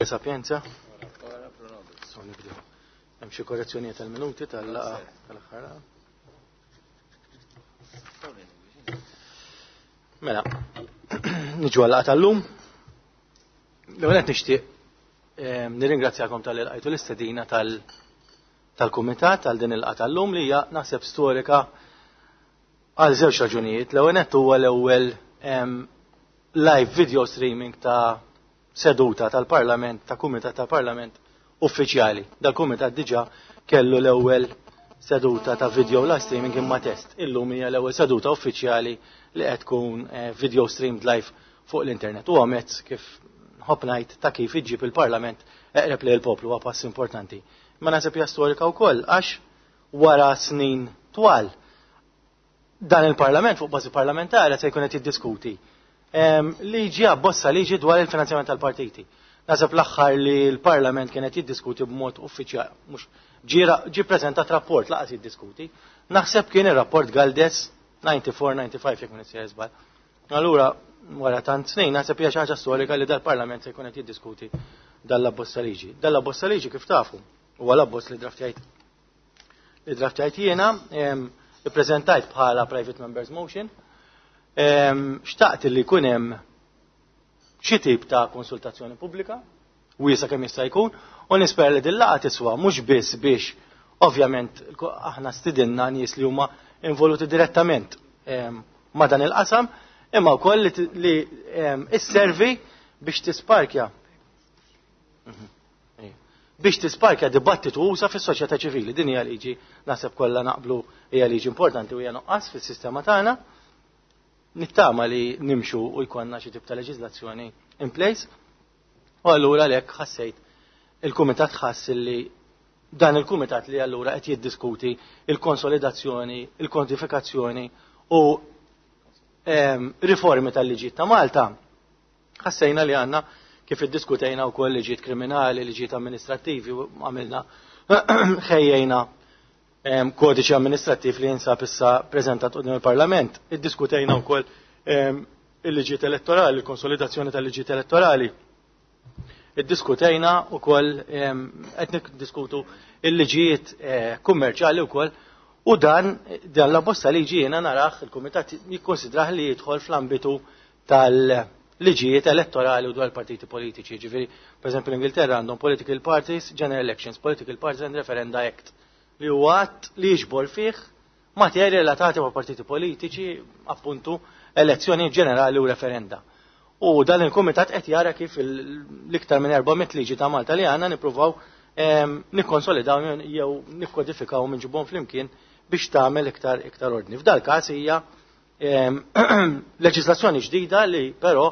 Sapienza. So nibdew. Hemm xi korrezzjonijiet tal-minuti tal-laqgħa tal-aħħar. Mela, niġu għal-laqgħa tal-lum. L-ewwel qed nixtieq ehm, nirringrazzjakom tal lqajtu l-istedina tal-kumitat għal din il-laqgħa tal-lum li hija naħseb storika għal żewġ raġunijiet. L-ewwel nett huwa l-ewwel ehm, live video streaming ta' seduta tal-Parlament, ta' kumitat tal-Parlament uffiċjali. Dal-kumitat diġà kellu l-ewwel seduta ta' video live streaming imma test. Illum hija l-ewwel seduta uffiċjali li qed tkun eh, video streamed live fuq l-internet. Huwa mezz kif nħobb ngħid ta' kif iġġib il-Parlament eqreb lejn il-poplu huwa pass importanti. Ma naħseb hija storika wkoll għax wara snin twal dan il-Parlament fuq bażi parlamentari se jkun qed jiddiskuti ehm, liġi abbozza liġi dwar il-finanzjament tal-partiti. Naħseb l-aħħar li l-Parlament kien qed jiddiskuti b'mod uffiċjali, mhux ġie preżentat rapport laqas jiddiskuti. Naħseb kien ir-rapport Galdes 94-95 jekk ma żball. Allura wara tant snin naħseb hija xi ħaġa storika li dal-Parlament se jkun qed jiddiskuti dal-abbozza liġi. Dal-abbozza liġi kif tafu huwa l-abbozz li draftjajt li draftjajt jiena ippreżentajt bħala private members motion. Xtaqt li jkun hemm xi tip ta' konsultazzjoni pubblika wiesa kemm jista' jkun u nispera li din laqgħa tiswa mhux biss biex ovvjament aħna stidinna nies li huma involuti direttament ma' dan il-qasam imma wkoll li isservi biex tisparkja biex tisparkja dibattitu usa fis-soċjetà ċivili. Din hija liġi naħseb kollha naqblu hija liġi importanti u hija nuqqas fis-sistema tagħna. Nittama li nimxu u jkollna xi tip ta' leġiżlazzjoni in place. U allura għalhekk ħassejt il-kumitat ħass li dan il-kumitat li allura qed jiddiskuti il-konsolidazzjoni, il-kodifikazzjoni u ehm, riformi tal-liġijiet ta' Malta Ħassejna li għandna kif iddiskutejna wkoll liġijiet kriminali, liġijiet amministrattivi, għamilna ħejjejna ehm, kodiċi amministrattiv li jinsab issa preżentat quddiem il-Parlament. Iddiskutejna wkoll ehm, il-liġijiet elettorali, il-konsolidazzjoni tal-liġijiet elettorali. Iddiskutejna wkoll ehm, qed niddiskutu il-liġijiet eh, kummerċjali wkoll u dan dan l-abbozza liġi jiena narah il-Kumitat jikkonsidrah li jidħol fl-ambitu tal-liġijiet elettorali u dwar partiti politiċi. Ġifieri, per eżempju, l-Ingilterra għandhom Political Parties, General Elections, Political Parties and Referenda Act, li huwa att li jiġbor fih materji relatati ma' partiti politiċi, appuntu, elezzjoni ġenerali u referenda. U dan il-kumitat qed jara kif l-iktar minn 400 liġi ta' Malta li għandna nippruvaw ehm, nikkonsolidaw jew nikkodifikaw minn ġibhom flimkien biex tagħmel iktar iktar ordni. F'dal każ hija leġislazzjoni ġdida li però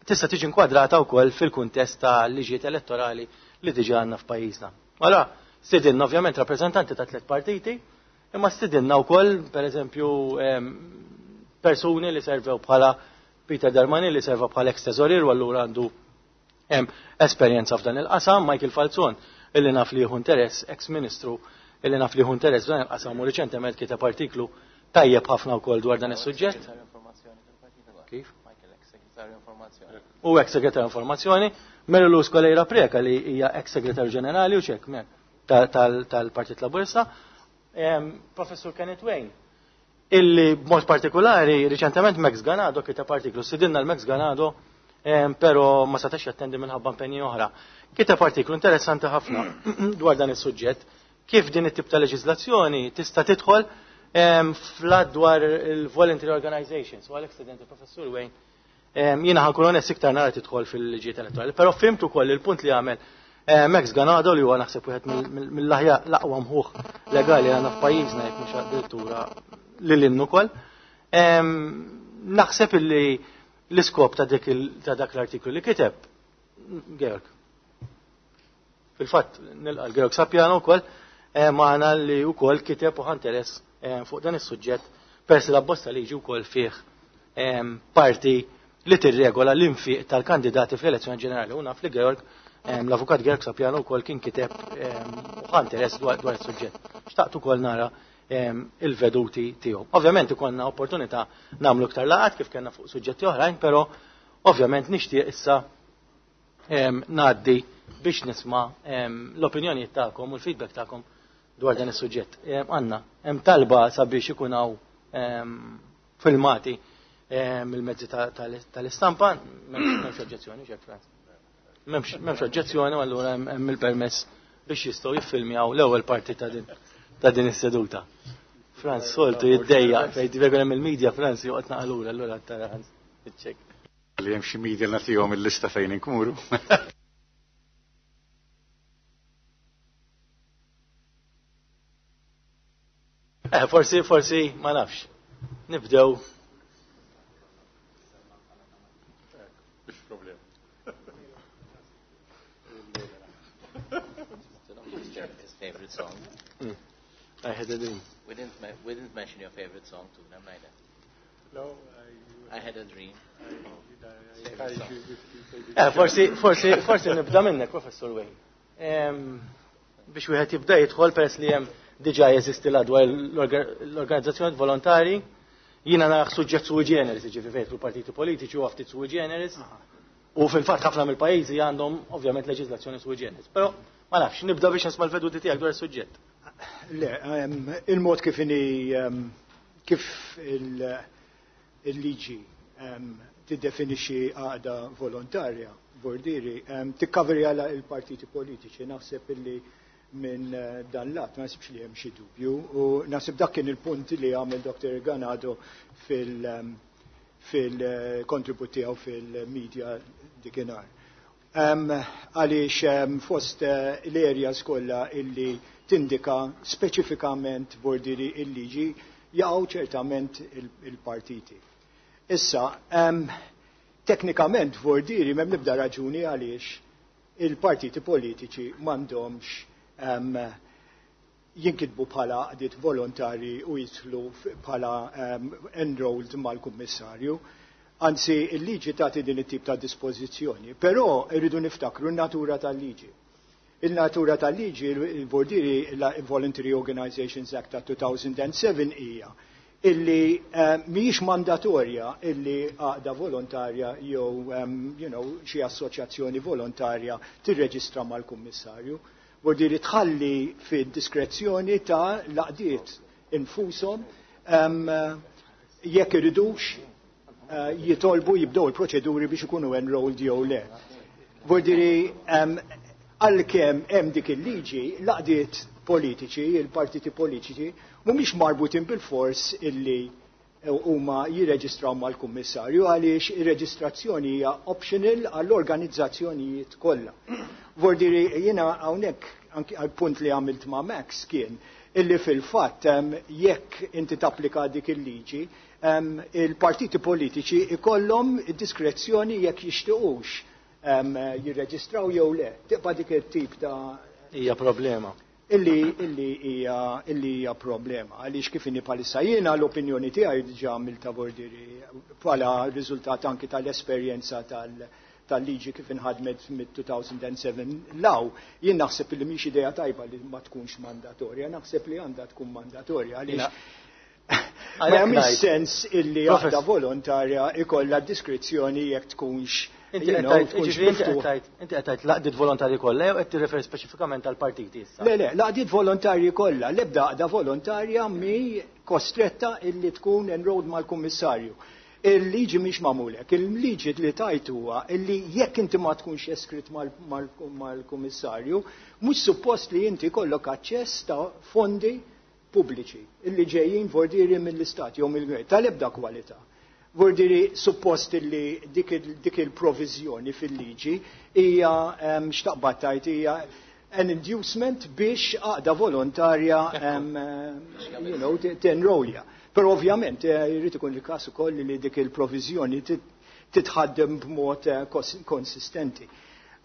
tista' tiġi inkwadrata wkoll fil-kuntest ta' liġijiet elettorali li diġà għandna f'pajjiżna. Allora, stidinna ovvjament rappreżentanti ta' tliet partiti, imma stidinna wkoll pereżempju persuni li servew bħala Peter Darmani li serva bħala ex teżorier u allura għandu esperjenza f'dan il-qasam, Michael Falzon illi naf li jieħu interess, ex-ministru illi naf li jieħu interess f'dan il-qasam u riċentement kiteb artiklu tajjeb ħafna wkoll dwar dan is-suġġett. Kif? U ex segretarju informazzjoni, Mary Lou Skolejra Preka li hija ex segretarju ġenerali u ċek tal-Partit Laburista, Professur Kenneth Wayne, illi b'mod partikolari riċentement Max Ganado kiteb artiklu, sidinna l-Max Ganado però ma setax jattendi minħabba impenji oħra. Kiteb artiklu interessanti ħafna dwar dan is-suġġett kif din it-tip ta' leġiżlazzjoni tista' tidħol fl dwar il-voluntary organizations. U għalhekk student il-Professur Wayne Jiena ħankun onest iktar nara tidħol fil-liġijiet elettorali, però fimtu ukoll il-punt li għamel eh, Max Ganado li huwa naħseb wieħed mill-aħjar l-aqwa mħuħ legali għandna f'pajjiżna jekk mhux addirittura lil innu ukoll. Naħseb illi l-iskop ta' dak l-artiklu li kiteb Georg. Fil-fatt nilqa' l-Georg Sapjano wkoll eh, magħna li wkoll kiteb u ħanteres eh, fuq dan is-suġġett peress li l-abbozza liġi wkoll fih eh, parti li tirregola l-infiq tal-kandidati fl-elezzjoni ġenerali. U naf li Georg, l-avukat Georg Sapiano wkoll kien kiteb u ħa interess dwar is-suġġett. Xtaqt ukoll nara il-veduti tiegħu. Ovvjament ikollna opportunità nagħmlu iktar laqat kif kellna fuq suġġetti oħrajn, però ovvjament nixtieq issa ngħaddi biex nisma' l-opinjonijiet tagħkom u l-feedback tagħkom dwar dan is-suġġett. Għandna hemm talba sabiex ikun hawn filmati mill-mezzi tal-istampa, m'hemmx oġġezzjoni, xek Franz. M'hemmx oġġezzjoni, allura hemm il-permess biex jistgħu jiffilmjaw l-ewwel parti ta' din is-seduta. Franz soltu jiddejja fejn jkun hemm il-media Franz joqgħod naqalura allura tara iċċek. Li hemm xi media nagħtihom il-lista fejn inkunu. Forsi, ma nafx. Nibdew. His favorite song. I had a dream. We didn't mention your favorite song to them neither. No, I had a dream. Forsi nibda minnek, Professor Wayne. Biex wieħed jibda jidħol peress li hemm diġà jeżisti l-adwar l-organizzazzjoni volontari, jiena naraħ suġġett sui generis, jiġifieri fejn partiti politiċi u ftit sui generis. U fil-fatt ħafna mill-pajjiżi għandhom ovvjament leġiżlazzjoni sui generis. Però ma nafx, nibda biex nisma' l-veduti tiegħek dwar is-suġġett. Le, il-mod kif inhi kif il-liġi tiddefinixxi għaqda volontarja, bordiri, tikkaveri għala il-partiti politiċi, naħseb illi minn dan lat ma nasibx li hemm xi dubju u naħseb dak kien il-punt li għamel Dr. Ganado fil-kontribut tiegħu fil-media dikinhar. Għaliex fost l-areas kollha illi tindika speċifikament bordiri il-liġi jaqgħu ċertament il-partiti. Issa, teknikament bordiri m'hemm nibda raġuni għaliex il-partiti politiċi m'għandhomx jinkitbu bħala għaqdiet volontari u jidħlu bħala enrolled mal-kummissarju. Anzi, il-liġi tagħti din it-tip ta' dispożizzjoni, però rridu niftakru n-natura tal-liġi. Il-natura tal-liġi, il-bordiri, il-Voluntary Organizations Act ta' 2007 hija illi mhijiex mandatorja illi għaqda volontarja jew xi assoċjazzjoni volontarja tirreġistra mal-kummissarju. Bordiri tħalli fid-diskrezzjoni ta' l-għaqdiet infushom jekk iridux jitolbu jibdew il-proċeduri biex ikunu enrolled jew le. Bordiri għalkemm hemm dik il-liġi, l-għaqdiet politiċi, il-partiti politiċi, mhumiex marbutin bil-fors illi huma jirreġistraw mal-kummissarju għaliex ir-reġistrazzjoni hija optional għall-organizzazzjonijiet kollha. Bordiri jiena hawnhekk anki għall-punt li għamilt ma' Max kien illi fil-fatt jekk inti tapplika dik il-liġi, il-partiti politiċi ikollhom id-diskrezzjoni jekk jixtiequx jirreġistraw jew le. Tibqa' dik it-tip ta' hija problema. Illi hija problema. Għaliex kif inni bħalissa jiena l-opinjoni tiegħi diġà għamilta bordiri bħala riżultat anki tal-esperjenza tal-liġi kif inħadmet mid-2007 law, jien naħseb li mhix idea tajba li ma tkunx mandatorja, naħseb li għandha tkun mandatorja għaliex ma jagħmilx sens illi għaqda volontarja ikollha diskrezzjoni jekk tkunx Inti qed tgħid l-għaqdiet volontarji kollha jew qed tirreferi speċifikament għall-partiti issa? Le, le, l-għaqdiet volontarji kollha, l-ebda għaqda volontarja mi kostretta illi tkun enrolled mal-kummissarju. Il-liġi mhix magħmulek, il-liġi li tajt huwa illi jekk inti ma tkunx eskrit mal-kummissarju, mhux suppost li inti kollok aċċess ta' fondi pubbliċi illi ġejjin vordiri mill-istat jew mill-gvern tal-ebda kwalità. Vordiri suppost li dik il-provizjoni fil-liġi hija xtaqbad tajt hija an inducement biex għaqda volontarja tenrolja. Però ovvjament jrid ikun il-każ ukoll li dik il-provizjoni titħaddem b'mod konsistenti.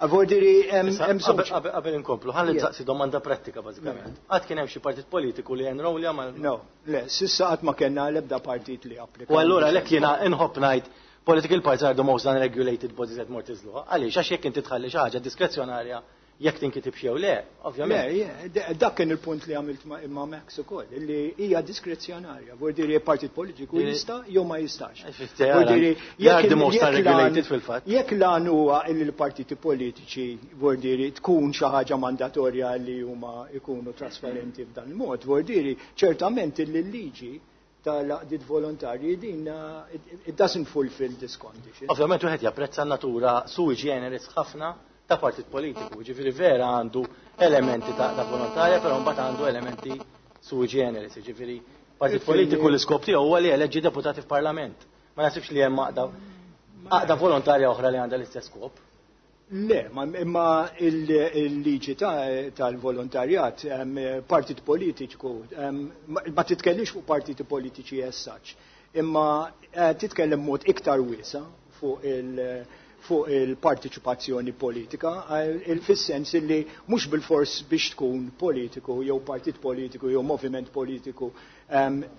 Vordiri hemm żewġ Qabel inkomplu, ħalli nsaqsi domanda prattika bażikament. Qatt kien hemm xi partit politiku li enrolja mal No, le, sissa qatt ma kellna l-ebda partit li applika. U allura lek jiena inħobb ngħid political parties are the most unregulated bodies at Mortis Law. Għaliex għax jekk inti tħalli xi ħaġa diskrezzjonarja Jekk tinkitibx jew le, ovvjament. Le, dak kien il-punt li għamilt ma' Max ukoll, li hija diskrezzjonarja, vuol dire partit politiku jista' jew ma jistax. Vuol dire jekk the most unregulated fil-fatt. Jekk lan huwa li l-partiti politiċi vuol dire tkun xi ħaġa mandatorja li huma jkunu trasparenti f'dan il-mod, vuol dire ċertament li l-liġi tal-għaqdiet volontarji din it doesn't fulfill this condition. Ovvjament wieħed japprezza n-natura sui generis ħafna ta' partit politiku, ġifieri vera għandu elementi ta' volontarja, però mbagħad għandu elementi sui generis, ġifieri partit politiku l-iskop tiegħu huwa li eleġġi deputati f'parlament. Ma nasibx li hemm għaqda volontarja oħra li għandha l-istess skop. Le, imma il-liġi tal-volontarjat, partit politiku, ma titkellix fuq partiti politiċi as such, imma titkellem mod iktar wiesa fuq il-partiċipazzjoni politika, fis-sens li mhux bil-fors biex tkun politiku jew partit politiku jew moviment politiku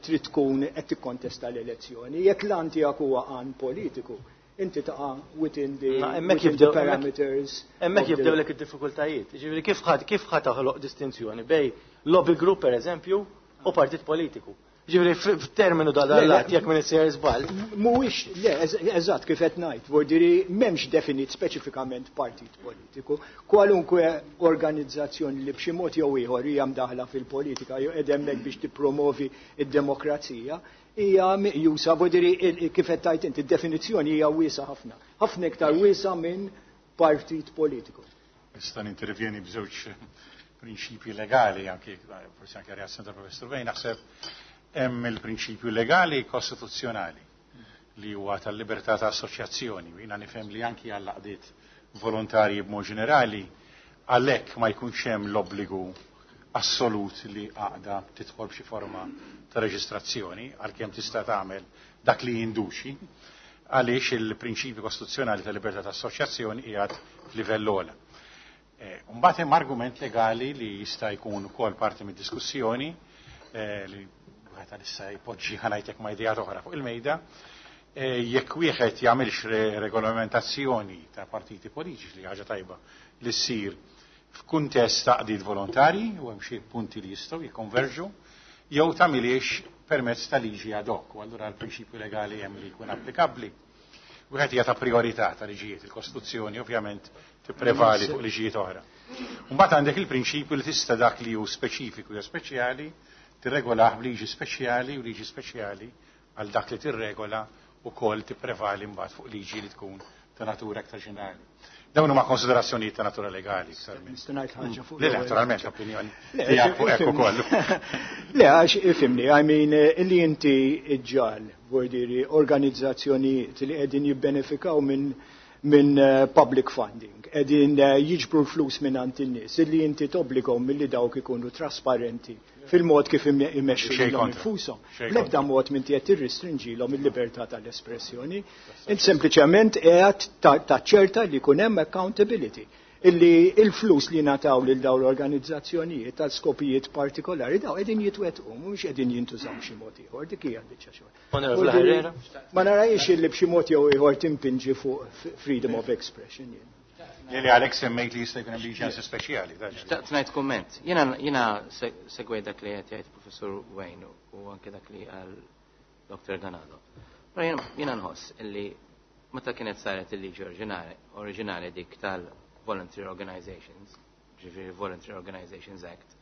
trid tkun qed tikkontesta l-elezzjoni. Jekk l-għan tiegħek huwa għan politiku, inti taqa' within the, Ma hemmhekk within the jibdew parameters. Hemmhekk of the jibdew lek id-diffikultajiet. Ġifieri kif ħa taħloq distinzjoni bejn lobby group pereżempju u partit politiku. Ġifieri f'terminu da Le, le. dal-lat jekk min isir żball. Mhuwiex, le, eżatt kif qed ngħid, vuol dire m'hemmx definit speċifikament partit politiku. Kwalunkwe organizzazzjoni li b'xi mod jew ieħor hija mdaħla fil-politika jew qed hemmhekk biex tippromovi id-demokrazija, hija meqjusa, vuol dire kif qed tgħid inti, id-definizzjoni hija wiesa ħafna. Ħafna iktar wiesa minn partit politiku. Nista' nintervjeni b'żewġ prinċipji legali, anke forsi anke reazzjoni tal-Professur Vej, naħseb hemm il-prinċipju legali kostituzzjonali li huwa tal-libertà ta' assoċjazzjoni. Jiena nifhem li anki għall għaqdiet volontarji b'mod ġenerali għalhekk ma jkunx hemm l-obbligu assolut li għaqda tidħol b'xi forma ta' reġistrazzjoni, għalkemm tista' tagħmel dak li jinduċi, għaliex il-prinċipju kostituzzjonali tal-libertà ta' assoċjazzjoni qiegħed f'livell ogħla. Mbagħad hemm argument legali li jista' jkun ukoll parti mid-diskussjoni, li wieħed għalissa jpoġġi ħanajtek ma' idea oħra fuq il-mejda, jekk wieħed jagħmilx regolamentazzjoni ta' partiti politiċi li ħaġa tajba li ssir f'kuntest ta' għaqdiet volontarji u hemm xi punti li jistgħu jikkonverġu, jew tagħmiliex permezz ta' liġi ad hoc, u allura l-prinċipju legali hemm li jkun applikabbli. Wieħed hija ta' priorità ta' liġijiet, il-Kostituzzjoni ovvjament tipprevali fuq liġijiet oħra. Mbagħad għandek il-prinċipju li tista' dak li hu speċifiku jew speċjali tirregolah b'liġi speċjali u liġi speċjali għal dak li tirregola ukoll tipprevali mbagħad fuq liġi li tkun ta' natura aktar ġenerali. Dawn huma konsiderazzjonijiet ta' natura legali iktar minn. Nista' ngħid ħaġa fuq Le, le, l-ewwel. naturalment l-opinjoni Le, tiegħek fuq hekk ukoll. Le, għax ifhimni, I mean, li inti iġġal, vuol dire, organizzazzjonijiet li qegħdin jibbenefikaw minn public funding, qegħdin jiġbru l-flus minn għand in-nies, illi inti tobbligahom milli dawk ikunu trasparenti fil-mod kif imexxu Xejn lilhom kontra. infushom. Xejn L-ebda kontra. mod minn qed tirrestrinġilhom il-libertà tal-espressjoni. Int sempliċement qiegħed taċċerta li jkun hemm accountability illi il-flus li nataw lil dawn l-organizzazzjonijiet tal skopijiet partikolari daw qegħdin jitwettqu mhux qegħdin jintużaw xi mod ieħor, dik hija l-biċċa xogħol. Onorevole Vuol dire, Herrera. Ma narajx illi b'xi mod jew ieħor timpinġi fuq freedom of expression jien. Li li għalhekk semmejt li jista' jkun hemm liġi anzi speċjali. Xtaqt ngħid kumment. Jiena segwej dak li qed jgħid Professur Wayne u anke dak li qal Dr. Ganado. Però jiena nħoss illi meta kienet saret il-liġi oriġinali dik tal-Voluntary Organizations, ġifieri Voluntary Organizations Act,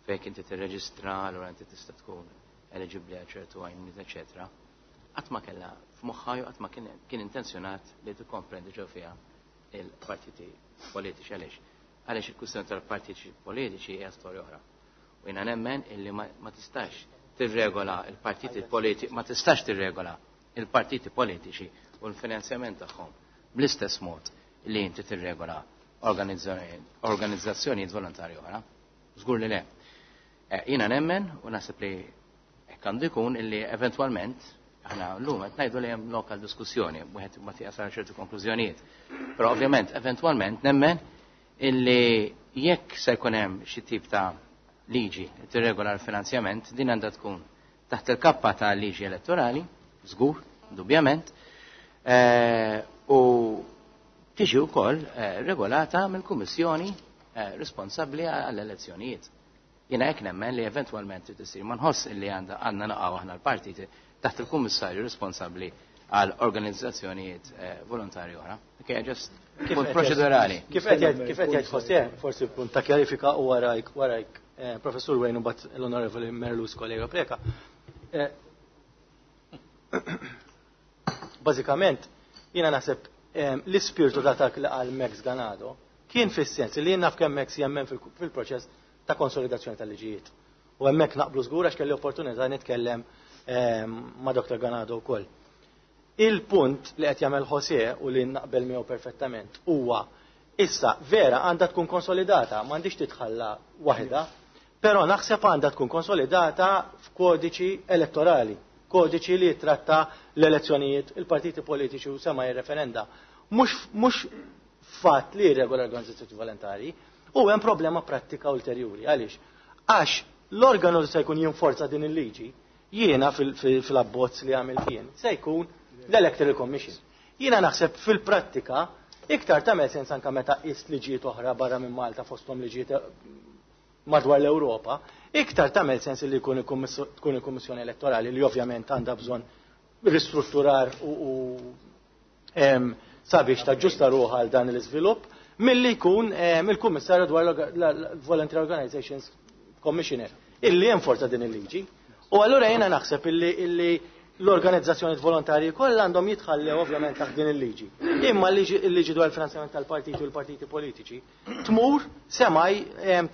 fejn inti tirreġistra, allura inti tista' tkun eligibbli għal ċertu għajnuniet, eċetera. Qatt ma kellha f'moħħha jew qatt ma kien intenzjonat li tikkomprendi ġew fiha il-partiti politiċi. Għaliex? Għaliex il-kwistjoni tal-partiti politiċi hija storja oħra. U jiena nemmen illi ma tistax tirregola il-partiti politiċi, ma tistax tirregola il-partiti politiċi u l-finanzjament tagħhom bl-istess mod li inti tirregola organizzazzjonijiet volontarji oħra. Żgur li le. Jiena nemmen u naħseb li hekk għandu jkun illi eventwalment aħna llum qed ngħidu li hemm lokal diskussjoni, wieħed ma jasal ċertu konklużjonijiet. Però ovvjament eventwalment nemmen illi jekk se jkun hemm xi tip ta' liġi li tirregola l-finanzjament, din għandha tkun taħt il-kappa ta' liġi elettorali, żgur, dubjament, u tiġi wkoll regolata mill-Kummissjoni responsabbli għall-elezzjonijiet. Jiena hekk nemmen li eventwalment trid isir, ma nħoss illi għandha għandna naqgħu aħna l-partiti taħt il-kummissarju responsabbli għal organizzazzjonijiet volontarji oħra. Okay, just punt proċedurali. Kif qed jgħid José, forsi punt ta' kjarifika u warajk Professur Wayne u bat l-Onorevoli Merlus kollega Preca. Bażikament, jiena naħseb l-ispirtu ta' dak li qal Max Ganado kien fis-sens li jien naf kemm Max jemmen fil-proċess ta' konsolidazzjoni tal-liġijiet. U hemmhekk naqblu żgur għax kelli opportunità nitkellem ma' Dr. Ganado wkoll. Il-punt li qed jagħmel José u li naqbel miegħu perfettament huwa issa vera għandha tkun konsolidata, m'għandix titħalla waħda, però naħseb għandha tkun konsolidata f'kodiċi elettorali, kodiċi li jitratta l-elezzjonijiet, il-partiti politiċi u sema referenda. Mhux fatt li jirregola l-organizzazzjoni volontari, u hemm problema prattika ulterjuri. Għaliex? Għax l-organu li se jkun jinforza din il-liġi, jiena fil-abbozz li għamilt jien, se jkun l-Electoral Commission. Jiena naħseb fil-prattika iktar tagħmel sens anke meta qist liġijiet oħra barra minn Malta fosthom liġijiet madwar l-Ewropa, iktar tagħmel sens li tkun il-Kummissjoni Elettorali li ovvjament għandha bżonn ristrutturar u sabiex taġġusta ruħha għal dan l-iżvilupp, milli jkun il-Kummissarju dwar l-Voluntary Organizations Commissioner, illi jenforza din il-liġi. U allura jiena naħseb illi l-organizzazzjoni volontarji kollha għandhom jitħallew ovvjament taħt din il-liġi. Imma l-liġi dwar il-finanzjament tal-partiti u l-partiti politiċi tmur semaj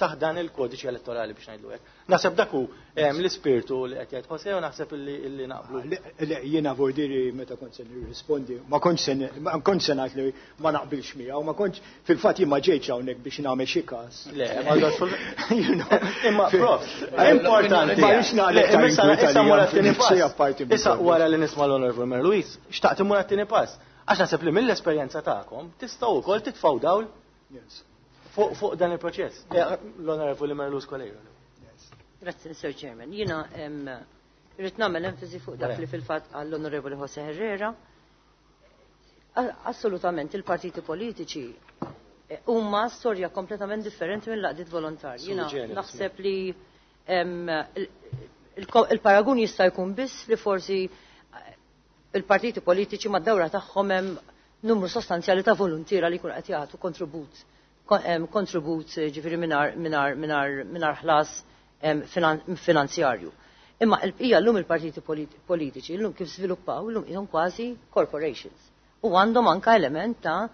taħt dan il-kodiċi elettorali biex ngħidlu hekk. Naħseb dak hu l-ispirtu li qed jgħid José u naħseb illi naqblu. Le, jiena vordiri meta kont se nirrispondi, ma kontx se ngħid li ma naqbilx miegħu, ma kontx fil-fatt jien ma ġejtx hawnhekk biex nagħmel xi każ. Le, ma imma prof, importanti. Ma rridx nagħlaq issa mura t-tieni pass. Issa wara li nisma' l-Onorevoli Mary Louise, xtaqt immur għat-tieni pass. Għax naħseb li mill-esperjenza tagħkom tistgħu wkoll titfgħu dawl fuq dan il-proċess. L-Onorevoli Mary Louise Coleiro. Grazie, Sir Chairman. Jiena rrid nagħmel enfasi fuq dak li fil-fatt għall-Onorevoli Jose Herrera. Assolutament il-partiti politiċi huma storja kompletament differenti minn laqdiet volontarji. Jiena naħseb li il-paragun jista' jkun biss li forsi il-partiti politiċi mad-dawra tagħhom hemm numru sostanzjali ta' voluntiera li jkun qed jagħtu kontribut ġifieri mingħajr ħlas finanzjarju. Imma l-bqija llum il-partiti politiċi llum kif żviluppaw llum ilhom kważi corporations u għandhom anka element ta'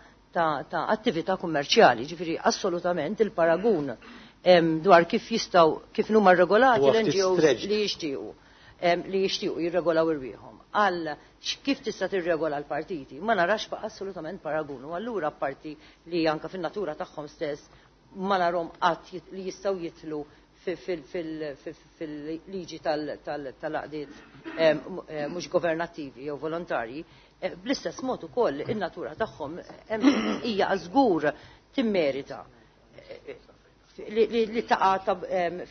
attività kummerċjali, ġifieri assolutament il-paragun dwar kif jistgħu kif huma regolati l-NGOs li jixtiequ jirregolaw irwieħhom. Għal kif tista' tirregola l-partiti, ma narax assolutament paragun. U allura parti li anka fin-natura tagħhom stess ma narhom qatt li jistgħu jitlu fil-liġi tal-għaqdiet mhux governattivi jew volontarji, bl-istess mod ukoll in-natura tagħhom hija żgur timmerita li taqa'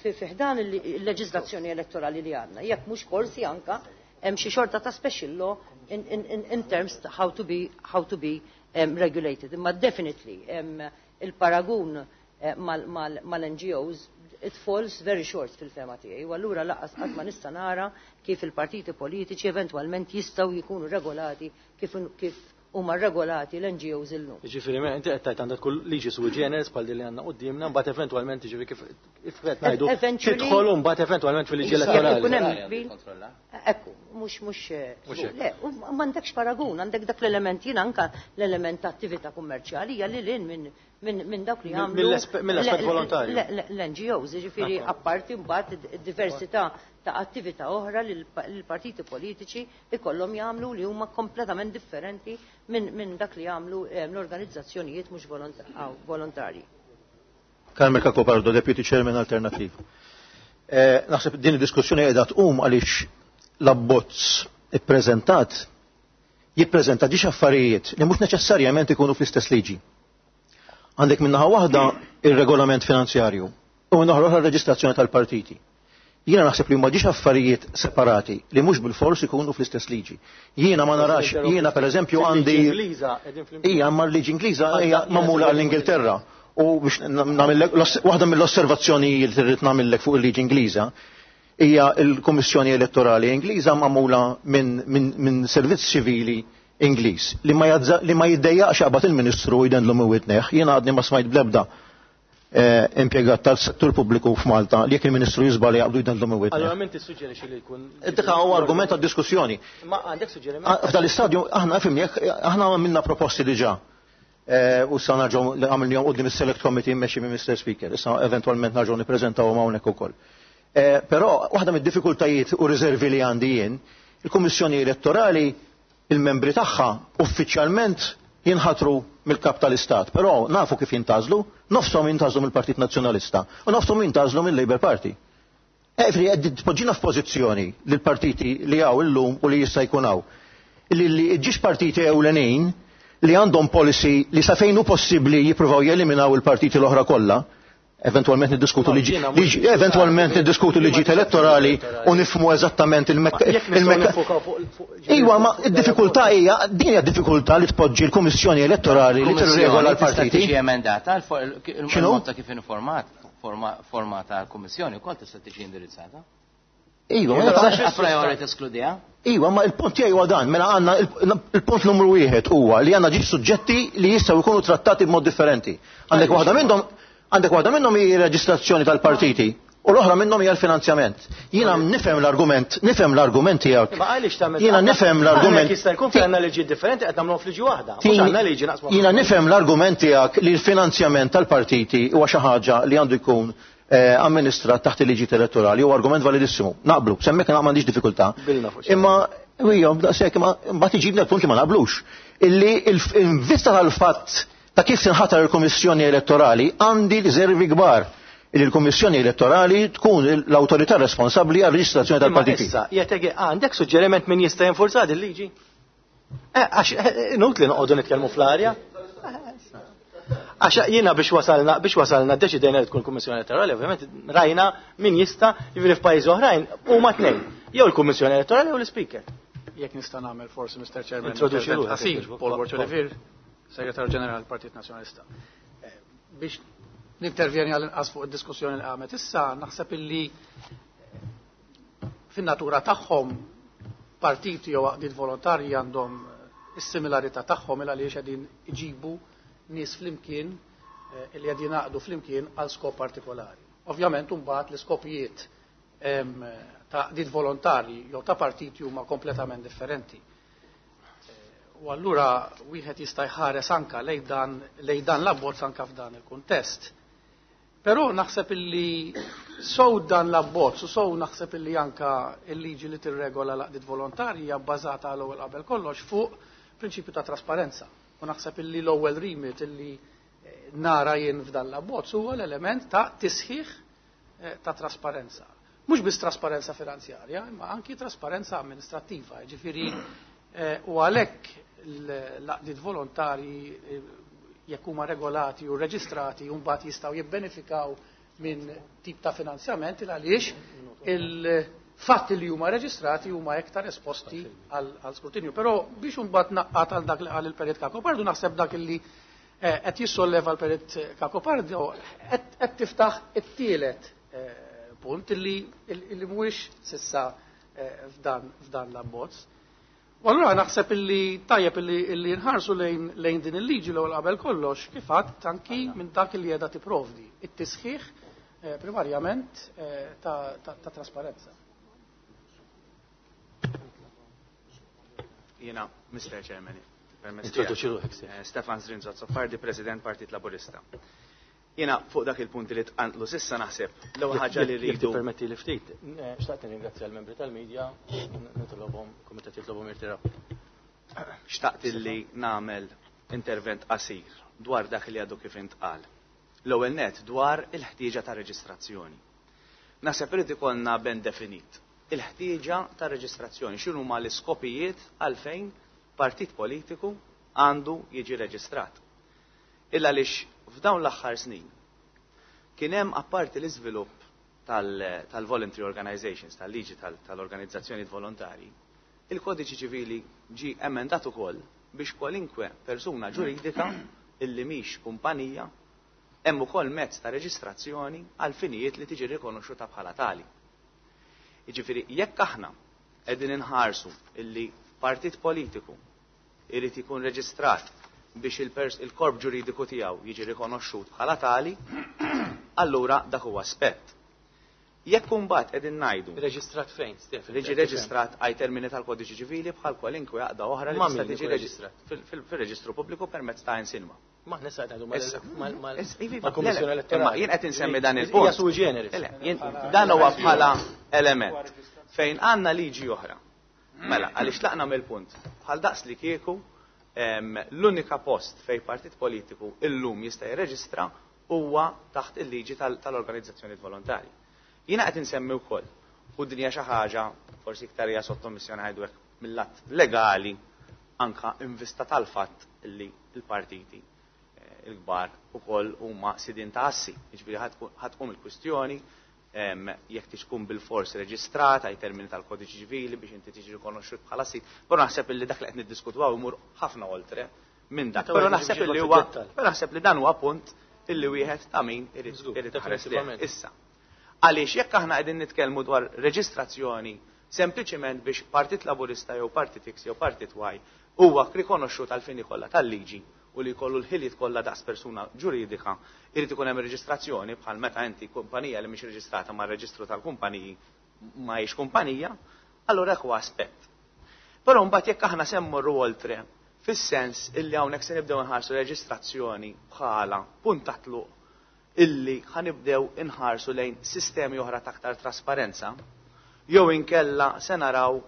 fi ħdan il-leġiżlazzjoni elettorali li għandna. Jekk mhux forsi anka hemm xi xorta ta' special law in terms how to be regulated. Imma definitely il-paragun mal-NGOs it falls very short fil-fema tiegħi. U allura laqas qatt ma nista' nara kif il-partiti politiċi eventwalment jistgħu jkunu regolati kif huma regolati l-NGOs illum. Jiġifieri inti qed tgħid għandha tkun liġi sui generis bħal din li għandna quddiemna, mbagħad eventwalment jiġifieri kif qed ngħidu tidħol u mbagħad eventwalment fil-liġi elettorali. Ekku, mhux le, m'għandekx paragun, għandek dak l-element jien anka l-element ta' attività kummerċjali hija lil hinn minn dawk li jagħmlu mill-aspett volontarju. L-NGOs, jiġifieri apparti mbagħad diversità ta' attività oħra li l-partiti politiċi ikollhom jagħmlu li huma kompletament differenti minn dak li jagħmlu l-organizzazzjonijiet mhux volontarji. Carmel Cacopardo, Deputy Chairman Alternative. Naħseb din id-diskussjoni qiegħda tqum għaliex l-abbozz ippreżentat jippreżenta ġiex affarijiet li mhux neċessarjament ikunu fl-istess liġi. Għandek minnaħa waħda ir-regolament finanzjarju u minnaħa l-oħra r-reġistrazzjoni tal-partiti. Jiena naħseb li huma ġiex affarijiet separati li mhux bil-fors ikunu fl-istess liġi. Jiena ma narax, jiena pereżempju għandi hija ma l-liġi Ingliża hija magħmula għall-Ingilterra. U biex nagħmellek waħda mill-osservazzjonijiet li rrid nagħmellek fuq il-liġi Ingliża hija l-Kummissjoni Elettorali Ingliża magħmula minn servizz ċivili Ingliż li ma li ma jiddejjaqx jaqbad il-Ministru u jdendlu minn widnejh. Jiena għadni ma smajt bl-ebda impjegat tal-settur pubbliku f'Malta li jekk il-Ministru jiżbalja jaqbdu jdendlu minn widnejh. Allura min tissuġġerixxi li jkun? Dik huwa argument għad-diskussjoni. Ma għandek suġġeriment? F'dan l-istadju aħna fimni aħna għamilna proposti diġà. U issa nerġgħu għamilnihom quddiem is-Select Committee mmexxi minn Mr. Speaker. Issa eventwalment nerġgħu nippreżentawhom hawnhekk ukoll. Però waħda mid-diffikultajiet u riservi li għandi jien, il-Kummissjoni Elettorali il-membri tagħha uffiċjalment jinħatru mill-kap tal-Istat, però nafu kif jintgħażlu, nofshom jintgħażlu mill-Partit Nazzjonalista u nofshom jintgħażlu mill-Labour Party. Efri, qed tpoġġina f'pożizzjoni li l-partiti li hawn illum u li jista' jkun hawn. Li ġiex partiti ewlenin li għandhom policy li sa fejn hu possibbli jippruvaw jeliminaw il-partiti l-oħra kollha, eventwalment niddiskutu liġi, eventwalment niddiskutu liġijiet elettorali u nifhmu eżattament il-mekka. Iwa, ma id-diffikultà hija, din hija diffikultà li tpoġġi l-Kummissjoni Elettorali li tirregola l-partiti. Tiġi emendata il-mod ta' kif formata l-Kummissjoni wkoll tista' tiġi indirizzata. Iva, ma tistax a priori teskludiha. Iva, ma il-punt tiegħi huwa dan, mela għandna il-punt numru wieħed huwa li għandna ġiex suġġetti li jistgħu jkunu trattati b'mod differenti. Għandek waħda minnhom għandek waħda minnhom hi reġistrazzjoni tal-partiti u l-oħra minnhom hija l-finanzjament. Jiena nifhem l-argument, nifhem l-argument tiegħek. Ma għaliex tagħmel Jiena nifhem l-argument. Jista' jkun fejn għandna liġi differenti qed nagħmluhom f'liġi waħda. Mhux għandna liġi naqsmu. Jiena nifhem l-argument tiegħek li l-finanzjament tal-partiti huwa xi ħaġa li għandu jkun amministrat taħt il-liġi elettorali huwa argument validissimu. Naqblu, semmek m'għandix diffikultà. Imma ijja, daqshekk imma mbagħad iġibna l-punt li ma naqblux. Illi in vista tal-fatt ta' kif tinħatar il-Kummissjoni Elettorali għandi riservi kbar li l-Kummissjoni Elettorali tkun l-awtorità responsabbli għar-reġistrazzjoni tal-partiti. Issa, jgħid għandek suġġeriment min jista' jinfurza din il-liġi? Għax inutli noqogħdu nitkellmu fl-arja. Għax jiena biex wasalna biex wasalna deċidejna li tkun Kummissjoni Elettorali, ovvjament rajna min jista' jiġifieri f'pajjiżi oħrajn huma tnejn. Jew il-Kummissjoni Elettorali jew l-Ispeaker. Jekk nista' nagħmel forsi Mr. Chairman. Introduċi ruħek, Qasir, Paul Borg Olivier, Segretarju Ġenerali tal-Partit Nazzjonalista. Biex nintervjeni għal-inqas fuq id-diskussjoni li qamet issa, naħseb illi fin-natura tagħhom partiti jew għaqdiet volontarji għandhom is-similarità tagħhom il għaliex qegħdin iġibu nies flimkien li qegħdin jingħaqdu flimkien għal skop partikolari. Ovvjament imbagħad l-iskopijiet ta' għaqdiet volontarji jew ta' partiti huma kompletament differenti. U allura wieħed jista' jħares anka lejn dan l-abbozz anka f'dan il-kuntest. Però naħseb illi sow dan l-abbozz u sow naħseb illi anka il-liġi li tirregola l-għaqdiet volontarji hija bbażata għal ewwel qabel kollox fuq prinċipju ta' trasparenza. U naħseb illi l-ewwel remit illi nara jien f'dan l-abbozz huwa l-element ta' tisħiħ ta' trasparenza. Mhux biss trasparenza finanzjarja, imma anki trasparenza amministrattiva. Ġifieri u għalhekk l-għaqdiet volontarji jekk huma regolati u reġistrati u mbagħad jistgħu jibbenefikaw minn tip ta' finanzjament il għaliex il-fatt li huma reġistrati huma iktar esposti għal skrutinju. Però biex imbagħad naqqat għal dak li qal il-Perit Cacopardo, naħseb dak li qed jissolleva l-Perit Cacopardo qed tiftaħ it-tielet punt illi mhuwiex sissa f'dan l-abbozz. U allura naħseb illi tajjeb illi nħarsu lejn din il-liġi l-ewwel qabel kollox kif għadt anki minn dak li qiegħda tipprovdi, it-tisħiħ primarjament ta' trasparenza. Jiena, Mr. Chairman, permezz Introduċi tiegħek. ruħek, sir. Stefan Zrinzo Azzopardi, President Partit Laburista. Jiena fuq dak il-punti li tqanqlu sissa naħseb l-ewwel ħaġa li Jekk rridu. tippermetti li ftit, xtaqt nirringrazzja l-membri tal-medja, nitolobhom, kumitat jitlobhom jirtiraw. Xtaqt li nagħmel intervent qasir dwar dak li għadu kif intqal. L-ewwel net dwar il-ħtieġa ta' reġistrazzjoni. Naħseb irid ikollna ben definit il-ħtieġa ta' reġistrazzjoni, x'inhuma l-iskopijiet għalfejn partit politiku għandu jiġi reġistrat. Illa għaliex f'dawn l-aħħar snin kien hemm apparti l-iżvilupp tal-voluntary organizations, tal-liġi tal-organizzazzjoni volontari, il-kodiċi ċivili ġi emendat ukoll biex kwalinkwe persuna ġuridika illi mhix kumpanija Hemm ukoll mezz ta' reġistrazzjoni għal finijiet li tiġi rikonoxxuta bħala tali. Jiġifieri jekk aħna qegħdin inħarsu illi partit politiku irid ikun reġistrat biex il-korp ġuridiku tiegħu jiġi rikonoxxut bħala tali, allura dak huwa aspett. Jekk imbagħad qegħdin ngħidu. Reġistrat fejn, Stefan? Jiġi reġistrat ai termini tal-Kodiċi Ċivili bħal kwalinkwe għaqda oħra li tista' tiġi reġistrat fir-reġistru pubbliku permezz ta' insinwa. Ma aħna sa ngħidu mal-Kummissjoni Elettorali. Jien qed insemmi dan il-punt. Hija sui generis. Dan huwa bħala element fejn għandna liġi oħra. Mela, għaliex tlaqna mill-punt. Bħal daqs li kieku l-unika post fejn partit politiku illum jista' jirreġistra huwa taħt il-liġi tal-organizzazzjoni volontarji. Jiena qed insemmi wkoll u din hija xi ħaġa forsi iktar hija sottomissjoni ngħidu hekk mill-lat legali anka in vista tal-fatt li l-partiti il-kbar ukoll huma sidien ta' assi. Jiġifieri ħa tqum il-kwistjoni jekk tkun bil-fors reġistrata ai termini tal-kodiċi ċivili biex inti tiġi rikonoxxut bħala sid. Però naħseb illi dak li qed niddiskutu imur ħafna oltre minn dak. Però naħseb illi huwa però naħseb li dan huwa punt illi wieħed ta' min irid iħares lejh. Issa. Għaliex jekk aħna qegħdin nitkellmu dwar reġistrazzjoni sempliċiment biex Partit Laburista jew Partit X jew Partit Y huwa rikonoxxut għal fini kollha tal-liġi u li jkollu l-ħiliet kollha daqs persuna ġuridika, irid ikun hemm reġistrazzjoni bħal meta inti kumpanija li mhix reġistrata mar-reġistru tal-kumpaniji ma hijiex kumpanija, allura hekk huwa aspett. Però mbagħad jekk aħna se mmorru oltre fis-sens illi hawnhekk se nibdew inħarsu reġistrazzjoni bħala punt ta' tluq illi ħanibdew inħarsu lejn sistemi oħra ta' aktar trasparenza, jew inkella se naraw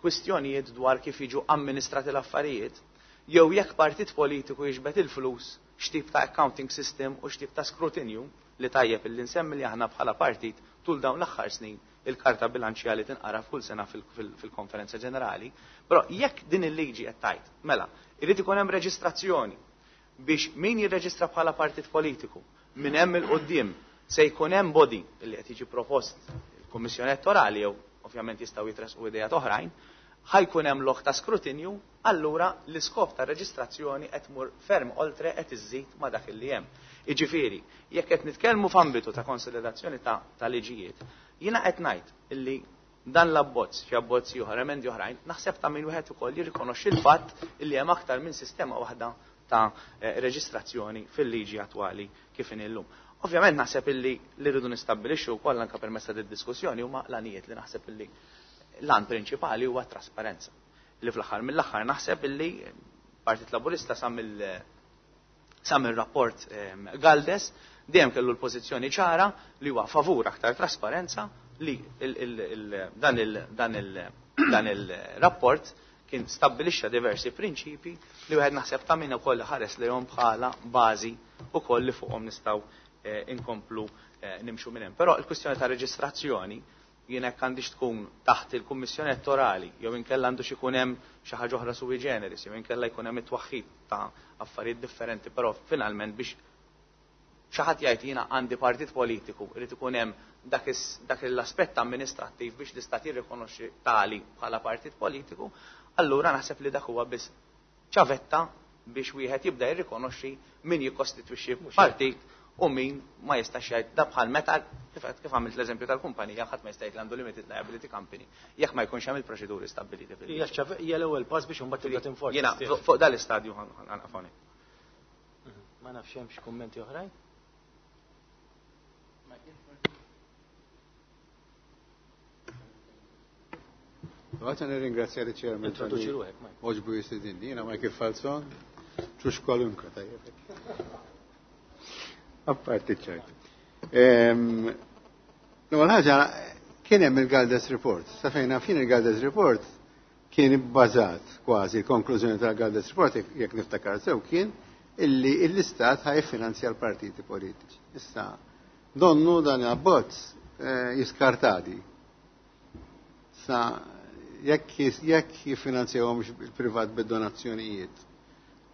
kwistjonijiet dwar kif jiġu amministrati l-affarijiet, jew jekk partit politiku jiġbed il-flus, x'tip ta' accounting system u x'tip ta' skrutinju li tajjeb illi nsemmi li aħna bħala partit tul dawn l-aħħar snin il-karta bilanċjali tinqara f'kull sena fil-konferenza ġenerali. Però jekk din il-liġi qed tgħid, mela, irid ikun hemm reġistrazzjoni biex min jirreġistra bħala partit politiku minn hemm il-qudiem se jkun hemm body li qed jiġi propost il-Kummissjoni Elettorali jew ovvjament jistgħu jitresqu idejat oħrajn, ħajkun hemm lok ta' skrutinju, allura l-iskop ta' reġistrazzjoni qed tmur ferm oltre qed iżżid ma' dak li hemm. Jiġifieri, jekk qed nitkellmu f'ambitu ta' konsolidazzjoni ta' liġijiet, jiena qed ngħid illi dan l-abbozz, xi abbozzi oħra, emendi oħrajn, naħseb ta' min wieħed ukoll jirrikonoxxi l-fatt illi hemm aktar minn sistema waħda ta' reġistrazzjoni fil-liġi attwali kif inhi llum. Ovvjament naħseb illi li rridu nistabbilixxu wkoll anke permezz ta' diskussjoni huma l-għanijiet li naħseb illi l-għan prinċipali huwa trasparenza. Li fl-aħħar mill-aħħar naħseb illi Partit Laburista sa mill-rapport Galdes dejjem kellu l-pożizzjoni ċara li huwa favur aktar trasparenza li dan il-rapport kien stabbilixxa diversi prinċipi li wieħed naħseb ta' min ukoll ħares lejhom bħala bażi ukoll li fuqhom nistgħu inkomplu nimxu minn hemm. Però l-kwistjoni ta' reġistrazzjoni jien hekk għandix tkun taħt il-Kummissjoni Elettorali jew inkella għandux ikun hemm xi ħaġa oħra sui generis jew inkella jkun hemm it-twaħħid ta' affarijiet differenti, però finalment biex xi ħadd jgħid jiena għandi partit politiku irid ikun hemm dak l-aspett amministrattiv biex l-istat jirrikonoxxi tali bħala partit politiku, allura naħseb li dak huwa biss ċavetta biex wieħed jibda jirrikonoxxi min jikkostitwixxi partit u min ma jistax jgħid da bħal meta kif għamilt l-eżempju tal-kumpanija ħadd ma jista' jgħid li għandu limited liability company jekk ma jkunx hemm il-proċeduri stabbiliti fil Hija l-ewwel pass biex imbagħad tibda tinforza. Jiena fuq dal-istadju ħanqafoni. Ma nafx hemm xi kummenti oħrajn? Għata nirringrazzja li chairman. Introduċi ruħek, Mike. Oġbu jistidinni, jiena Michael Falzon, ċux kwalunkwe tajjeb. Apparti ċajt. L-ewwel ħaġa kien hemm il-Galdes Report. Sa fejn fin il-Galdes Report kien ibbażat kważi l-konklużjoni tal-Galdes Report jekk niftakar sew kien illi l-istat ħaj finanzja l-partiti politiċi. Issa donnu dan abbozz jiskartadi. Sa jekk jiffinanzjawhom il-privat bid-donazzjonijiet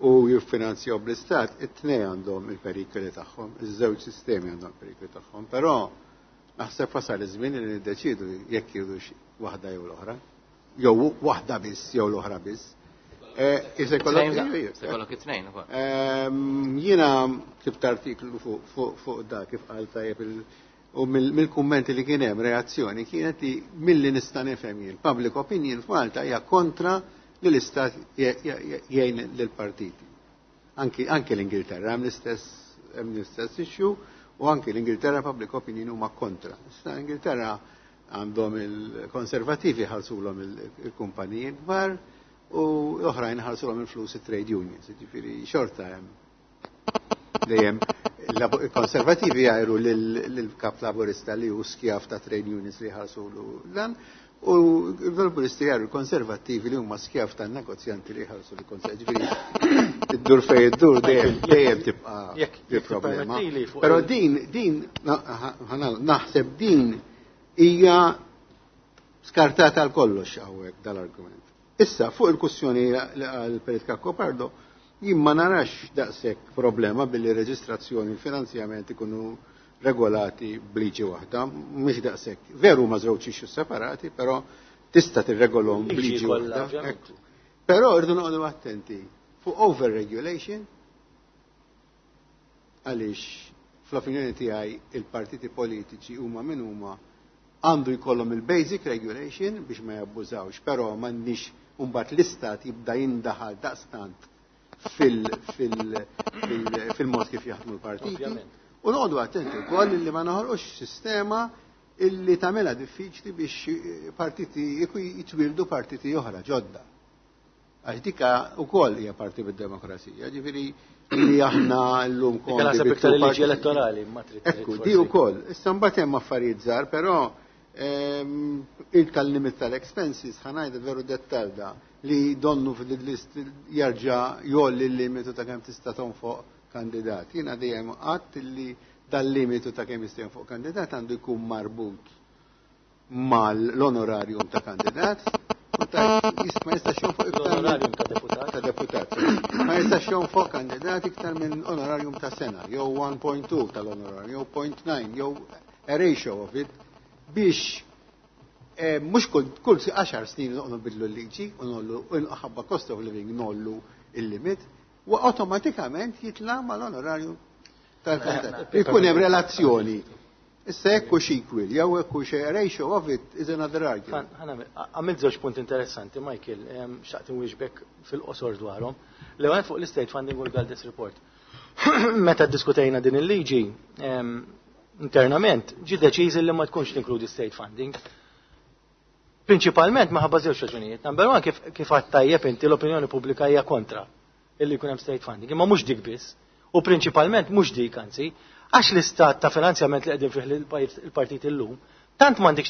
u jiffinanzjaw bl-istat, it-tnej għandhom il-perikoli tagħhom, iż-żewġ sistemi għandhom il-perikoli tagħhom, però naħseb wasal iż-żmien li niddeċidu jekk jridux waħda jew l-oħra, jew waħda biss jew l-oħra biss. Se jkollok it-tnejn ukoll. Jiena ktibt artiklu fuq da kif qal tajjeb u mill-kummenti li kien hemm reazzjoni kienet li milli nista' nifhem jien public opinion f'Malta hija kontra li l-istat jgħin lill-partiti. Anki l-Ingilterra hemm l-istess issue u anki l-Ingilterra public opinion huma kontra. Issa l-Ingilterra għandhom il-konservativi ħarsulhom il-kumpaniji kbar u l-oħrajn ħarsulhom il-flus it-trade unions, jiġifieri xorta hemm dejjem il-konservativi jgħiru lill-kap laburista li hu skjav ta' trade unions li ħarsulu dan u l-laburisti jgħiru l-konservattivi li huma skjav ta' negozjanti li ħarsu l-konservativi. Ġifieri id-dur fejn iddur dejjem tibqa' il-problema. Però din naħseb din hija skartata għal kollox hawnhekk dal-argument. Issa fuq il-kwestjoni li qal Perit Cacopardo, jien ma narax daqshekk problema billi reġistrazzjoni u l-finanzjament ikunu regolati b'liġi waħda, mhix daqshekk. Veru ma żewġ issues separati, però tista' tirregolhom b'liġi waħda. Però rridu noqogħdu attenti fuq overregulation għaliex fl-opinjoni tiegħi il-partiti politiċi huma min huma għandu jkollhom il-basic regulation biex ma jabbużawx, però m'għandniex mbagħad l-istat jibda jindaħal daqstant fil-mod kif jaħdmu l-partiti. U noqogħdu attenti wkoll li ma noħolqux sistema illi tagħmilha diffiċli biex partiti jitwildu partiti oħra ġodda. Għax dika wkoll hija parti mid-demokrazija, ġifieri li aħna llum kont. Naħseb iktar il-liġi elettorali ma trid. Ekku, di wkoll. Issa mbagħad hemm affarijiet żgħar, però il-limit tal-expenses ħa ngħidha veru dettal da li donnu fil-list jarġa' jolli l-limitu ta' kemm tista' tonfoq kandidat. Jiena dejjem għadt li dal-limitu ta' kemm jista' jonfoq kandidat għandu jkun marbut mal-onorarium ta' kandidat. Ma jistax jonfoq iktar l-onorarium ta' deputat. Ta' deputat. Ma jistax jonfoq kandidat iktar minn onorarium ta' sena, jew 1.2 tal-onorarium, jew 0.9, jew a ratio of it, biex mhux kull 10 snin noqogħdu nbidlu l-liġi u nollu ħabba cost of living nollu il-limit, u automatikament jitla mal-onorarium tal-kandidat. Ikun hemm relazzjoni. Issa jekk hux equal, jew jekk hux ratio of it is another argument. Għamilt żewġ punt interessanti, Michael, xtaqt inwieġbek fil-qosor dwarhom. L-ewwel fuq l-state funding u l-Galdes Report. Meta ddiskutejna din il-liġi internament, ġi deċiż li ma tkunx tinkludi state funding. Prinċipalment minħabba żewġ raġunijiet. Number one, kif għedt tajjeb inti l-opinjoni pubblika hija kontra illi jkun hemm state funding, imma mhux dik biss. U prinċipalment mhux dik anzi, għax l-istat ta' finanzjament li qegħdin fih il-partit illum, tant m'għandikx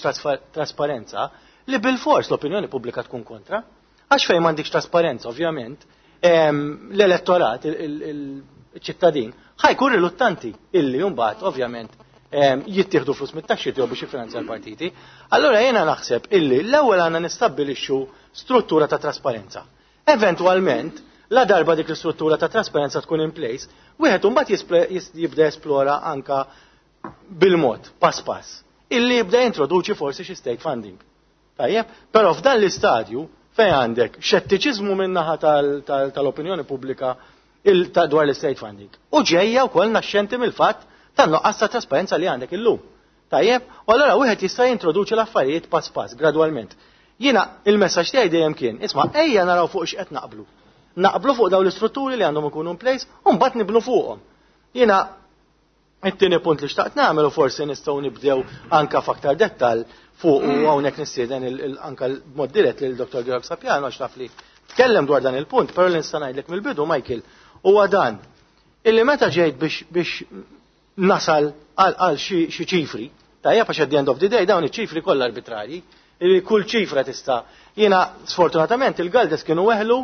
trasparenza li bil-fors l-opinjoni pubblika tkun kontra. Għax fejn m'għandikx trasparenza, ovvjament, l-elettorat, il-ċittadin, ħa jkun riluttanti illi mbagħad ovvjament jittieħdu flus mit-taxxi tiegħu biex jiffinanzja l-partiti. Allura jiena naħseb illi l-ewwel għandna nistabbilixxu struttura ta' trasparenza. Eventwalment, la darba dik l-istruttura ta' trasparenza tkun in place, wieħed imbagħad jibda esplora anka bil-mod, pass pass, illi jibda jintroduċi forsi xi state funding. Tajjeb, però f'dan l-istadju fejn għandek xettiċiżmu min-naħa tal-opinjoni pubblika dwar l-state funding. U ġejja wkoll naxxenti mill-fatt tan-nuqqas ta' trasparenza li għandek illum. Tajjeb, u allura wieħed jista' jintroduċi l-affarijiet pass pass, gradwalment. Jiena il-messaġġ tiegħi dejjem kien, isma' ejja naraw fuq x'qed naqblu. Naqblu fuq dawn l-istrutturi li għandhom ikunu in place u mbagħad nibnu fuqhom. Jiena it-tieni punt li xtaqt nagħmel u forsi nistgħu nibdew anka f'aktar dettall fuq u hawnhekk nistieden anka b'mod dirett lil Dr. Georg Sapiano għax taf li tkellem dwar dan il-punt, però li nista' ngħidlek mill-bidu Michael huwa dan illi meta ġejt biex nasal għal xi ċifri, tajjeb għax at the end of the day dawn iċ-ċifri kollha arbitrarji, illi kull ċifra tista' jiena sfortunatament il-Galdes kienu weħlu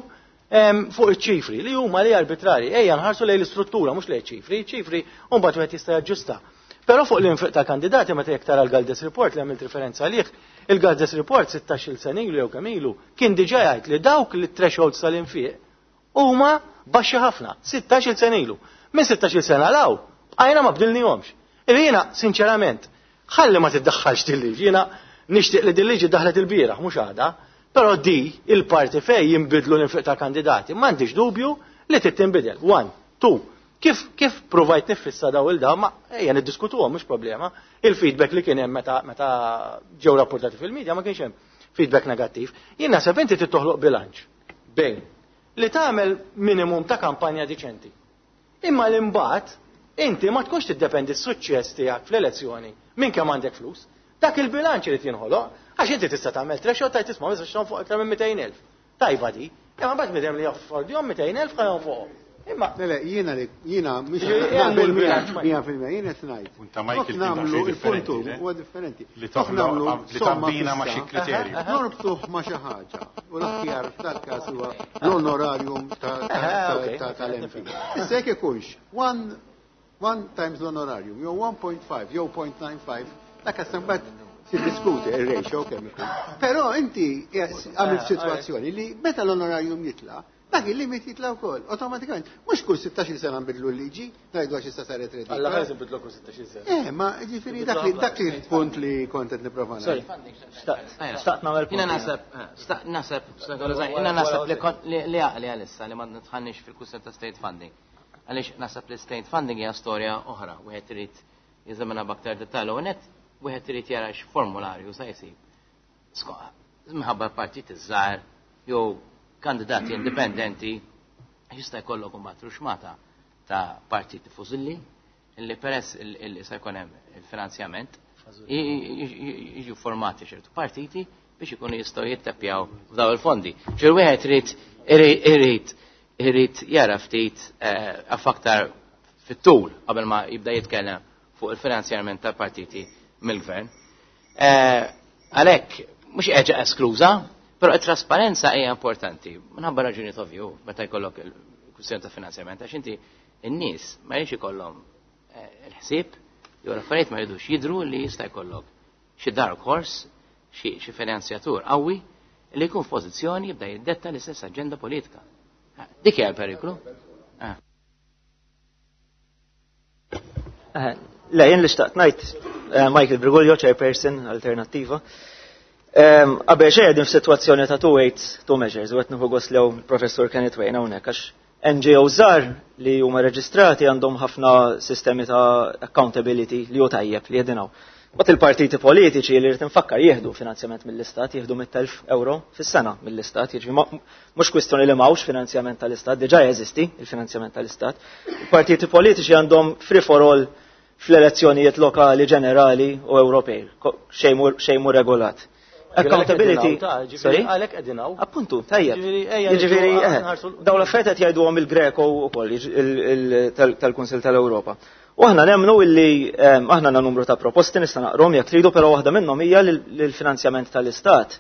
fuq iċ-ċifri li huma li arbitrarji, ejja nħarsu lejn l-istruttura mhux lejn ċifri, ċifri mbagħad wieħed jista' jaġġusta. Però fuq l-infiq ta' kandidati meta jekk tara l-Galdes Report li għamilt referenza għalih, il-Galdes Report 16-il sena ilu jew kemm ilu kien diġà jgħid li dawk li thresholds tal-infiq huma baxxi ħafna, 16-il sena ilu. Minn 16-il sena law, bqajna ma bdilnihomx. Jiena, sinċerament, ħalli ma tiddaħħalx din liġi, jiena nixtieq li din liġi daħlet il-bieraħ, mhux għada. Però di il-parti fej jinbidlu l-infiq tal-kandidati, m'għandix dubju li trid tinbidel. One, two. Kif provajt nifissa daw il-daw, ma ejja niddiskutuhom mhux problema. Il-feedback li kien hemm meta ġew rapportati fil-medja ma kienx hemm feedback negattiv. Jien naħseb inti trid toħloq bilanċ bejn li tagħmel minimum ta' kampanja diċenti. Imma l-imbagħad inti ma tkunx tiddependi s-suċċess tiegħek fl-elezzjoni minn kemm għandek flus. Dak il-bilanċ irid jinħoloq għax inti tista' tagħmel threshold tajt tisma' ma tistax fuq aktar minn 200,000. Tajba di. Imma mbagħad midhem li jaffordihom 200,000 ħa jonfoqhom. Imma Le, jiena li jiena mhux naqbel miegħek 100% jiena qed ngħid. Punta Michael kien nagħmlu daqsxejn il-puntu differenti, le? huwa differenti. Li Jekk toħloq nagħmlu li somma tabbina ma' xi fissa, kriterju. Norbtuh ma' xi ħaġa. U l-aħjar f'dal-każ huwa l-onorarium tal-MP. Issa jekk ikunx one times l-onorarium, jew 1.5, jew 0.95, dak issa mbagħad tiddiskuti ir-ratio kemm ikun. Però inti għamilt sitwazzjoni li meta l-onorarium jitla', dak il-limit jitla' wkoll, awtomatikament. Mhux kull 16 sena nbidlu l-liġi, ngħidu għax issa saret redika. Alla ħares nbidlu kull 16 sena. Ma ġifieri dak li punt li kont qed nipprova Sorry. ngħid. Xtaqt nagħmel punt. Jiena naħseb, jiena naħseb li għaqli għalissa li ma nitħannix fil-kwistjoni ta' state funding. Għaliex naħseb li state funding hija storja oħra, wieħed irid jeżamina b'aktar dettall u net wieħed irid jara x'formularju sa jsib. Minħabba partit iż-żgħar jew kandidati indipendenti jista' jkollok imbagħad ruxmata ta' partiti fużilli illi peress illi se jkun hemm il-finanzjament jiġu formati ċertu partiti biex ikunu jistgħu jitteppjaw f'daw il-fondi. Ġifieri wieħed irid jara ftit aktar fit-tul qabel ma jibda jitkellem fuq il-finanzjament tal-partiti mill-gvern. Għalhekk mhux qiegħda eskluża, però t-trasparenza hija importanti. Minħabba raġuni ovvju meta jkollok il-kwistjoni ta' finanzjament, għax inti n-nies ma jridx ikollhom il-ħsieb jew l-affarijiet ma jridux jidhru li jista' jkollok xi dark horse, xi finanzjatur qawwi li jkun f'pożizzjoni jibda jiddetta l-istess aġenda politika. Dik hija l-periklu. Le, jien li xtaqt ngħid, Michael Briguglio, chairperson, Alternattiva. Qabel xejn qegħdin f'sitwazzjoni ta' two weights, two measures, u qed nieħu gost lew Professur Kenneth Wain hawnhekk għax NGO żgħar li huma reġistrati għandhom ħafna sistemi ta' accountability li hu tajjeb li qegħdin hawn. Mbagħad il-partiti politiċi li rrid infakkar jieħdu finanzjament mill-istat, jieħdu 100,000 euro fis-sena mill-istat, jiġifieri mhux kwistjoni li m'hawnx finanzjament tal-istat, diġà jeżisti il-finanzjament tal-istat. Il-partiti politiċi għandhom free for all fl-elezzjonijiet lokali, ġenerali u Ewropej, xejn mhu regolat. Accountability. Sorry? Għalhekk qegħdin hawn. Appuntu, tajjeb. Ġifieri, ejja, Jiġifieri, niġu nħarsu l- dawn l-affarijiet qed jgħiduhom il-Greco wkoll, tal-Kunsill tal-Ewropa. U aħna nemmnu illi aħna għandna numru ta' proposti nista' naqrom jekk tridu, però waħda minnhom hija li l-finanzjament tal-Istat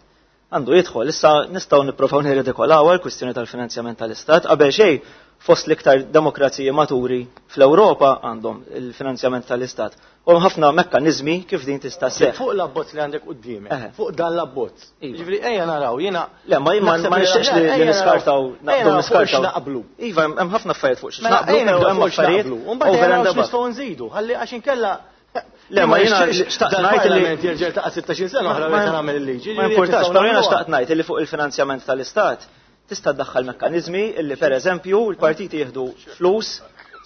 għandu jidħol. Issa nistgħu nipprovaw nirridikolaw l-kwistjoni tal-finanzjament tal-Istat. Qabel xejn fost l-iktar demokraziji maturi fl-Ewropa għandhom il-finanzjament tal-Istat. U hemm ħafna mekkaniżmi kif din tista' sseħħ. Fuq l-abbozz li għandek quddiemek, fuq dan l-abbozz. Jiġifieri ejja naraw, jiena Le, ma jien naħseb ma li nixtieqx li ejja naraw, niskartaw, ejja naqbdu naraw fuq niskartaw. x'naqblu. Iva, hemm ħafna affarijiet fuq Mela, x'naqblu, ejja naraw hemm fuq affarijiet x'naqblu. U mbagħad over ejja and naraw above. x'nistgħu nżidu, ħalli għax inkella Le, ma jiena nixtieqx xtaqt dan ngħid li il-Parlament jerġa' jiltaqa' 16 sena oħra meta nagħmel il-liġi. Ma Ġifieri importax, nistgħu però jiena nagħmluha. xtaqt ngħid li fuq il-finanzjament tal-Istat tista' ddaħħal mekkaniżmi illi pereżempju l-partiti jieħdu flus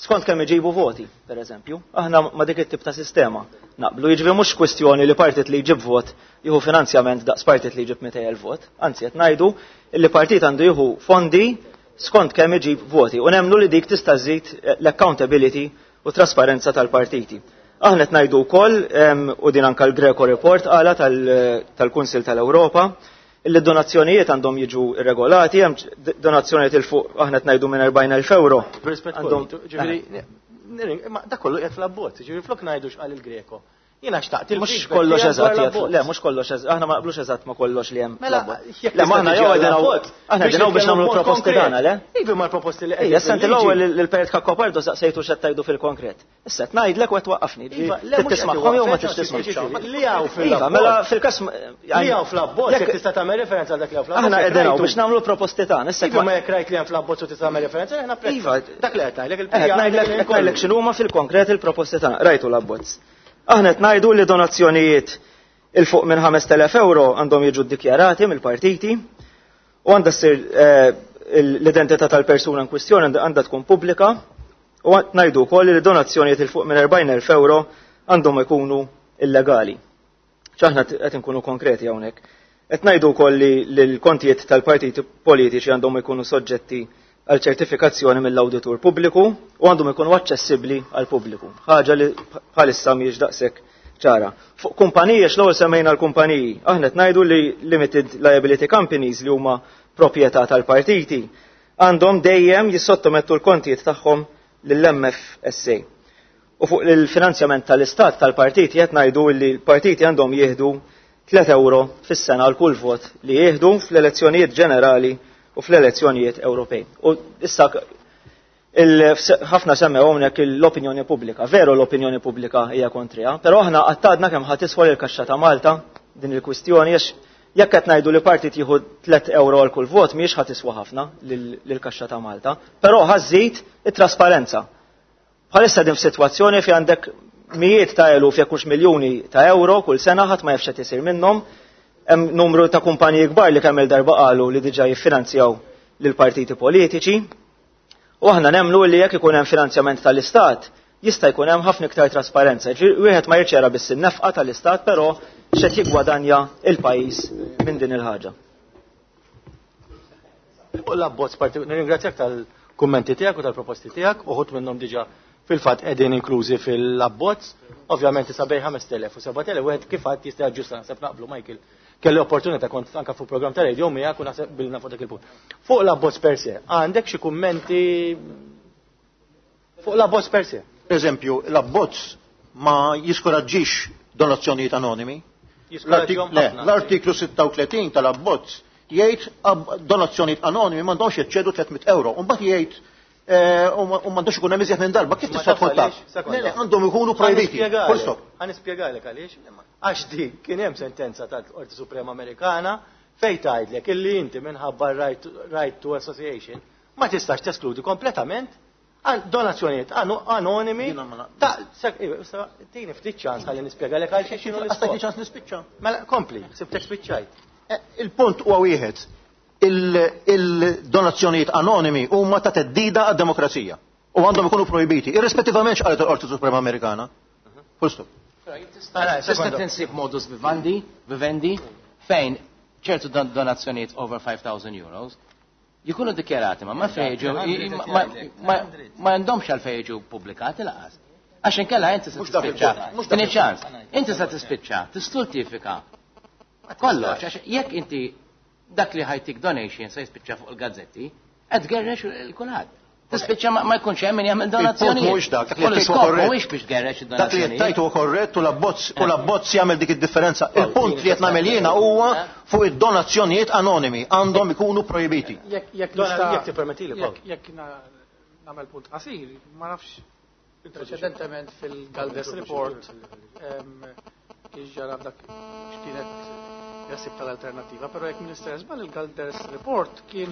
skont kemm iġibu voti, pereżempju. Aħna ma dik it-tip ta' sistema naqblu. Jiġifieri mhux kwistjoni li partit li jġib vot jieħu finanzjament daqs partit li jġib 200,000 vot. Anzi qed ngħidu illi partit għandu jieħu fondi skont kemm iġib voti u nemmnu li dik tista' żżid l-accountability u trasparenza tal-partiti. Aħna qed ngħidu wkoll, u din anke l-Greco Report qala tal-Kunsill tal-Ewropa, illi donazzjonijiet għandhom jiġu irregolati, hemm donazzjonijiet il fuq aħna qed ngħidu minn 40,000 euro. B'rispett Għandhom kollu, ġifieri, ma dak kollu qiegħed fl-abbozz, ġifieri flok ngħidu x'qal il-Greco. Jiena xtaqt Mhux il-feedback kollox tiegħek eżatt dwar qiegħed l-abbozz. le, mhux kollox eżatt, aħna ma naqblux eżatt ma kollox li hemm Mela, fl-abbozz. jekk Le, ma aħna tista' jew tiġi qegħdin hawn- għall-abbozz, aħna biex qegħdin hawn biex nitkellmu nagħmlu b'mod proposti konkret. tagħna, le? Iva, ma l-proposti li Ejja, qegħdin issa inti fil-liġi. l-ewwel lil Perit Cacopardo saqsejtu x'qed tgħidu fil-konkret. Issa qed ngħidlek u qed twaqqafni. Iva, le, Trid mhux qed tismagħhom jew ma iwaqqfek, tridx tisma'? ġifieri, li hawn Iva, fil-abbozz. mela fil-każ Li hawn fl-abbozz, jekk jekk tista' tagħmel referenza għal dak li hawn fl-abbozz, Aħna jekk qegħdin hawn rajtu. biex nagħmlu proposti tagħna. Issa Iva, ma jekk rajt li hemm fl-abbozz u tista' tagħmel referenza, aħna prezz. Iva. Dak li qed ngħidlek, Eh, il-pija qed ngħidlek x'inhuma fil-konkret il-proposti tagħna. Rajtu l-abbozz. Aħna qed ngħidu li donazzjonijiet il fuq minn 5,000 euro għandhom jiġu ddikjarati mill-partiti. U għandha ssir l-identità tal-persuna in kwistjoni għandha tkun pubblika u ngħidu wkoll li donazzjonijiet il fuq minn 40,000 euro għandhom ikunu illegali. ċaħna qed inkunu konkreti hawnhekk. Qed ngħidu wkoll li l-kontijiet tal-partiti politiċi għandhom ikunu soġġetti għal ċertifikazzjoni mill-awditur pubbliku u għandhom ikunu aċċessibbli għal pubbliku. Ħaġa li bħalissa mhijiex daqshekk ċara. Fuq kumpaniji, x'l-ewwel semmejna l-kumpaniji, aħna qed ngħidu li limited liability companies li huma proprjetà tal-partiti għandhom dejjem jissottomettu l-kontijiet tagħhom lill-MFSA. U fuq il-finanzjament tal-istat tal-partiti qed ngħidu li l-partiti għandhom jieħdu 3 euro fis-sena għal kull vot li jieħdu fl-elezzjonijiet ġenerali u fl-elezzjonijiet Ewropej. U issa ħafna semmew hawnhekk l-opinjoni pubblika. Veru l-opinjoni pubblika hija kontrija, però aħna qattadna kemm ħadd tiswa l-kaxxa ta' Malta din il-kwistjoni għax jekk qed ngħidu li partit jieħu 3 euro għal kull vot mhijiex ħadd tiswa ħafna lill-kaxxa ta' Malta, però ħażid it-trasparenza. Bħalissa din f'sitwazzjoni fi għandek mijiet ta' eluf jekk hux miljuni ta' euro kull sena ħadd ma jafx qed isir minnhom. Hemm numru ta' kumpaniji kbar li kemm il-darba qalu li diġà jiffinanzjaw lil partiti politiċi. U aħna nemmnu li jekk ikun hemm finanzjament tal-Istat, jista' jkun hemm ħafna iktar trasparenza. Wieħed ma jirċera biss in-nefqa tal-Istat, però x'qed jiggwadanja il-pajjiż minn din il-ħaġa. U l-abbozz nirringrazzjak tal-kummenti tiegħek u tal-proposti tiegħek, uħud minnhom diġà fil-fatt qegħdin inklużi fil-abbozz. Ovvjament issa bejn 5,000 u 7,000 wieħed kif għad jista' jaġġusta, naħseb naqblu Michael. Kelli opportunità kont anka fuq programm ta' radio miegħek u naħseb bilna fuq dak il-punt. Fuq l-abbozz per se, għandek xi kummenti fuq l-abbozz per se? Per eżempju, l-abbozz ma jiskoraġġix donazzjonijiet anonimi. L-artiklu 36 tal-abbozz jgħid donazzjonijiet anonimi m'għandhomx jeċċedu 300 euro. U mbagħad jgħid u m'għandux ikun hemm iżjed minn darba, kif tista' tkun taf? Għandhom ikunu projbiti. Full stop. Ħa nispjegalek għaliex. Għax dik kien hemm sentenza tal-Qorti Suprema Amerikana fejn tgħidlek illi inti minħabba right to association ma tistax teskludi kompletament donazzjonijiet anonimi. Tini ftit ċans ħalli nispjegalek għal xi x'inhu l-iskop. ċans nispiċċa. Mela kompli, sibtek spiċċajt. Il-punt huwa wieħed. Il-donazzjonijiet anonimi huma ta' teddida għad-demokrazija u għandhom ikunu projbiti, irrispettivament x'qalet il-Qorti Suprema Amerikana. Full stop. Tista' tinsib modus vivendi fejn ċertu donazzjonijiet over 5,000 euros jikunu dikjarati ma fejġu ma għandhomx għal fejġu pubblikati laqas. Għax inkella inti se tispiċċa. Tini ċans. Inti se tispiċċa, tistultifika. Kollox, għax jekk inti dak li ħajtik donation se jispiċċa fuq il-gazzetti, qed tgerrex il-kulħadd. Tispiċċa ma jkunx hemm min jagħmel donazzjoni. Mhuwiex dak, dak li qed mhuwiex biex tgerrex id-donazzjoni. Dak li qed tajtu korrett u l-abbozz jagħmel dik id-differenza. Il-punt li qed nagħmel jiena huwa fuq id-donazzjonijiet anonimi għandhom ikunu projbiti. Jekk tippermettili, jekk nagħmel punt qasir, ma nafx preċedentement fil-Galdes Report kif ġara dak x'kienet jasib tal-alternativa, però jekk Minister żball il-Galdes Report kien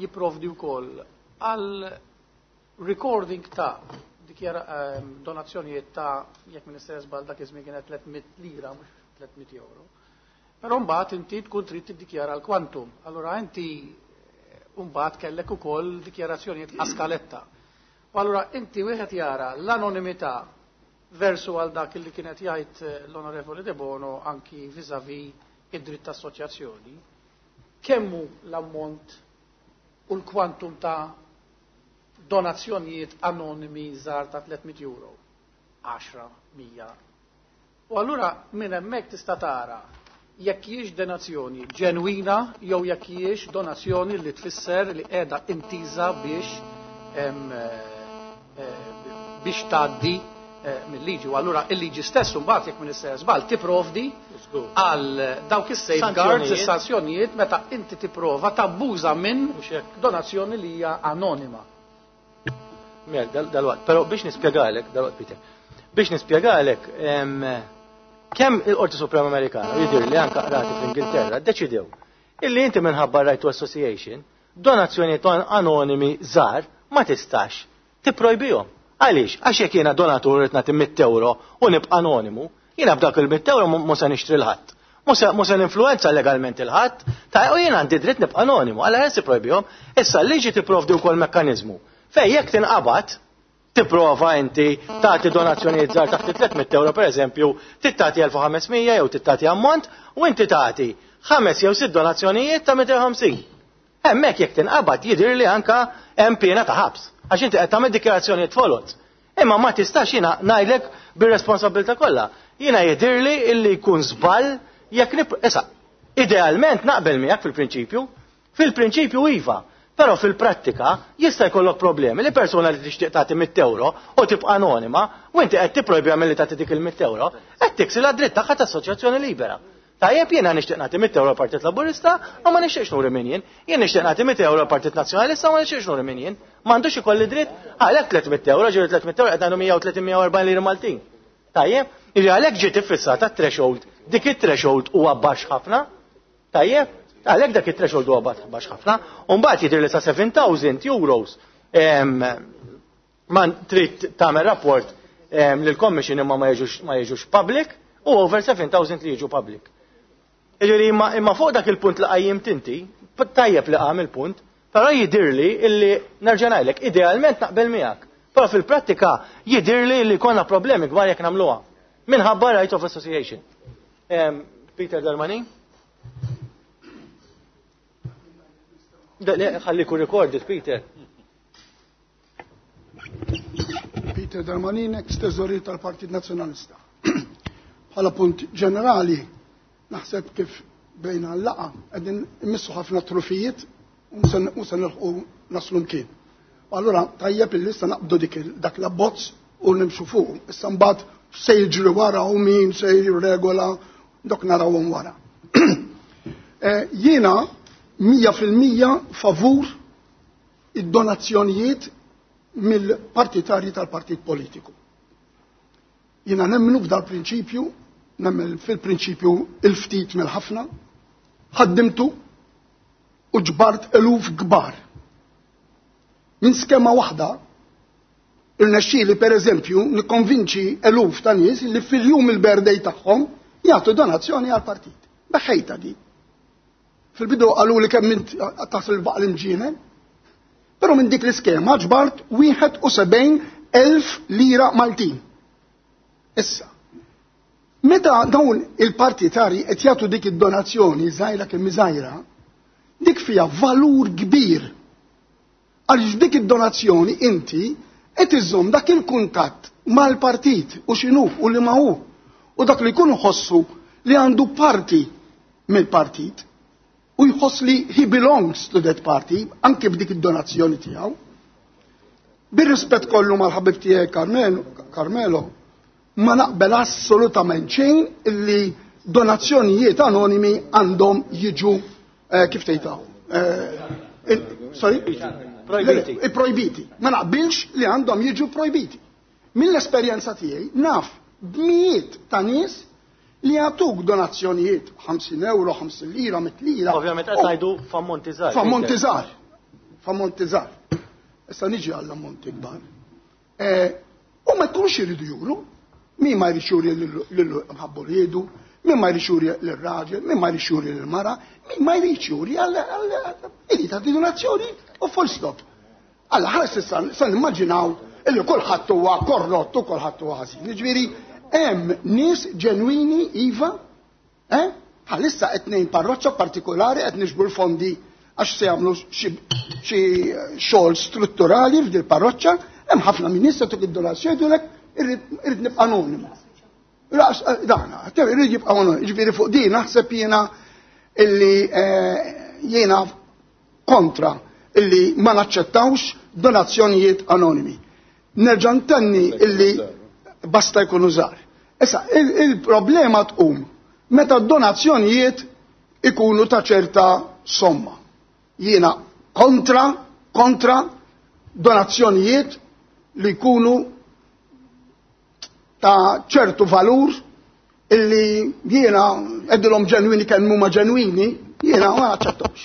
jipprovdi wkoll għal recording ta' donazzjonijiet ta' jekk Minister żball dak iż-żmien kienet 300 lira mhux 300 euro. Però mbagħad inti tkun trid tiddikjara l-kwantum. Allura inti mbagħad kellek ukoll dikjarazzjonijiet askaletta. U allura inti wieħed jara l-anonimità versu għal dak li kienet jgħid l-Onorevoli De Bono anki vis-à-vis id-dritt ta' assoċjazzjoni, kemmu l-ammont u l-kwantum ta' donazzjonijiet anonimi żgħar ta' 300 euro, 10, 100. U allura minn hemmhekk tista' tara jekk hijiex donazzjoni ġenwina jew jekk hijiex donazzjoni li tfisser li qiegħda intiża biex biex tgħaddi mill-liġi. U allura il-liġi stess mbagħad jekk Minister żball tipprovdi għal dawk is-safeguards, is-sanzjonijiet meta inti tipprova tabbuża minn donazzjoni li hija anonima. Mel, dal-waqt, però biex nispjegalek, dal-waqt Peter, biex nispjegalek kemm il-Qorti Suprema Amerikana, jidher li anke qrati fl-Ingilterra, ddeċidew illi inti minħabba right to association, donazzjonijiet anonimi żgħar ma tistax tipprojbihom. Għaliex? Għax jekk jiena donatur qed nagħti 100 euro u nibqa' anonimu, jiena b'dak il-100 euro mhux se nixtri l-ħadd. Mhux se ninfluwenza legalment il-ħadd, ta' u jien għandi dritt nibqa' anonimu, għala ħes ipprojbihom. Issa l-liġi tipprovdi wkoll mekkaniżmu fejn jekk tinqabad tipprova inti tagħti donazzjonijiet żgħar taħt 300 euro pereżempju, trid tagħti 1500 jew trid tagħti ammont u inti tagħti ħames jew sitt donazzjonijiet ta' 250. Hemmhekk jekk tinqabad jidhirli anka hemm piena ta' ħabs għax inti qed tagħmel dikjarazzjonijiet folot. Imma ma tistax jiena ngħidlek bir-responsabilità kollha. Jiena jidhirli illi jkun żball jekk nip issa idealment naqbel miegħek fil-prinċipju, fil-prinċipju iva, però fil-prattika jista' jkollok problemi li persuna li tixtieq tagħti 100 euro u tibqa' anonima u inti qed tipprojbiha milli tagħti dik il-100 euro, qed tiksilha d-dritt tagħha ta' assoċjazzjoni libera. Tajjeb jiena nixtieq nagħti 100 euro Partit Laburista u ma nixtieqx nuri min jien. Jien nixtieq nagħti 100 euro Partit Nazzjonalista u ma nixtieqx nuri min jien. M'għandux ikolli dritt għalhekk 300 euro, ġieli 300 euro qed ngħidu 130 140 lira Maltin. Tajjeb, jiġi għalhekk ġiet iffissata threshold. Dik it-threshold huwa baxx ħafna. Tajjeb, għalhekk dak it-threshold huwa baxx ħafna. U mbagħad jidher li sa 7000 euros ma trid tagħmel rapport lill-commission imma ma jiġux public u over 7000 li jiġu public. Jiġifieri imma fuq dak il-punt li qajjimt inti, tajjeb li qam il-punt, però jidhirli illi nerġa' ngħidlek, idealment naqbel miegħek. Però fil-prattika jidhirli li konna problemi kbar jekk nagħmluha. Minħabba right of association. Peter Darmanin? Ħalliku recorded, Peter. Peter Darmanin, ex-teżorier tal-Partit Nazzjonalista. Bħala punt ġenerali, naħseb kif bejna l-laqa, qegħdin immissu ħafna trufijiet u se nilħqu naslu mkien. Allura tajjeb illi issa naqbdu dak l-abbozz u nimxu fuq. Issa mbagħad se jiġri wara u min se jirregola dok narawhom wara. Jiena 100% favur id-donazzjonijiet mill-partitarji tal-partit politiku. Jiena nemmnu f'dal prinċipju, nemmen fil-prinċipju il-ftit mill-ħafna, ħaddimtu u ġbart eluf kbar. Minn skema waħda, irnexxieli per eżempju nikkonvinċi eluf ta' nies li fil-jum il-birthday tagħhom jagħtu donazzjoni għall-partit. Beħejta di. Fil-bidu qalu li kemm int taħseb il-baqal imġienen, però minn dik l-iskema ġbart 71,000 lira Maltin. Issa, meta dawn il-partitari qed jagħtu dik id-donazzjoni żgħira kemm żgħira, dik fiha valur kbir. Għaliex dik id-donazzjoni inti qed iżżomm dak il-kuntatt mal-partit u x'inhu u li ma hu. U dak li jkun ħossu li għandu parti mill-partit u jħoss li he belongs to that party anke b'dik id-donazzjoni tiegħu. Bir-rispett kollu mal-ħabib tiegħi Carmelo, ma naqbel assolutament xejn illi donazzjonijiet anonimi għandhom jiġu kif tgħidha? Sorry? Projbiti. Projbiti. Ma naqbilx li għandhom jiġu projbiti. Mill-esperjenza tiegħi naf b'mijiet ta' nies li jagħtuk donazzjonijiet 50 euro, 50 lira, 100 lira. Ovvjament qed ngħidu f'ammonti żgħar. F'ammonti żgħar. F'ammonti żgħar. Issa niġi għall-ammonti kbar. U ma jkunx iridu juru, min ma jridx juri lil mħabbu riedu, min ma jridx juri lir-raġel, min ma jridx juri lill-mara, min ma jridx juri għal irid tagħti donazzjoni u full stop. Alla ħares issa sa nimmaġinaw illi kulħadd huwa korrott u kulħadd huwa ħażin. Jiġifieri hemm nies ġenwini iva, bħalissa qed ngħin parroċċa partikolari qed niġbru l-fondi għax se jagħmlu xi xogħol strutturali f'dil parroċċa, hemm ħafna minn nies se tuk id-donazzjoni jgħidulek irrid nibqa' anonimu. Dana, irrid jibqa' anonimu. Jiġifieri fuq din naħseb jiena illi jiena kontra illi ma naċċettawx donazzjonijiet anonimi. Nerġa' ntenni illi basta jkunu żgħar. Issa, il-problema tqum meta d-donazzjonijiet ikunu ta' ċerta somma. Jiena kontra donazzjonijiet li jkunu ta' ċertu valur illi jiena għedilhom ġenwini kemm huma ġenwini, jiena ma naċċettawx.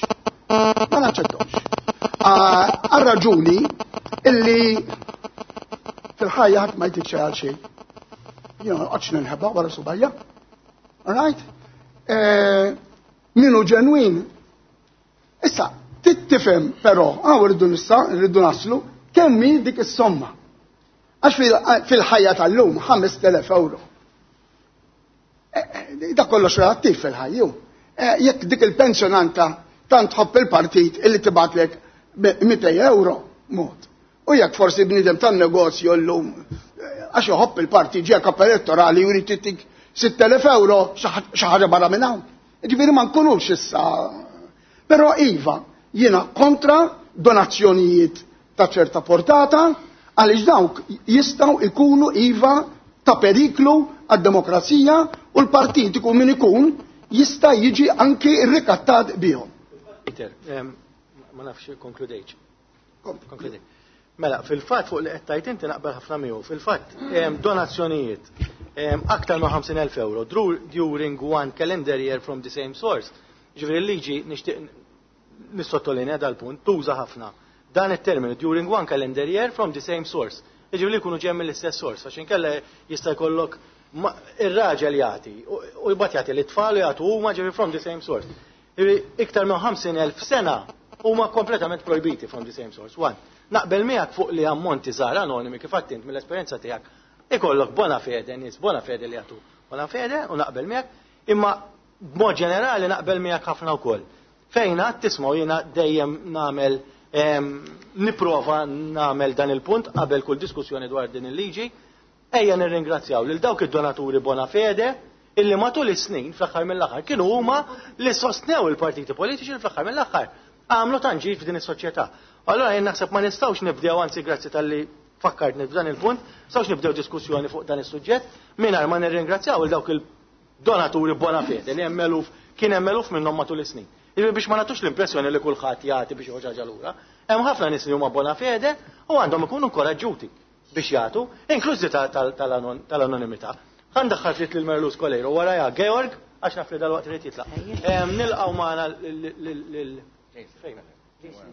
Ma naċċettawx. Għal raġuni illi fil-ħajja ħadd ma jtik xejn għal xejn. Jiena ma noqgħodx ninħeba wara subajja. All right? Min hu ġenwin. Issa, tittifhem però, hawn rridu nissa, rridu naslu, kemm hi dik is-somma. Għax fil-ħajja tal-lum 5,000 euro. Dak kollox relattiv fil-ħajju. Jekk dik il-pensjonanta tant tħobb il-partit illi tibgħatlek 200 euro, mod. U jekk forsi bniedem tan-negozju llum għax iħobb il-partit ġie kap elettorali u jrid jittik 6,000 euro xi ħaġa barra minn hawn. Ġifieri ma nkunux issa. Però iva, jiena kontra donazzjonijiet ta' ċerta portata għaliex dawk jistgħu ikunu iva ta' periklu għad-demokrazija u l-partit ikun min ikun jista' jiġi anki rrikattat bihom. Peter, ma nafx konkludejtx. Konkludejt. Mela, fil-fatt fuq li qed tgħid inti naqbel ħafna miegħu. Fil-fatt donazzjonijiet aktar ma' 50,000 euro during one calendar year from the same source. Ġifieri l-liġi nixtieq nissottolinja dal-punt tuża ħafna dan it-terminu during one calendar year from the same source. Ġifieri jkunu ġej mill-istess source, għax inkella jista' jkollok ir-raġel jagħti u jbagħad jagħti lit-tfal u jagħtu huma ġifieri from the same source. Iktar minn 50,000 sena huma kompletament projbiti from the same source. One. Naqbel miegħek fuq li ammonti żgħar anonimi kif għedt mill-esperjenza tiegħek ikollok bona fede nies bona fede li jagħtu bona fede u naqbel miegħek, imma b'mod ġenerali naqbel miegħek ħafna wkoll. Fejn għad tismgħu jiena dejjem nagħmel nipprova nagħmel dan il-punt qabel kull diskussjoni dwar din il-liġi, ejja nirringrazzjaw lil dawk id-donaturi bona fede illi matul is-snin fl-aħħar mill-aħħar kienu huma li sostnew il-partiti politiċi li fl-aħħar mill-aħħar għamlu tant ġid f'din is-soċjetà. Allora jien naħseb ma nistgħux nibdew, anzi grazzi talli fakkartni f'dan il-punt, nistgħux nibdew diskussjoni fuq dan is-suġġett mingħajr ma nirringrazzjaw il dawk il-donaturi bona fede li hemm eluf, kien hemm eluf minnhom matul is-snin. Jiġifieri biex ma nagħtux l-impressjoni li kulħadd jagħti biex joħroġ ħaġa lura. Hemm ħafna nies li huma bona fede u għandhom ikunu inkoraġġuti biex jagħtu, inklużi tal-anonimità. Ħa ndaħħal ftit lil Merlus Coleiro wara Georg, għax naf li dal-waqt irid jitlaq. Nilqgħu magħna lil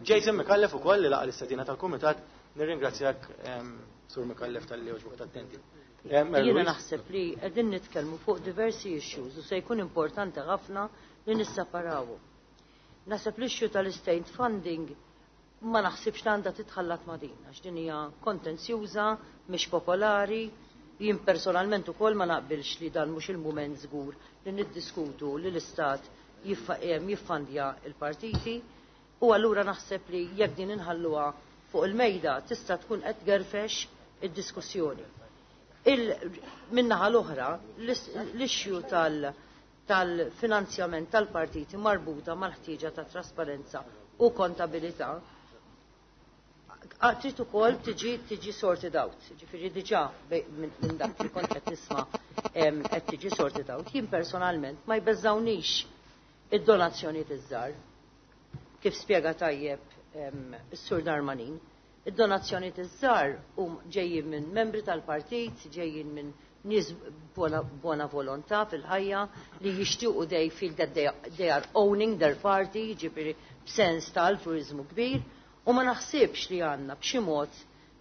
Jason Micallef ukoll li laqa l-istedina tal-kumitat. Nirringrazzjak, Sur Micallef, talli għoġbok tattendi. Jiena naħseb li qegħdin nitkellmu fuq diversi issues u se jkun importanti ħafna li nisseparawu. Naħseb l-issue tal-state funding ma naħsibx li għandha titħallat ma' din, għax din hija kontenzjuża, mhix popolari. Jien personalment ukoll ma naqbilx li dan mhux il-mument żgur li niddiskutu li l-istat jiffandja il-partiti u allura naħseb li jekk din inħalluha fuq il-mejda tista' tkun qed gerfex id-diskussjoni. Min-naħa l-oħra, l-issue tal-finanzjament tal-partiti marbuta mal-ħtieġa ta' trasparenza u kontabilità trid ukoll tiġi sorted out. Ġifieri diġà minn dak li kont qed nisma' qed tiġi sorted out. Jien personalment ma jbeżżawnix id-donazzjonijiet iż-żgħar. Kif spjega tajjeb is-Sur Darmanin, id-donazzjonijiet iż-żgħar hum ġejjin minn membri tal-partit, ġejjin minn nies buona volontà fil-ħajja li jixtiequ, they feel that they are owning their party, ġifieri b'sens ta' altruizmu kbir, u ma naħsibx li għandna b'xi mod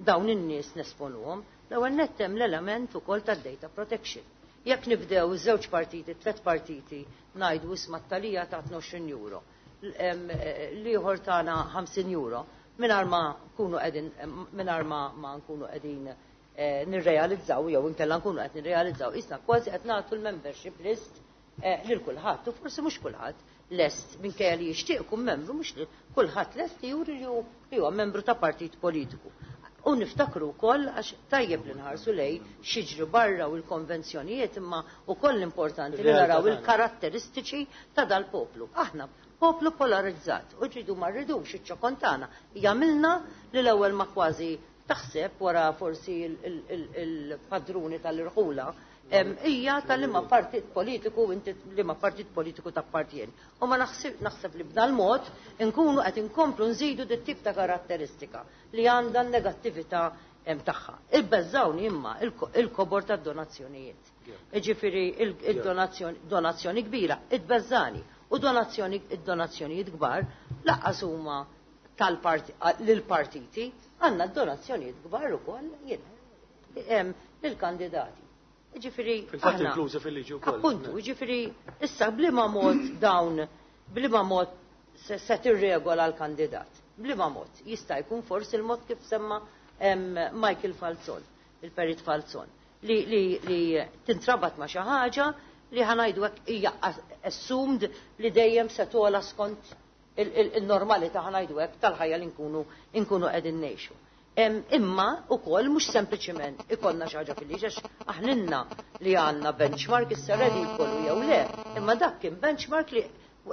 dawn in-nies nesponuhom. L-ewwel nett hemm l-element ukoll tad-data protection. Jekk nibdew żewġ partiti, tliet partiti, ngħidu isma' t-talija ta' 20 euro, l-ieħor tagħna 50 euro, mingħajr ma nkunu qegħdin mingħajr ma nkunu qegħdin nirrealizzaw jew inkella nkunu qed nirrealizzaw isna kważi qed nagħtu l-membership list lil kulħadd u forsi mhux kulħadd lest minkejja li jixtieq ikun membru, mhux li kulħadd lest li juri li huwa membru ta' partit politiku. U niftakru wkoll għax tajjeb li nħarsu lej x'jiġri barra u l-konvenzjonijiet, imma wkoll importanti li naraw il-karatteristiċi ta' dal-poplu. Aħna poplu polarizzat u ġidu ma rridux iċ-ċokon tagħna jagħmilna li l-ewwel ma kważi taħseb wara forsi il-padruni tal-irħula hija tal-liema partit politiku inti, liema partit politiku tappartjeni. U ma naħseb naħseb li b'dal mod nkunu qed inkomplu nżidu dit tip ta' karatteristika li għandha negattività tagħha. Ibbeżżawni imma il-kobor tad-donazzjonijiet. Ġifieri il-donazzjoni kbira itbeżżani u donazzjoni id-donazzjonijiet kbar lanqas huma lill-partiti, għandna donazzjonijiet kbar ukoll lill-kandidati. Ġifieri Fil-fatt inklużi fil-liġi wkoll. Appuntu, ġifieri issa bliema mod dawn bliema mod se tirregola l-kandidat. Bliema mod jista' jkun forsi l-mod kif semma Michael Falzon, il-Perit Falzon, li, li, li tintrabat ma' xi ħaġa li ħa ngħidu hekk hija assumed li dejjem se togħla skont il-normalità, ħa ngħidu hekk, tal-ħajja li nkunu nkunu qegħdin ngħixu. Imma ukoll mhux sempliċiment ikollna xi ħaġa fil-liġi, għax aħna li għandna benchmark issa redikolu jew le, imma dak kien benchmark li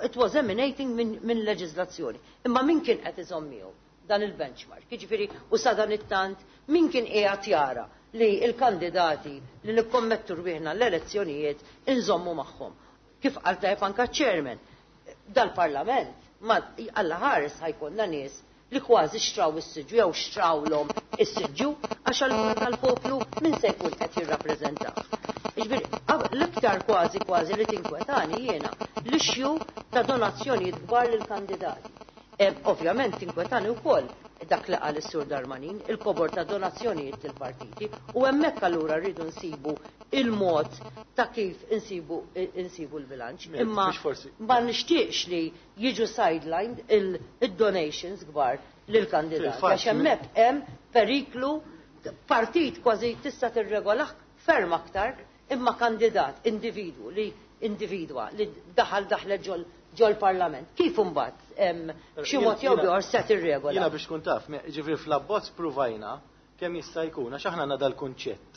it was emanating min leġiżlazzjoni. Imma min kien qed iżomm miegħu dan il-benchmark? Jiġifieri u sa dan it-tant min kien qiegħed jara li l-kandidati li nikkommettu rwieħna l-elezzjonijiet inżommu magħhom? Kif qal tajjeb anka chairman, dal-parlament, ma Alla ħares ħa jkollna nies li kważi xtraw is-siġġu jew xtrawlhom is-siġġu, għax allura tal-poplu min se jkun qed jirrappreżentah? Jiġifieri l-iktar kważi kważi li tinkwetani jiena l-issue ta' donazzjonijiet kbar lill-kandidati. Ovvjament tinkwetani wkoll dak li qal is-Sur Darmanin, il-kobor ta' donazzjonijiet lill-partiti, u hemmhekk allura rridu nsibu il-mod ta' kif insibu l-bilanċ. Imma ma nixtieqx li jiġu sidelined il-donations kbar lill-kandidati. Għax hemmhekk hemm periklu. Partit kważi tista' tirregolah ferm aktar, imma kandidat individwu li individwa li daħal daħlet ġol parlament. Kif imbagħad b'xi mod jew ieħor se tirregola? Jiena biex tkun taf, ġifieri fl-abbozz pruvajna kemm jista' jkun, għax aħna għandna dal-kunċett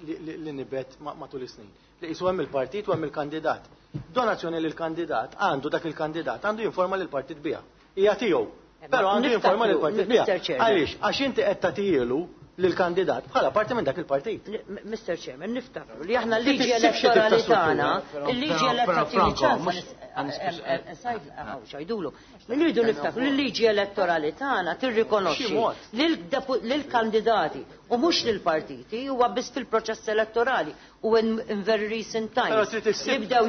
li nibet matul is-snin. Li qisu hemm il-partit u hemm il-kandidat. Donazzjoni lil kandidat għandu dak il-kandidat għandu jinforma lil partit biha. Hija tiegħu. Però għandu jinforma lil partit biha. Għaliex? Għax inti qed tagħtilu lill-kandidat bħala parti minn dak il-partit. Mr. Chairman, niftakru li aħna l-liġi elettorali tagħna, il-liġi elettorali ċajdulu. Rridu niftakru li l-liġi elettorali tagħna tirrikonoxxi lill-kandidati u mhux lill-partiti. Huwa biss fil-proċess elettorali u in very recent times li bdew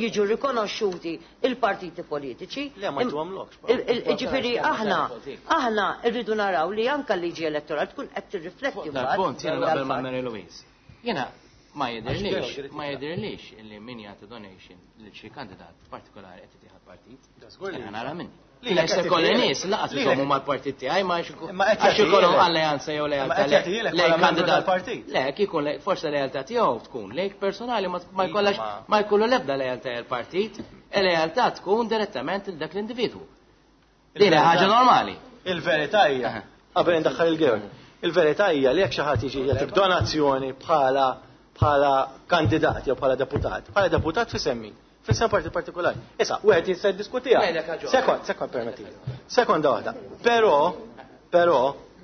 jiġu rikonoxxuti il-partiti politiċi. Le, ma jtuhomlokx. Ġifieri aħna rridu naraw li anka l-liġi elettorali tkun qed tirrifletti. Dal-punt jiena naqbel ma' Mary Louise. Jiena ma jidhirlix illi min jagħti donation lil xi kandidat partikolari qed jieħu partit. Jiena nara minni. Li se kolli nies lanqas iżommu mal-partit tiegħi ma għax ikollhom alleanza jew lealtà lejn kandidat. Le, kieku forse lealtà tiegħu tkun lejk personali, ma jkollax ma jkollu l-ebda lealtà l-partit, e lealtà tkun direttament il dak l-individwu. Din ħaġa normali. Il-verità hija, qabel indaħħal il-Georg, il-verità hija li jekk xi ħadd jiġi jagħtik donazzjoni bħala kandidat jew bħala deputat, bħala deputat f'isem min? F'isem partit partikolari. Issa, wieħed jista' jiddiskutiha. Sekond, sekond permetti. Sekonda waħda. Però,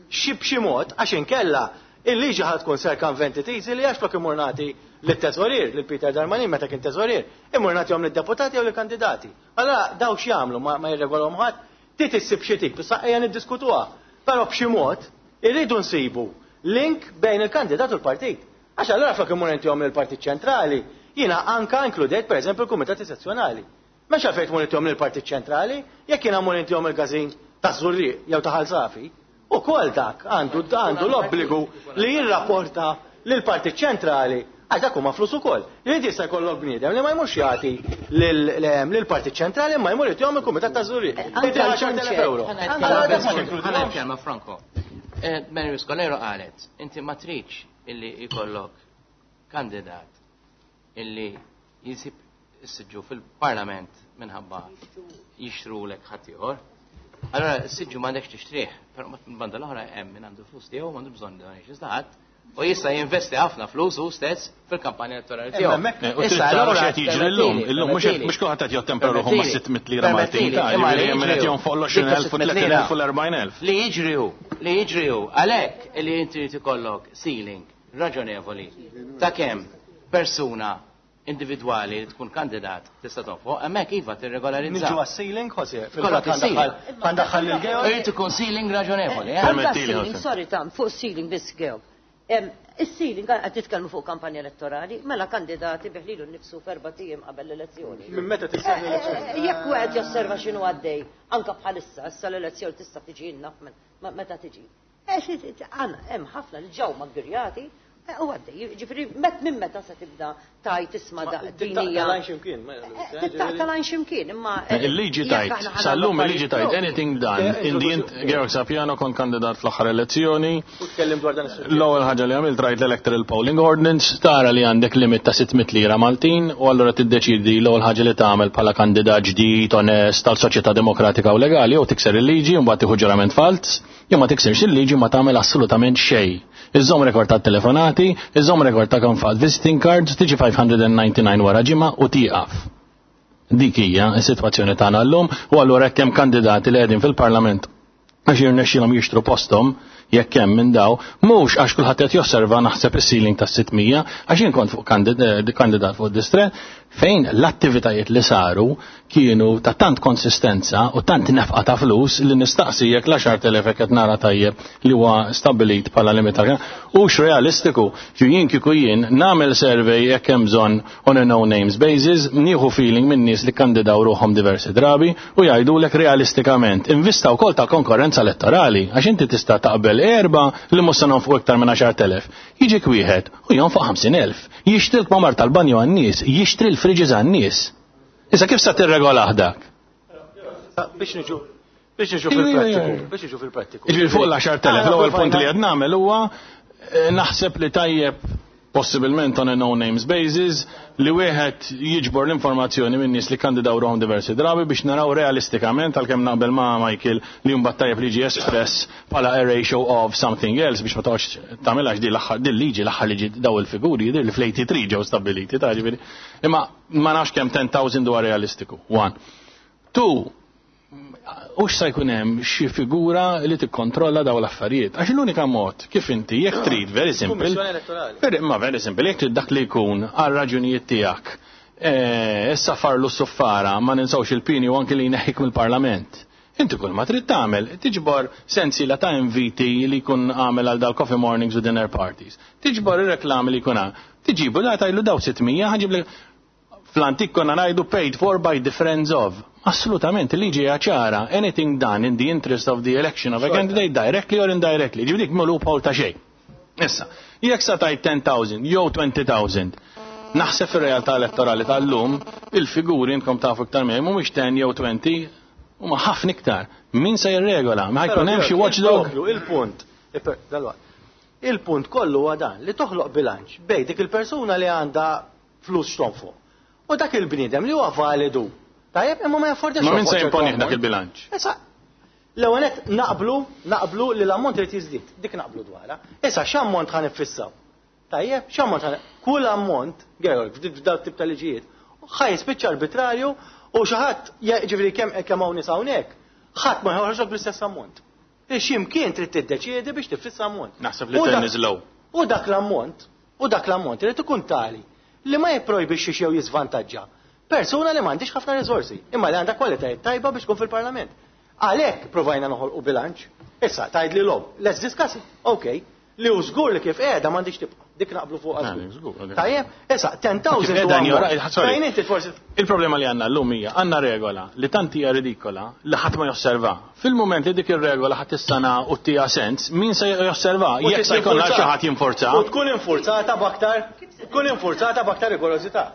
xi b'xi mod, għax inkella il-liġi ħad tkun circumvented easily, għax flok imur nagħti lit-teżorier, lil Peter Darmanin meta kien teżorier, imur nagħtihom lid-deputati jew lill-kandidati. Allora daw x'jagħmlu, ma jirregolhom ħadd, trid issib xi tip, issa ejja niddiskutuha. Però b'xi mod irridu nsibu link bejn il-kandidat u l-partit. Għax allora flok imur intihom lill-Partit Ċentrali, jiena anka inkludejt pereżempju l-Kumitati Sezzjonali. Mhux għalfejn tmur intihom lill-Partit Ċentrali, jekk jiena mmur intihom il-każin ta' Żurrieq jew ta' Ħal Safi, ukoll dak għandu l-obbligu li jirrapporta lill-Partit Ċentrali, għax dak huma flus ukoll. Li inti jista' jkollok bniedem li ma jmurx jagħti lill-Partit Ċentrali ma jmur jagħtihom il-Kumitat ta' Żurrieq. Inti 10,000 euro. Ħa nitkellem, Franco. Mary Scolero qalet, inti ma tridx illi jkollok kandidat illi jisib is-siġġu fil-parlament minħabba jixtru lek ħaddieħor. Allora, s-siġġu m'għandekx tixtrih, però banda l-oħra hemm min għandu flus tiegħu, m'għandu bżonn donations ta' ħadd u jista' jinvesti ħafna flus hu stess fil-kampanja elettorali tiegħu. U trid tara x'qed jiġri llum. Illum mhux kulħadd qed jottempra ruħu ma' 600 lira Maltin ta' jiġifieri hemm qed jonfoq l-20,000 u 30,000 u l-40,000. Li jiġri hu, għalhekk li inti trid ikollok ceiling raġonevoli ta' kemm persuna individwali li tkun kandidat tista' tonfoq, hemmhekk iva tirregolarizza. Niġu għas-ceiling, Jose, Kollok fil-fatt ħa ndaħħal il-Georg. Irid ikun ceiling raġonevoli, eh? Anka Permettili, ceiling, Jose. sorry tam, fuq ceiling biss, Georg. Is-ceiling, qed titkellmu fuq kampanja elettorali, mela kandidati ibigħ lilu nnifsu f'4 ijiem qabel l-elezzjoni. Minn meta tissemmi l-elezzjoni? Jekk wieħed josserva x'inhu għaddej, anka bħalissa, issa l-elezzjoni tista' tiġi naf meta tiġi. Għandna hemm ħafna li ġew maggirjati. U għaddej, ġifieri minn meta se tibda tajt isma' din hija. Tittaqta' x'imkien, imma. Il-liġi tajt, sal-lum il-liġi tajt, anything done, in the Georg Sapiano kon kandidat fl-aħħar elezzjoni. L-ewwel ħaġa li għamilt rajt l-Electoral Polling Ordinance, tara li għandek limit ta' 600 lira Maltin, u allura tiddeċidi l-ewwel ħaġa li tagħmel bħala kandidat ġdid, onest, tal-soċjetà demokratika u legali, jew tikser il-liġi u mbagħad tieħu ġurament falz, jew ma tiksirx il-liġi ma tagħmel assolutament xejn. Iżżomm rekord ta' telefonati, iżżomm rekord ta' kemm fat visiting cards, tiġi 599 wara ġimgħa u tieqaf. Dik hija s-sitwazzjoni tagħna llum u allura hekk hemm kandidati li qegħdin fil-Parlament għax jirnexxilhom jixtru posthom jekk hemm minn daw, mhux għax kulħadd qed josserva naħseb is-ceiling tas 600, għax jien kont fuq kandidat fuq distret fejn l-attivitajiet li saru kienu ta' tant konsistenza u tant nefqa ta' flus li nistaqsi jekk l-10,000 qed nara tajjeb li huwa stabbilit bħala limit hux realistiku. Ġu jien kieku jien nagħmel survey jekk hemm bżonn on a no names basis, nieħu feeling minn nies li kandidaw ruħhom diversi drabi u jgħidulek realistikament. Invista wkoll ta' konkurrenza elettorali għax inti tista' taqbel erba' li mhux se nonfqu iktar minn 10,000. Jiġik wieħed u jonfoq 50,000. Jixtri l-kmamar tal-banju għan-nies, jixtri l-fridges għan-nies. Issa kif sa tirregolah dak? Biex niġu biex niġu fil-prattiku, biex niġu fil-prattiku. Jiġifieri fuq l-10,000, l-ewwel punt li qed nagħmel huwa naħseb li tajjeb possibilment on a no names basis li wieħed jiġbor l-informazzjoni minn nies li kandidaw ruħhom diversi drabi biex naraw realistikament, għalkemm naqbel ma' Michael li mbagħad tajjeb li jiġi espress bħala a ratio of something else biex ma toqgħodx tagħmilha di l-aħħar din liġi l-aħħar liġi daw il-figuri jidher li fl-83 ġew stabbiliti ta' ġifieri. Imma ma nafx kemm 10,000 huwa realistiku. One. Two, hux sa jkun hemm xi figura li tikkontrolla daw l-affarijiet. Għax l-unika mod kif inti jekk trid very simple. Kummissjoni Elettorali. Very, ma very simple, jekk trid dak li jkun għal raġunijiet tiegħek. Issa farlu s-suffara, ma ninsawx il-pini u anki li jneħħik mill-Parlament. Inti kull ma trid tagħmel, tiġbor sensiela ta' inviti li jkun għamel għal dal-coffee mornings u dinner parties. Tiġbor ir-reklami li jkun għamel. Tiġibu la tajlu daw 600, ħaġib li fl-antik konna ngħidu paid for by the friends of. Assolutament, il-liġi hija ċara. Anything done in the interest of the election of a candidate, directly or indirectly. Ġifieri dik loophole ta' xejn. Issa, jekk sa tajt 10,000 jew 20,000, naħseb fir-realtà elettorali tal-lum, il-figuri intkom tafu iktar miegħi mhumiex 10 jew 20, huma ħafna iktar. Min se jirregola? Ma jkun hemm xi watchdog? Il-punt, dalwaqt. Il-punt kollu huwa dan li toħloq bilanċ bejn dik il-persuna li għandha flus x'tonfoq. U dak il-bniedem li huwa validu. Tajjeb, imma ma jaffordjax. Ma min se jimponi dak il-bilanċ? Issa, l-ewwel nett naqblu li l-ammont irid jiżdied, dik naqblu dwarha. Issa x'ammont ħa nifissaw? Tajjeb, x'ammont ħa kull ammont, Georg, f'dak tip ta' liġijiet, ħa jispiċċa arbitrarju u xi ħadd ġifieri kemm hawn nies hawnhekk, ħadd ma joħroġ bl-istess ammont. X'imkien trid tiddeċiedi biex tifissa ammont. Naħseb li ten is low. U dak l-ammont, u dak l-ammont irid ikun tali li ma jipprojbixxi jew jiżvantaġġa persuna li m'għandix ħafna riżorsi, imma li għandha kwalitajiet tajba biex tkun fil-Parlament. Għalhekk provajna noħolqu bilanċ. Issa tgħid li lom, let's discuss it. Okay. Li hu żgur li kif qiegħda m'għandix tibqa'. Dik naqblu fuq żgur. Tajjeb, issa 10,000 Kif qiegħda huwa jora, ammont. sorry. Fejn inti forsi Il-problema li għandna llum hija għandna regola li tant hija ridikola li ħadd ma josserva. Fil-mument li dik ir-regola ħadd tistana u tija sens, min se josserva? U Jekk se jkollna tinfurza. xi ħadd jinforza. U tkun infurzata b'aktar, tkun infurzata b'aktar rigorożità.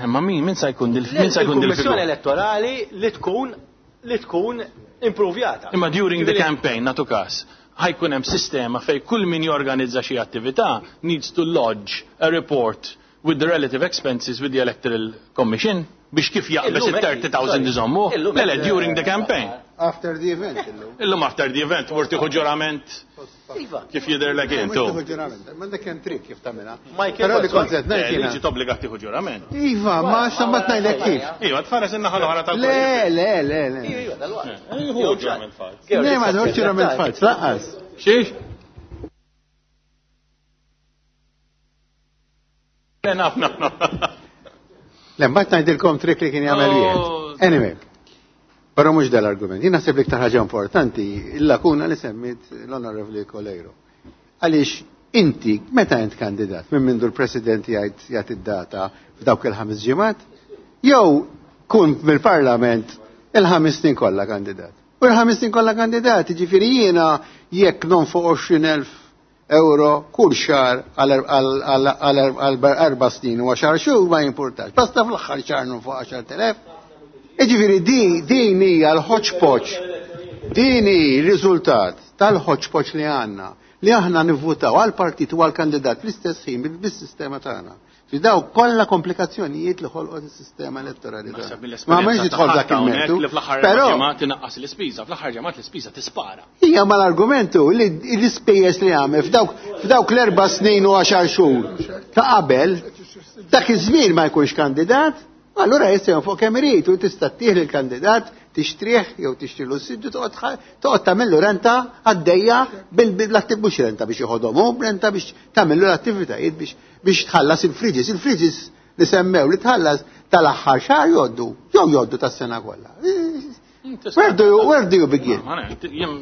Ma min se jkun dil min se jkun dil Il-Kummissjoni Elettorali li tkun improvjata. Imma during the campaign, natu kas, ħajkun hemm sistema fej kull min jorganizza xi attività needs to lodge a report with the relative expenses with the Electoral Commission biex kif jaqbes Illum hekk, il-30,000 iżommu. Illum Le, le, hekk, during the campaign. After the event, illum. Illum after the event, mur tieħu ġurament Iva. kif jidher lek intu. Mhux tieħu ġurament, ma dak hemm trik kif tagħmilha. Michael, Però li sorry. kont qed ngħid Eh, jiena. Liġi tobbliga tieħu ġurament. Iva, ma sambat ngħidlek kif. Iva, tfares in-naħa l-oħra tal Le, le, le, le. Iva, dalwaqt. Jieħu ġurament falz. Le, ma tħoġ ġurament falz, lanqas. Xiex? Le, naf, naf, naf. Le, mbagħad ngħidilkom trik li kien jagħmel Oh. wieħed. Anyway, però mhux dal-argument. Jien naħseb li iktar ħaġa importanti il-lakuna li semmit l-Onorevoli Coleiro. Għaliex inti meta int kandidat minn mindu l-President jgħid jagħti id-data f'dawk il-5 ġimgħat, jew kun mill-Parlament il-5 snin kollha kandidat. U l-5 snin kollha kandidat, jiġifieri jiena jekk nonfoq 20,000 euro kull xahar għal 4 snin u 10 xhur ma jimpurtax. Basta fl-aħħar xahar nonfoq 10,000. Jiġifieri din hija l-hodgepodge. Din hi r-riżultat tal-hodgepodge li għandna, li aħna nivvutaw għal partit u għal kandidat fl-istess ħin bis-sistema tagħna. Fi daw kollha komplikazzjonijiet li ħolqot is-sistema elettorali. Ma m'hemmx nidħol dak il-mertu. Però tinaqqas l-ispiża, fl-aħħar ġimgħat l-ispiża tispara. Hija mal-argumentu li l-ispejjeż li għamel f'dawk l-4 snin u 10 xhur ta' qabel, dak iż-żmien ma jkunx kandidat, allura jista' jonfoq kemm irid u tista' ttieħ lill-kandidat tixtrih jew tixtrilu s-siġġu toqgħod tagħmillu renta għaddejja bil-attiv mhux renta biex joħodhom hu, renta biex tagħmillu l-attivitajiet biex tħallas il-fridges. Il-fridges li semmew li tħallas tal-aħħar xahar jgħoddu, jew jgħoddu tas-sena kollha. Where do you begin?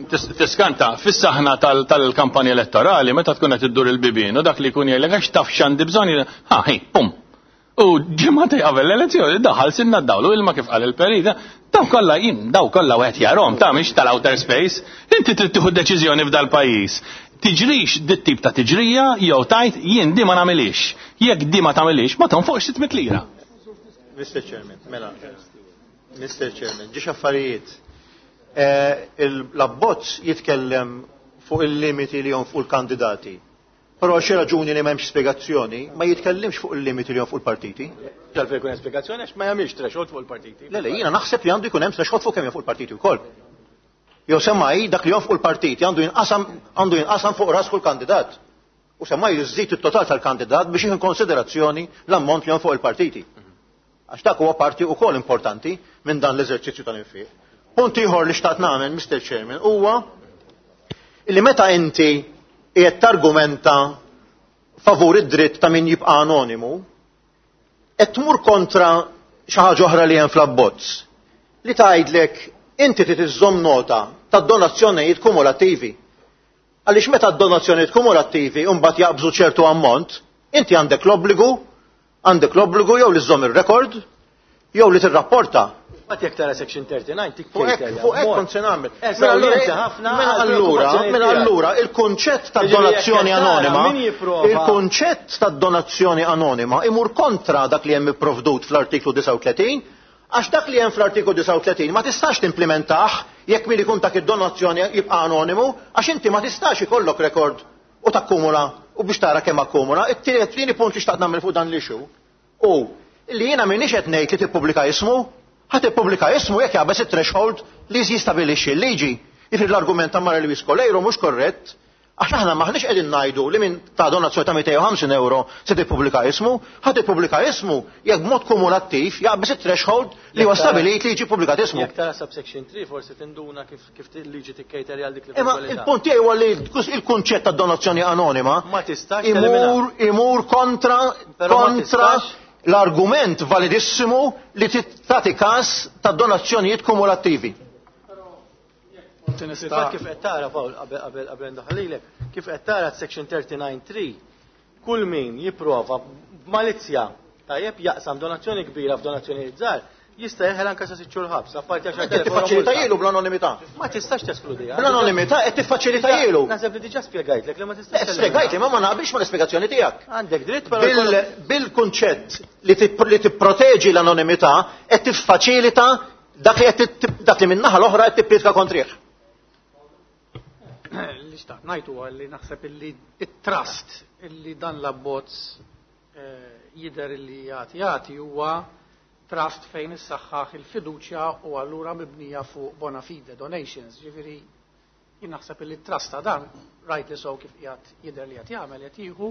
Tiskanta, fis-saħna tal-kampanja elettorali, meta tkun qed iddur il-bibien u dak li jkun jgħidlek għax taf x'għandi bżonn, ha, ħi, pum. U ġimgħa qabel l-elezzjoni daħal sinna dawlu ilma kif qal il-perita, daw kollha jien, daw kollha wieħed jarhom ta' mhix tal-outer space, inti trid tieħu deċiżjoni f'dal-pajjiż. Tiġrix dit tip ta' tiġrija jew tajt jien di ma nagħmilix. Jekk di ma tagħmilix, ma tonfoqx 600 lira. Mr. Chairman, mela. Mr. Chairman, ġiex affarijiet. L-abbozz jitkellem fuq il-limiti li jonfqu l-kandidati. Però xi raġuni li m'hemmx spjegazzjoni, ma jitkellimx fuq il-limiti li jonfqu l-partiti. Għalfejn jkun hemm spjegazzjoni għax ma jagħmilx threshold fuq il-partiti. Le, le, jiena naħseb li għandu jkun hemm threshold fuq kemm jonfqu l-partiti wkoll. Jew semmai dak li jonfqu l-partiti għandu jinqasam fuq ras kull kandidat. U semmai jżid it-total tal-kandidat biex jieħu konsiderazzjoni l-ammont li jonfqu l-partiti. Għax dak huwa parti wkoll importanti minn dan l-eżerċizzju tal-infiq. Punt ieħor li xtaqt nagħmel, Mr. Chairman, huwa li meta inti qiegħed targumenta favur id-dritt ta' min jibqa' anonimu, qed tmur kontra xi ħaġa oħra li hemm fl-abbozz li tgħidlek inti trid iżżomm nota tad-donazzjonijiet kumulattivi. Għaliex meta d-donazzjonijiet kumulattivi mbagħad jaqbżu ċertu ammont, inti għandek l-obbligu jew li żżomm ir-rekord jew li tirrapporta. Mbagħad jekk tara section 39 tik Fuq hekk kont se nagħmel. Mela allura il-kunċett tad-donazzjoni anonima, il-kunċett tad-donazzjoni anonima imur kontra dak li hemm ipprovdut fl-artiklu 39, għax dak li hemm fl-artiklu 39 ma tistax timplementah jekk min ikun dak id-donazzjoni jibqa' anonimu, għax inti ma tistax ikollok rekord u takkumula u biex tara kemm akkumula. It-tieni punt li xtaqt nagħmel fuq dan l-issue u li jiena m'iniex qed ngħid li tippubblika ismu, ħa tippubblika ismu jekk jaqbeż it-threshold li jistabilixxi l-liġi. Jiġifieri l-argument ta' Maria Louise Coleiro mhux korrett, għax aħna maħniex qegħdin ngħidu li min ta' donazzjoni ta' 250 euro se tippubblika ismu, ħa tippubblika ismu jekk b'mod kumulattiv jaqbeż it-threshold li huwa stabilit li jiġi ppubblikat ismu. Jekk tara subsection 3 forsi tinduna kif liġi tikkejter għal dik li Imma il-punt tiegħi huwa li il-kunċett ta' donazzjoni anonima ma tistax imur kontra l-argument validissimu li tagħti każ ta' donazzjonijiet kumulattivi. Fil-fatt kif qed tara Paul qabel ndaħħalilek, kif qed tara section 39.3, kull min jipprova b'malizzja tajjeb jaqsam donazzjoni kbira f'donazzjonijiet żgħar, jista' jeħel anke sa sitt xhur ħabs, apparti għax Qed tiffaċilitajielu bl-anonimità. Ma tistax teskludiha. Bl-anonimità qed tiffaċilitajielu. Naħseb li diġà spjegajtlek li ma tistax. Spjegajtli, ma ma naqbilx mal-ispjegazzjoni tiegħek. Għandek dritt, però bil-kunċett li tipproteġi l-anonimità qed tiffaċilita dak li min-naħa l-oħra qed tippriedka kontrih. Li xtaqt ngħid huwa li naħseb illi it-trust illi dan l-abbozz jidher illi jagħti huwa trust fejn issaħħaħ il-fiduċja u allura mibnija fuq bona fide donations. Ġifieri jien naħseb illi t-trust ta' dan rajt li sew kif qiegħed jidher li qed jagħmel qed jieħu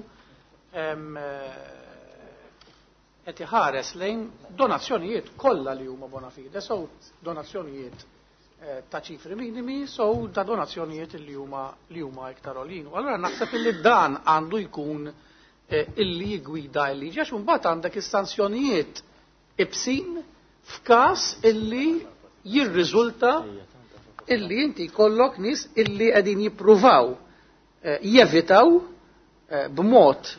qed iħares lejn donazzjonijiet kollha li huma bona fide, so donazzjonijiet ta' ċifri minimi, so ta' donazzjonijiet li huma iktar għoljin. U allura naħseb illi dan għandu jkun illi jigwida l-liġi, għax imbagħad għandek is-sanzjonijiet ibsin f'każ illi jirriżulta illi inti jkollok nies illi qegħdin jippruvaw jevitaw b'mod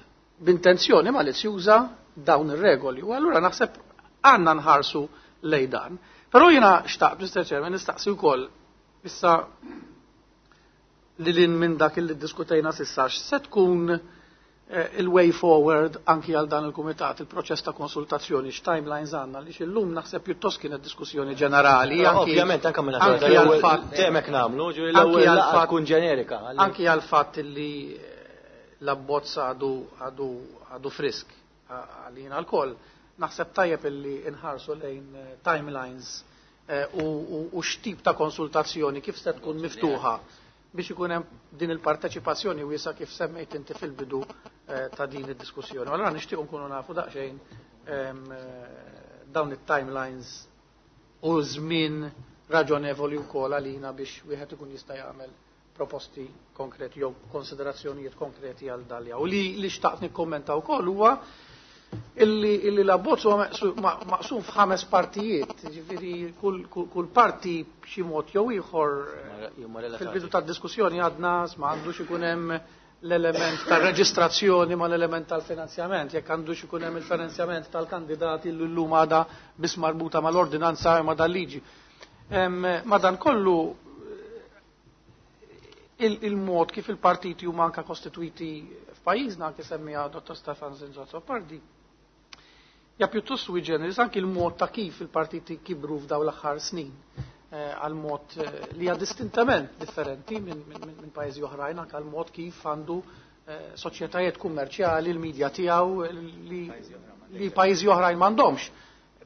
b'intenzjoni malizzjuża dawn ir-regoli. U allura naħseb għandna nħarsu lejn dan. Però jiena xtaqt, Mr. Chairman, nistaqsi wkoll issa lil hinn minn dak li ddiskutejna s'issa x'se tkun il-way forward anki għal dan il-kumitat, il-proċess ta' konsultazzjoni, x'timelines għandna li illum naħseb pjuttost kienet diskussjoni ġenerali. Ovvjament anke minn anki għal-fatt temek nagħmlu, ġifieri l-ewwel laqgħa tkun ġenerika. Anki għal-fatt li l-abbozz għadu għadu għadu frisk għalina lkoll, naħseb tajjeb illi inħarsu lejn timelines u x'tip ta' konsultazzjoni kif se tkun miftuħa biex ikun hemm din il-parteċipazzjoni wiesa kif semmejt inti fil-bidu ta' din id-diskussjoni. Allora nixtieq nkunu nafu daqsxejn dawn it-timelines u żmien raġonevoli wkoll għalina biex wieħed ikun jista' jagħmel proposti konkreti jew konsiderazzjonijiet konkreti għal dalja. U li xtaqt nikkommenta wkoll huwa illi l-abbozz huwa maqsum f'ħames partijiet, ġifieri kull parti b'xi mod jew ieħor fil-bidu tad-diskussjoni għadna ma għandux ikun hemm l-element tal-reġistrazzjoni ma l-element tal-finanzjament, jekk għandux ikun hemm il-finanzjament tal-kandidati li llum għadha biss marbuta mal-ordinanza ma dal-liġi. Madan kollu il-mod kif il-partiti huma anka kostituiti f'pajjiżna anke semmija Dr. Stefan Zrinzo Azzopardi, ja pjuttost sui generis anki il-mod ta' kif il-partiti kibru f'daw l-aħħar snin għal mod li hija distintament differenti minn pajjiżi oħrajn anke għal mod kif għandu soċjetajiet kummerċjali l-medja tiegħu li pajjiżi oħrajn m'għandhomx.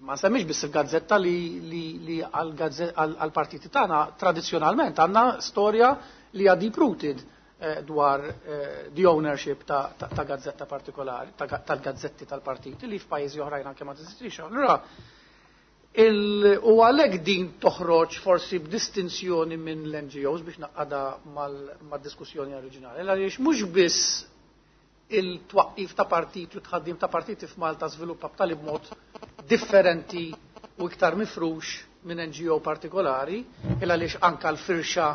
Ma semmix biss il-gazzetta li għal-partiti tagħna tradizzjonalment għandna storja li hija deep rooted dwar the ownership ta' gazzetta partikolari, tal-gazzetti tal-partiti li f'pajjiżi oħrajn anke ma teżistix. Allura u għalhekk din toħroġ forsi b'distinzjoni minn l-NGOs biex naqada mad-diskussjoni oriġinali. Għaliex mhux biss il-twaqqif ta' partiti u tħaddim ta' partiti f'Malta żviluppa b'tali mod differenti u iktar mifrux minn NGO partikolari, il għaliex anka l-firxa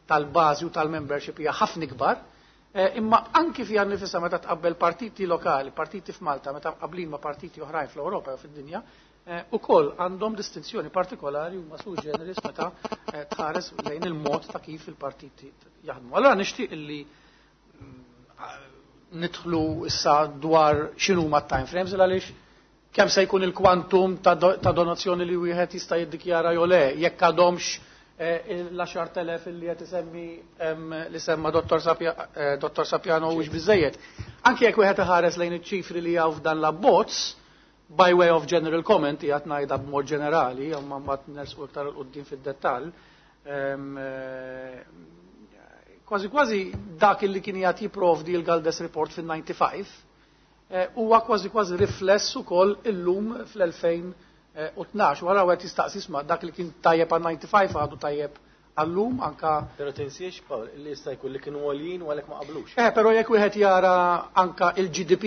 tal-bażi u tal-membership hija ħafna ikbar, imma anki fiha nifisha meta tqabbel partiti lokali, partiti f'Malta, meta qablin ma' partiti oħrajn fl-Ewropa jew fid-dinja, ukoll għandhom distinzjoni partikolari huma sui generis meta tħares lejn il-mod ta' kif il-partiti jaħdmu. Allora nixtieq illi nidħlu issa dwar x'inhuma time frames għaliex kemm se jkun il-kwantum ta' donazzjoni li wieħed jista' jiddikjara jew le, jekk għadhomx l-10,000 li qed isemmi li semma Dottor Sapiano huwiex biżejjed. Anke jekk wieħed iħares lejn iċ-ċifri li hawn f'dan l-abbozz, by way of general comment, qiegħed ngħidha b'mod ġenerali, imma mbagħad nersqu iktar 'il quddiem fid-dettall, kważi kważi dak li kien qiegħed jipprovdi l-Galdes Report fin-95 huwa kważi kważi rifless ukoll illum fl-2012. Wara wieħed jistaqsi isma' dak li kien tajjeb għal 95 għadu tajjeb għallum anka. Però tinsiex, Paul, li jista' jkun li kienu għoljin u għalhekk ma qablux. Però jekk wieħed jara anka il-GDP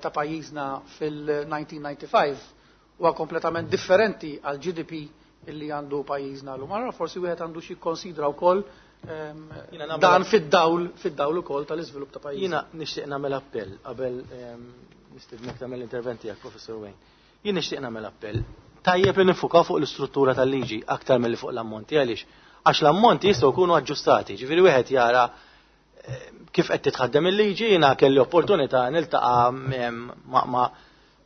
ta' pajjiżna fil-1995 huwa kompletament differenti għal GDP illi għandu pajjiżna llum. Allora forsi wieħed għandu xi jikkonsidra wkoll dan fid-dawl ukoll tal-iżvilupp ta' pajjiżna. Jiena nixtieq nagħmel appell qabel nistednek tagħmel l-intervent tiegħek, Professor Wayne. Jien nixtieq nagħmel appell. Tajjeb li nifukaw fuq l-istruttura tal-liġi aktar milli fuq l-ammonti għaliex għax l-ammonti jistgħu jkunu aġġustati. Ġifieri wieħed jara kif qed titħaddem il-liġi, jiena kelli opportunità niltaqa'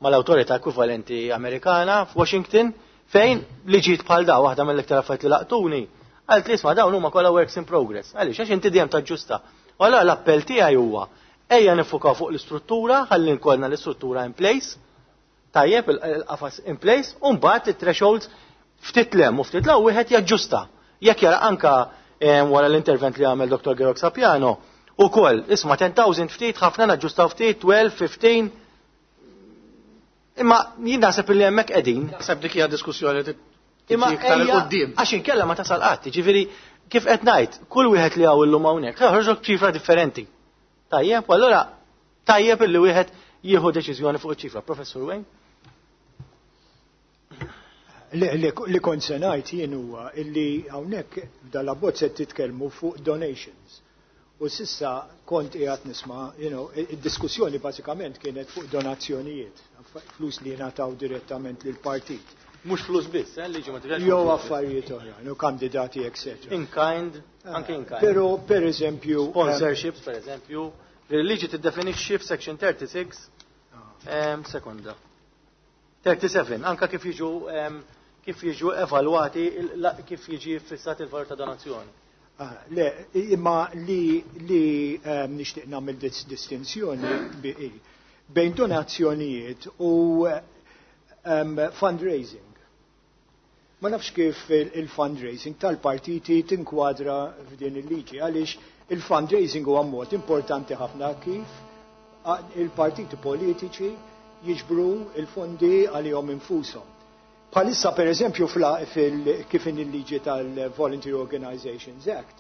mal-awtorità ekwivalenti Amerikana f'Washington fejn liġijiet bħal daw waħda mill-iktar affarijiet li laqtuni. Għalt li isma' dawn huma kollha works in progress. Għaliex għax inti dejjem taġġusta. U allura l-appell tiegħi huwa ejja nifukaw fuq l-istruttura, ħalli nkollna l-istruttura in place, tajjeb il-qafas in place, u mbagħad it-thresholds ftit lem u ftit law wieħed jaġġusta. Jekk jara anka wara l-intervent li għamel Dr. Georg Sapiano, ukoll isma' 10,000 ftit, ħafna naġġustaw ftit, 12, 15. Imma jien naħseb li hemmhekk qegħdin. Naħseb dik hija diskussjoni li Imma tiġi iktar ejja, il-qudiem. Għax inkella ma tasal qatt, jiġifieri kif qed ngħid, kull wieħed li hawn illum hawnhekk ħarġok ċifra differenti. Tajjeb, u allura tajjeb illi wieħed jieħu deċiżjoni fuq iċ-ċifra. Professor Wayne? Li kont se ngħid jien huwa illi hawnhekk f'dal-abbozz qed titkellmu fuq donations. U s'issa kont qiegħed nisma', id-diskussjoni bażikament kienet fuq donazzjonijiet, flus li jingħataw direttament lill partit. Mhux flus biss, liġi ma tifhemx. Jew affarijiet oħrajn, u kandidati, etc. In kind, anke in kind. Però, per eżempju. Sponsorships, per eżempju. Il-liġi tiddefinixxi f'section 36, sekonda. 37, anka kif jiġu evalwati, kif jiġi fissat il-valur ta' donazzjoni. Ah, le, imma li nixtieq nagħmel distinzjoni bejn donazzjonijiet u fundraising. Ma nafx kif il-fundraising tal-partiti tinkwadra f'din il-liġi, għaliex il-fundraising huwa mod importanti ħafna kif il-partiti politiċi jiġbru il-fondi għalihom infushom. Bħalissa, per eżempju, kif in il-liġi tal-Voluntary Organizations Act,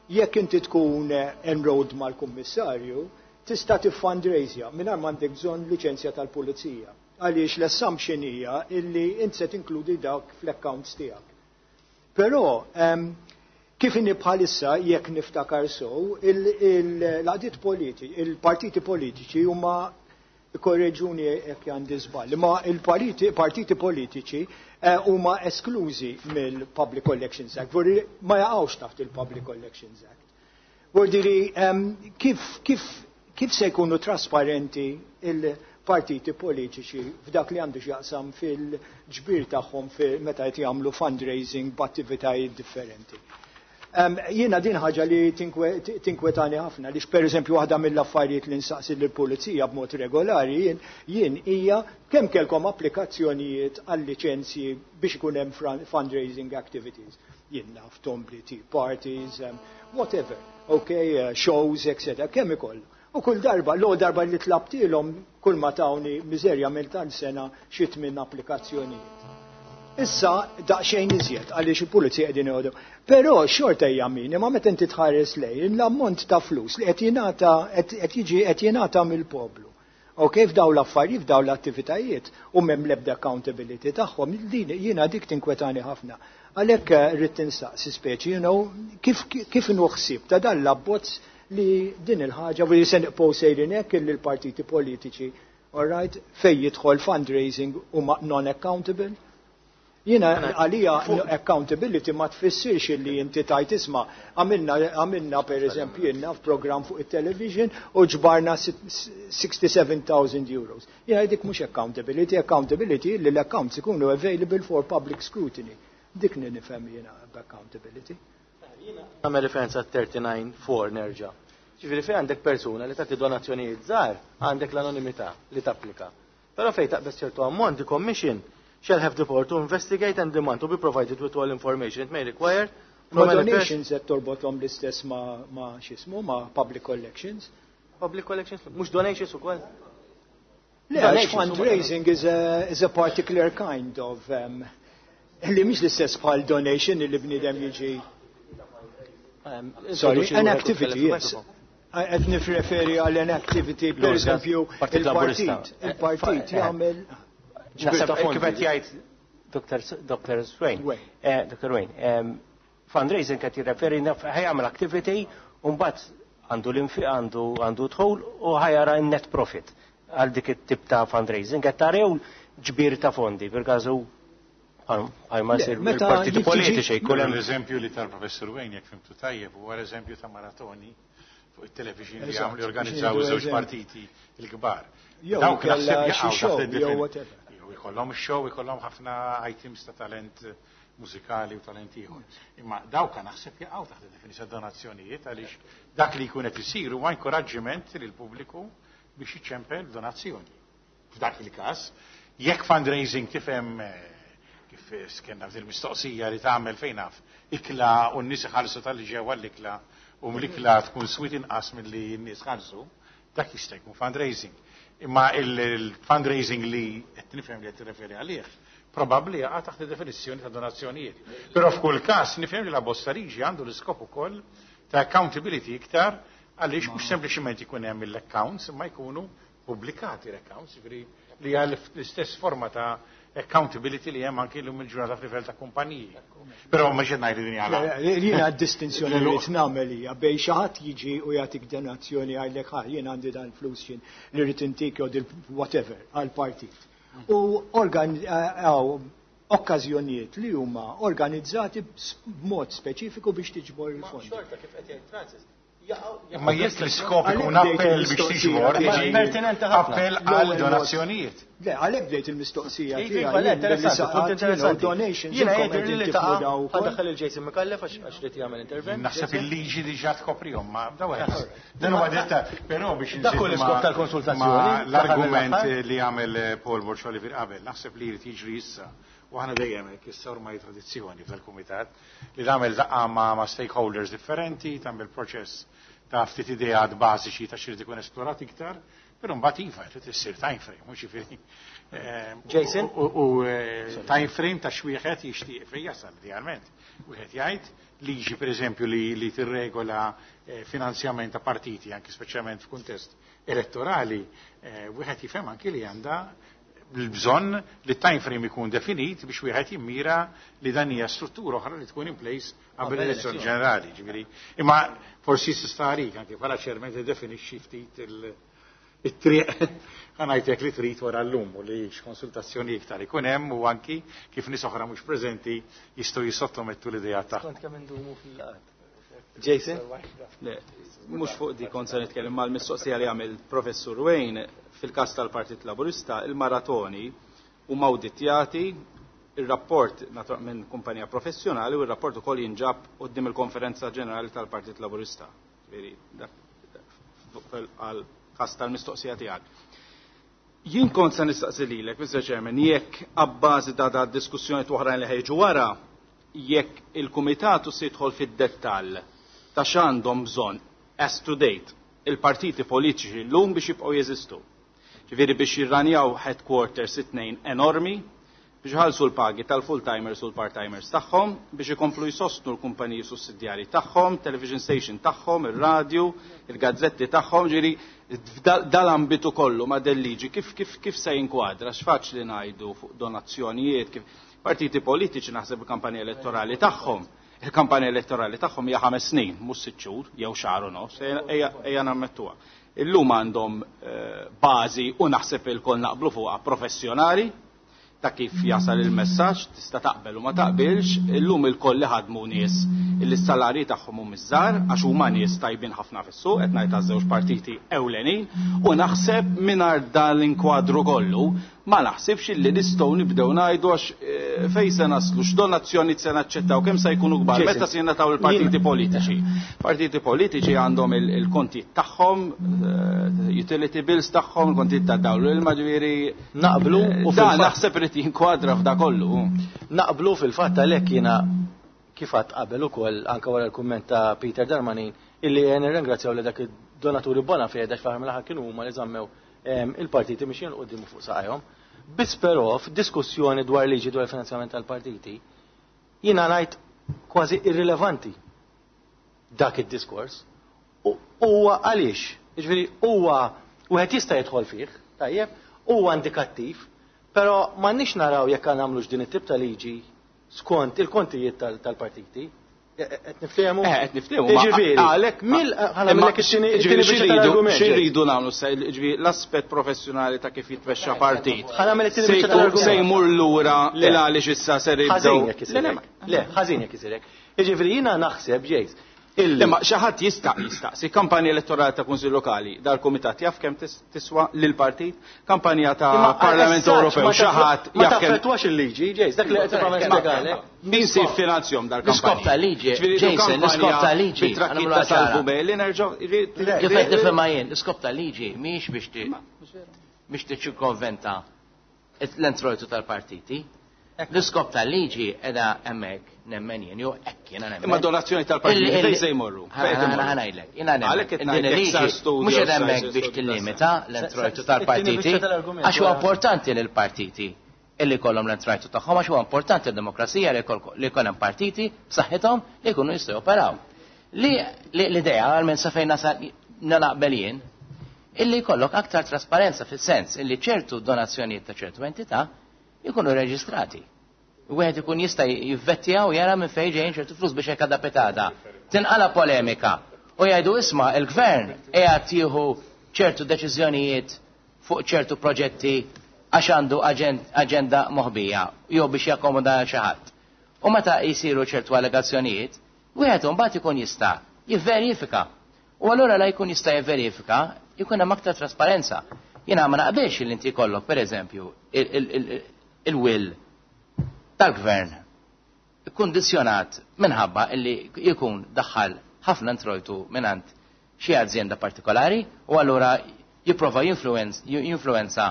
jekk inti tkun enrolled mal-kummissarju, tista' tiffundraisja mingħajr m'għandek bżonn liċenzja tal-pulizija. Għaliex l-assumption hija illi int se tinkludi dawk fl-accounts tiegħek. Però kif inni bħalissa, jekk niftakar sew, l-għaqdiet politiċi, il-partiti politiċi huma, korreġuni jekk għandi żball, ma il-partiti politiċi huma esklużi mill-Public Collections Act, vuol ma jaqgħux taħt il-Public Collections Act. Vuol dire kif se jkunu trasparenti il-partiti politiċi f'dak li għandu x'jaqsam fil-ġbir tagħhom meta qed jagħmlu fundraising b'attivitajiet differenti? Jiena din ħaġa li tinkwetani ħafna, li per eżempju waħda mill-affarijiet li nsaqsi lill-pulizija b'mod regolari jien hija kemm kellkom applikazzjonijiet għal liċenzji biex ikun hemm fundraising activities. Jien naf tombli, tea parties, whatever, okay, shows, etc. Kemm ikollu. U kull darba, l darba li tlabtilhom, kull ma tawni miżerja mill tal-sena xi tmien applikazzjonijiet. Issa daqsxejn iżjed għaliex il-pulizija qegħdin jgħodu. Però xorta hija minima meta inti tħares lejn l-ammont ta' flus li qed jingħata, qed jiġi, qed jingħata mill-poplu. Ok, f'daw l-affarijiet, f'daw l-attivitajiet, u m'hemm l-ebda accountability tagħhom, din jiena dik tinkwetani ħafna. Għalhekk rrid tinsaqsi speċi, kif inhu ħsieb ta' dan l-abbozz li din il-ħaġa u li se nibqgħu sejrin hekk illi l-partiti politiċi, all right, fej jidħol fundraising huma non-accountable? Jiena għalija accountability ma tfissirx li inti tajt isma' għamilna, per eżempju, jiena f'program fuq il-television u ġbarna 67,000 euros. Jiena dik mhux accountability, accountability li l-accounts ikunu available for public scrutiny. Dik li nifhem jiena b'accountability. Nagħmel referenza 39.4 nerġa'. Ġifieri fejn għandek persuna li tagħti donazzjonijiet żgħar, għandek l-anonimità li tapplika. Però fejn taqbeż ċertu ammont, the commission shall have the power to investigate and demand to be provided with all information it may require Ma from any donations qed torbothom l-istess ma x'ismu, ma public collections. Public collections, mhux donations ukoll. Le, għax fundraising is a particular kind of li mhix l-istess bħal donation li bniedem jiġi. Sorry, an activity, yes. Qed nirreferi għal an activity, per eżempju, Partit Laburista. il-partit jagħmel ġbir Naħseb ta' kif fondi. qed jgħid Dr. Swain. Dr. Wayne, fundraising qed jirreferi naf ħa jagħmel activity u mbagħad għandu l-infiq, għandu dħul u ħa jara n-net profit għal dik it-tip ta' fundraising qed tarew ġbir ta' fondi fil-każu bħal ma Le, jsir meta il-partiti politiċi jkun hemm L-eżempju li tal-professor Wayne, jekk fhimtu tajjeb, huwa l-eżempju ta' maratoni fuq il-television li Eżatt, għamlu jorganizzaw biex iż-żewġ nieħdu partiti il-kbar. Jew Dawk kella naħseb xi jaqgħu show, taħt jew whatever. Jew ikollhom show, ikollhom ħafna items ta' talent mużikali u talent ieħor. Imma dawk naħseb jaqgħu taħt id-definizjoni donazzjonijiet għaliex dak li jkun qed isir huwa inkoraġġiment lill-pubbliku biex iċempel donazzjoni. F'dak il-każ, jekk fundraising tifhem kif skenna f'dil mistoqsija li tagħmel fejn naf ikla u n-nies iħallsu tal-li ġewwa l-ikla u l-ikla tkun swit inqas milli n-nies ħallsu, dak jista' jkun fundraising. Imma il-fundraising li qed nifhem li qed tirreferi għalih probabbli jaqa' taħt id-definizzjoni ta' donazzjonijiet. Però f'kull każ nifhem li l-abbozz ta' liġi għandu l-iskop ukoll ta' accountability iktar għaliex mhux sempliċiment ikun hemm l-accounts imma jkunu pubblikati l-accounts, jiġifieri li hija l-istess forma ta' accountability li hemm anki llum il-ġurnata f'livell ta' kumpaniji. Però ma xed ngħid din għala. Le, jiena d-distinzjoni li rrid nagħmel hija bejn xi ħadd jiġi u jagħtik donazzjoni, għajlek ħa jien għandi dan flus jien li rrid intik jew dil whatever għal partit. U Okkażjonijiet li huma organizzati b'mod speċifiku biex tiġbor il-fondi. Xorta kif qed jgħid Francis. Imma jekk l-iskop ikun appell biex tiġbor, pertinenti ħafna. Appell għal donazzjonijiet. Le, għalhekk bdejt il-mistoqsija Iva, tiegħi. le, interessanti, punt interessanti. Donations. Jiena inkom jidher qegħdin li tifhmu taqa' daw ukoll. ħadaħħal il-Jason Micallef għax rid jagħmel intervent. Naħseb il-liġi diġà tkoprihom, ma da wieħed. Dan huwa detta, però biex Dak hu inżid l-iskop tal-konsultazzjoni, ma l-aħħar L-argument mill-aħħar. li għamel Paul Borg Olivier qabel, naħseb li jrid jiġri issa. U aħna dejjem hekk issa ormai tradizzjoni fil-kumitat li tagħmel laqgħa ma' stakeholders differenti, tagħmel proċess ta' ftit ideat bażiċi ta' x'irid ikun esplorat iktar, però mbagħad iva trid issir time frame, mhux jiġifieri. Jason? U time frame ta' x'wieħed jixtieq fejn jasal idealment. Wieħed jgħid liġi pereżempju li tirregola finanzjament ta' partiti, anki speċjalment f'kuntest elettorali, wieħed jifhem anki li għandha l-bżonn li time frame ikun definit biex wieħed jimmira li dan hija struttura oħra li tkun in place qabel l-elezzjoni ġenerali, ġifieri. Imma forsi tista' għalik anke bħala chairman tiddefinixxi ftit it-triq ħa ngħidlek li trid wara llum u li x'konsultazzjoni iktar ikun hemm u anki kif nies oħra mhux preżenti jistgħu jissottomettu l-idea tagħhom. Kont kemm indumu fil-laqgħat. Jason? Le, mhux fuq di kont se nitkellem mal-mistoqsija li għamel Professur Wayne fil-każ tal-Partit Laburista, il-maratoni huma awditjati, ir-rapport minn kumpanija professjonali u r-rapport ukoll jinġab quddiem il-Konferenza Ġenerali tal-Partit Laburista. Ġifieri, dak għal każ tal-mistoqsija tiegħek. Jien kont se nistaqsi lilek, Mr. Chairman, jekk abbażi ta' da diskussjoni oħrajn li ħejġu wara, jekk il-kumitatu se jidħol fid-dettall ta' x'għandhom bżonn as to date il-partiti politiċi llum biex jibqgħu jeżistu. Ġifieri biex jirranjaw headquarters it-tnejn enormi, biex ħalsu l-pagi tal-full-timers u l-part-timers tagħhom, biex ikomplu jsostnu l-kumpaniji sussidjarji tagħhom, television station tagħhom, ir-radju, il-gazzetti tagħhom, ġifieri dal-ambitu kollu ma' del-liġi kif se jinkwadra, x'faċli ngħidu fuq donazzjonijiet, kif partiti politiċi naħseb il-kampanja elettorali tagħhom. Il-kampanja elettorali tagħhom hija 5 snin, mhux 6 xhur jew xahar u nofs, ejja nammettuha. Illum għandhom bażi u naħseb ilkoll naqblu fuqha professjonali ta' kif jasal il-messaġġ, tista' taqbel u ma taqbilx, illum ilkoll li ħadmu nies illi s-salarji tagħhom hum iżgħar għax huma nies tajbin ħafna fis-suq, qed ngħid għaż-żewġ partiti ewlenin, u naħseb mingħajr dan l-inkwadru kollu ma naħsibx illi nistgħu nibdew ngħidu għax fejn se naslu, x'donazzjoni se naċċettaw, kemm se jkunu kbar, Jason, meta se jingħataw il-partiti jien- politiċi. Partiti politiċi għandhom il-kontijiet tagħhom, utility bills tagħhom, il-kontijiet ta' dawl, il-ma ġifieri Naqblu u da fil-fatt naħseb irid jinkwadra f'da kollu. Naqblu fil-fatt għalhekk jiena kif għadt qabel ukoll anke wara l-kumment ta' Peter Darmanin illi nirringrazzjaw li dak id-donaturi bona fede għax fl-aħħar mill-aħħar kienu huma li żammew il-partiti biex jinqudmu fuq saqajhom. Biss però f'diskussjoni dwar liġi dwar il-finanzjament tal-partiti, jiena ngħid kważi irrilevanti dak id-diskors. U huwa għaliex, jiġifieri huwa wieħed jista' jidħol fih, tajjeb, huwa indikattiv, però m'għandniex naraw jekk nagħmlux din it-tip ta' liġi skont il-kontijiet tal-partiti. Qed niftehmu? Qed niftehmu, ma Jiġifieri, għalhekk ħa imma nagħmel it-tieni ġifieri biċċa tal-argument. x'iridu nagħmlu se, ġifieri l-aspett professjonali ta' kif jitmexxa partit. Ħa nagħmel it-tieni Se biċċa tal-argument. jmur lura Le. il għaliex issa ser jibdew. Ħażin jekk isirek. Le, le, ma- Le, ħażin jekk isirek. Jiġifieri jiena naħseb, Jace, illi Imma xi ħadd jista' jistaqsi kampanja elettorali ta' Kunsill Lokali dal-Kumitat jaf kemm tiswa lil partit, kampanja ta' Imma Parlament għal-essaġġ Ewropew, xi ħadd ma jaf kemm taffettwax il-liġi, Jace, dak li qed tipprova nispjegalek. Min se jiffinanzjahom dal-kampanja? L-iskop ta' liġi, Ġifieri Jason, kampanja l-iskop ta' liġi, bit-trakkitta għanamlu ċara. salvu bejli, nerġgħu, ġifieri, Kif qed nifhimha jien, l-iskop ta' liġi mhijiex biex tiċċirkonventa l-introjtu tal-partiti. L-iskop tal-liġi edha hemmhekk nemmen jien, jew hekk jiena nemmen. Imma donazzjoni tal-partiti fejn se jmorru? Fejn se jmorru? Ħa ngħidlek, jiena nemmen. Għalhekk qed Din ngħidlek il-liġi sar studio, mhux qiegħda sar hemmhekk biex studio, tillimita sar- l-introjtu It-tieni tal-partiti, biċċa tal-argument għax huwa wara. importanti lil partiti illi jkollhom l-introjtu tagħhom, għax huwa importanti d-demokrazija li jkollhom hemm partiti b'saħħithom li jkunu jistgħu joperaw. Li l-idea għal minn sa fejn nasal naqbel jien, illi jkollok aktar trasparenza fis-sens illi ċertu donazzjonijiet ta' ċertu entità jkunu reġistrati. Wieħed ikun jista' jivvettja u jara minn fejn ġejjin ċertu flus biex hekk għadha petada. Tinqala polemika u jgħidu isma' il-gvern qiegħed jieħu ċertu deċiżjonijiet fuq ċertu proġetti għax għandu aġenda moħbija jew biex jakkomoda xi ħadd. U meta jsiru ċertu allegazzjonijiet, wieħed imbagħad ikun jista' jivverifika. U allura la jkun jista' jivverifika, jkun hemm aktar trasparenza. Jiena ma naqbilx li inti jkollok pereżempju il-will tal-gvern kkundizzjonat minħabba illi jkun daħħal ħafna introjtu mingħand xi azjenda partikolari u allura jipprova jinfluwenza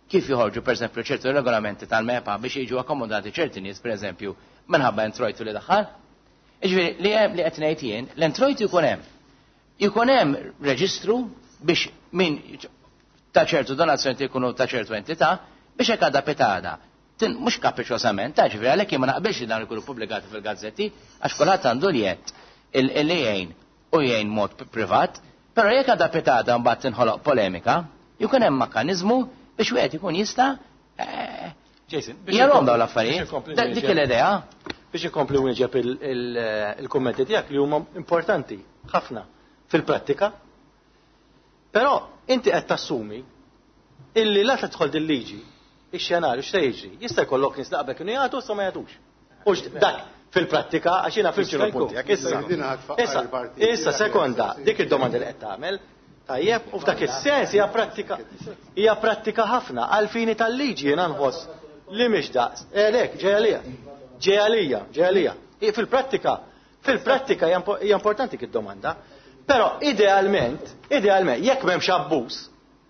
kif joħorġu pereżempju ċertu regolamenti tal-MEPA biex jiġu akkomodati ċerti nies pereżempju minħabba introjtu li daħħal. Jiġifieri li hemm li qed ngħid jien, l-introjtu jkun hemm. Jkun hemm reġistru biex min ta' ċertu donazzjoni jkunu ta' ċertu entità biex hekk għadha pitada. Mhux kapriċċosament, ta' ġifieri għalhekk jien ma naqbilx li dawn ikunu pubblikati fil-gazzetti għax kulħadd għandu l-jedd illi jgħin u jgħin mod privat, però jekk għadha pitada mbagħad tinħoloq polemika, jkun hemm mekkaniżmu biex wieħed ikun jista' Jason, jarhom dawn l-affarijiet. Dik l-idea. Biex inkompli wieġeb il-kummenti tiegħek li huma importanti ħafna fil-prattika. Però inti qed tassumi illi la tidħol din liġi ix-xenarju x'se jiġri? Jista' jkollok nies li qabel kienu jagħtu issa ma jagħtux. U dak fil-prattika għax jiena fhimt x'inhu l-punt tiegħek issa. Issa, issa sekonda, dik id-domanda li qed tagħmel, tajjeb, u f'dak is-sens hija prattika hija prattika ħafna għal fini tal-liġi jiena nħoss li mhix daqs. Lek, ġej għalija. Ġej għalija, ġej għalija. Fil-prattika, fil-prattika hija importanti dik id-domanda. Però idealment, idealment, jekk m'hemmx abbuż,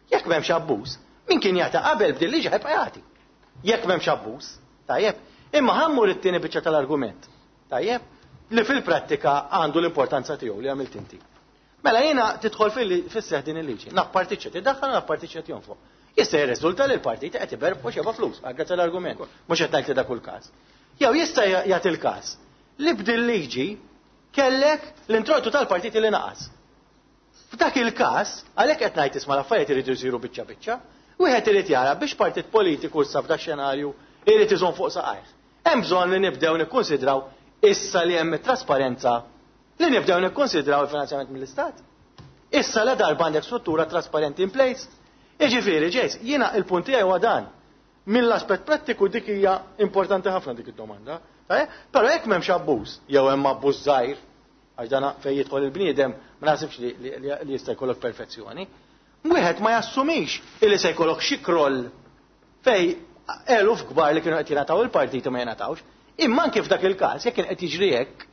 jekk m'hemmx abbuż, min kien jagħti qabel b'din liġi ħa jibqa' jagħti. Jekk m'hemmx abbuż, tajjeb. Imma ħa mmur it-tieni biċċa tal-argument, tajjeb, li fil-prattika għandu l-importanza tiegħu li għamilt inti. Mela jiena tidħol fis-seħ din il-liġi. Naf partit x'qed idaħħal, naf partit x'qed jonfoq. Jista' jirriżulta li l-partit qed iberbqu xeba flus, grazzi l-argument. Mhux qed ngħid li dak kull każ. Jew jista' jagħti l-każ li b'din liġi kellek l-introjtu tal-partit li naqas. F'dak il-każ, għalhekk qed ngħid isma' l-affarijiet iridu jsiru biċċa biċċa, wieħed irid jara biex partit politiku issa f'dak xenarju irid iżomm fuq saqajh. Hemm bżonn li nibdew nikkunsidraw issa li hemm it-trasparenza li nibdew nikkonsidraw il-finanzjament mill-Istat. Issa la darba għandek struttura trasparenti in place. Jiġifieri, Jace, jiena il-punt tiegħi huwa dan. Mill-aspett prattiku dik hija importanti ħafna dik id-domanda. Però jekk m'hemmx abbuż, jew hemm abbuż żgħir, għax dan fejn jidħol il-bniedem ma naħsibx li jista' jkollok perfezzjoni. Wieħed ma jassumix illi se jkollok xi kroll fej eluf kbar li kienu qed jingħataw il-partiti ma jingħatawx. Imma anke f'dak il-każ jekk kien qed jiġri hekk,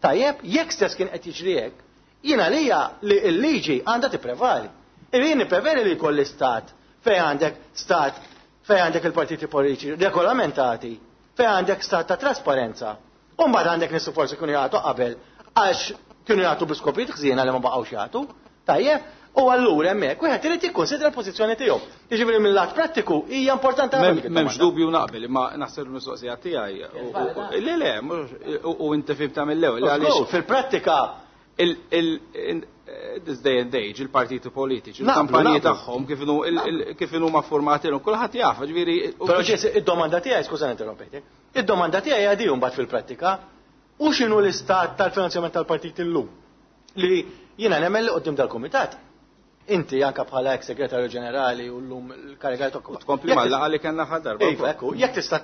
tajjeb, jekk stess kien qed jiġri hekk, jiena lija li l-liġi għandha tipprevali. Jien nippreveri li jkolli stat fejn għandek stat fejn għandek il-partiti politiċi regolamentati, fejn għandek stat ta' trasparenza. U mbagħad għandek nies forsi kienu jagħtu qabel għax kienu jagħtu bi skopijiet ħżiena li ma baqgħux jagħtu. Tajjeb, u allura hemmhekk wieħed irid jikkonsidra l-pożizzjoni tiegħu. Jiġifieri mill-lat prattiku hija importanti ħafna dik M'hemmx id-domanda. dubju naqbel, imma naħseb il-mistoqsija tiegħi le le, u inti fhimtha mill-ewwel għaliex fil-prattika this day and age il-partiti politiċi, il-kampanji tagħhom kif inhu ma formati l kulħadd jaf, ġifieri. Però ġes id-domanda tiegħi, skużani interrompejtek, id-domanda tiegħi hija di mbagħad fil-prattika, u x'inhu l-istat tal-finanzjament tal-partit illum? Li jiena nemmen li qudiem dal-kumitat. Inti anka bħala ex segretarju ġenerali u llum l-kariga tokku. Tkompli mal-laqgħa li kellna ħadd darba. Iva, ekku, jekk tista'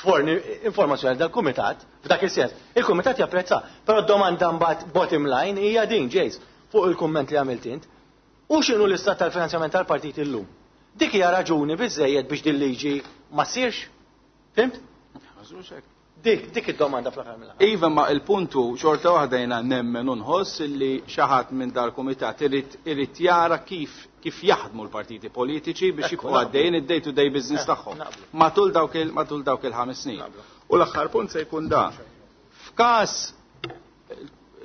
tforni informazzjoni dal-kumitat, f'dak is-sens, il-kumitat japprezza, però d-domanda mbagħad bottom line hija din, Jace, fuq il-kumment li għamilt int. U x'inhu l-istat tal-finanzjament tal-partit illum? Dik hija raġuni biżejjed biex din liġi ma ssirx? Fhimt? Dik id-domanda fl-aħħar mill-aħħar. Iva, ma il-puntu xorta waħda jiena nemmen u nħoss illi xi ħadd minn dal-kumitat irid jara kif jaħdmu l-partiti politiċi biex jibqgħu għaddejjin id-day to day business tagħhom. Matul dawk il-5 snin. U l-aħħar punt se jkun da. F'każ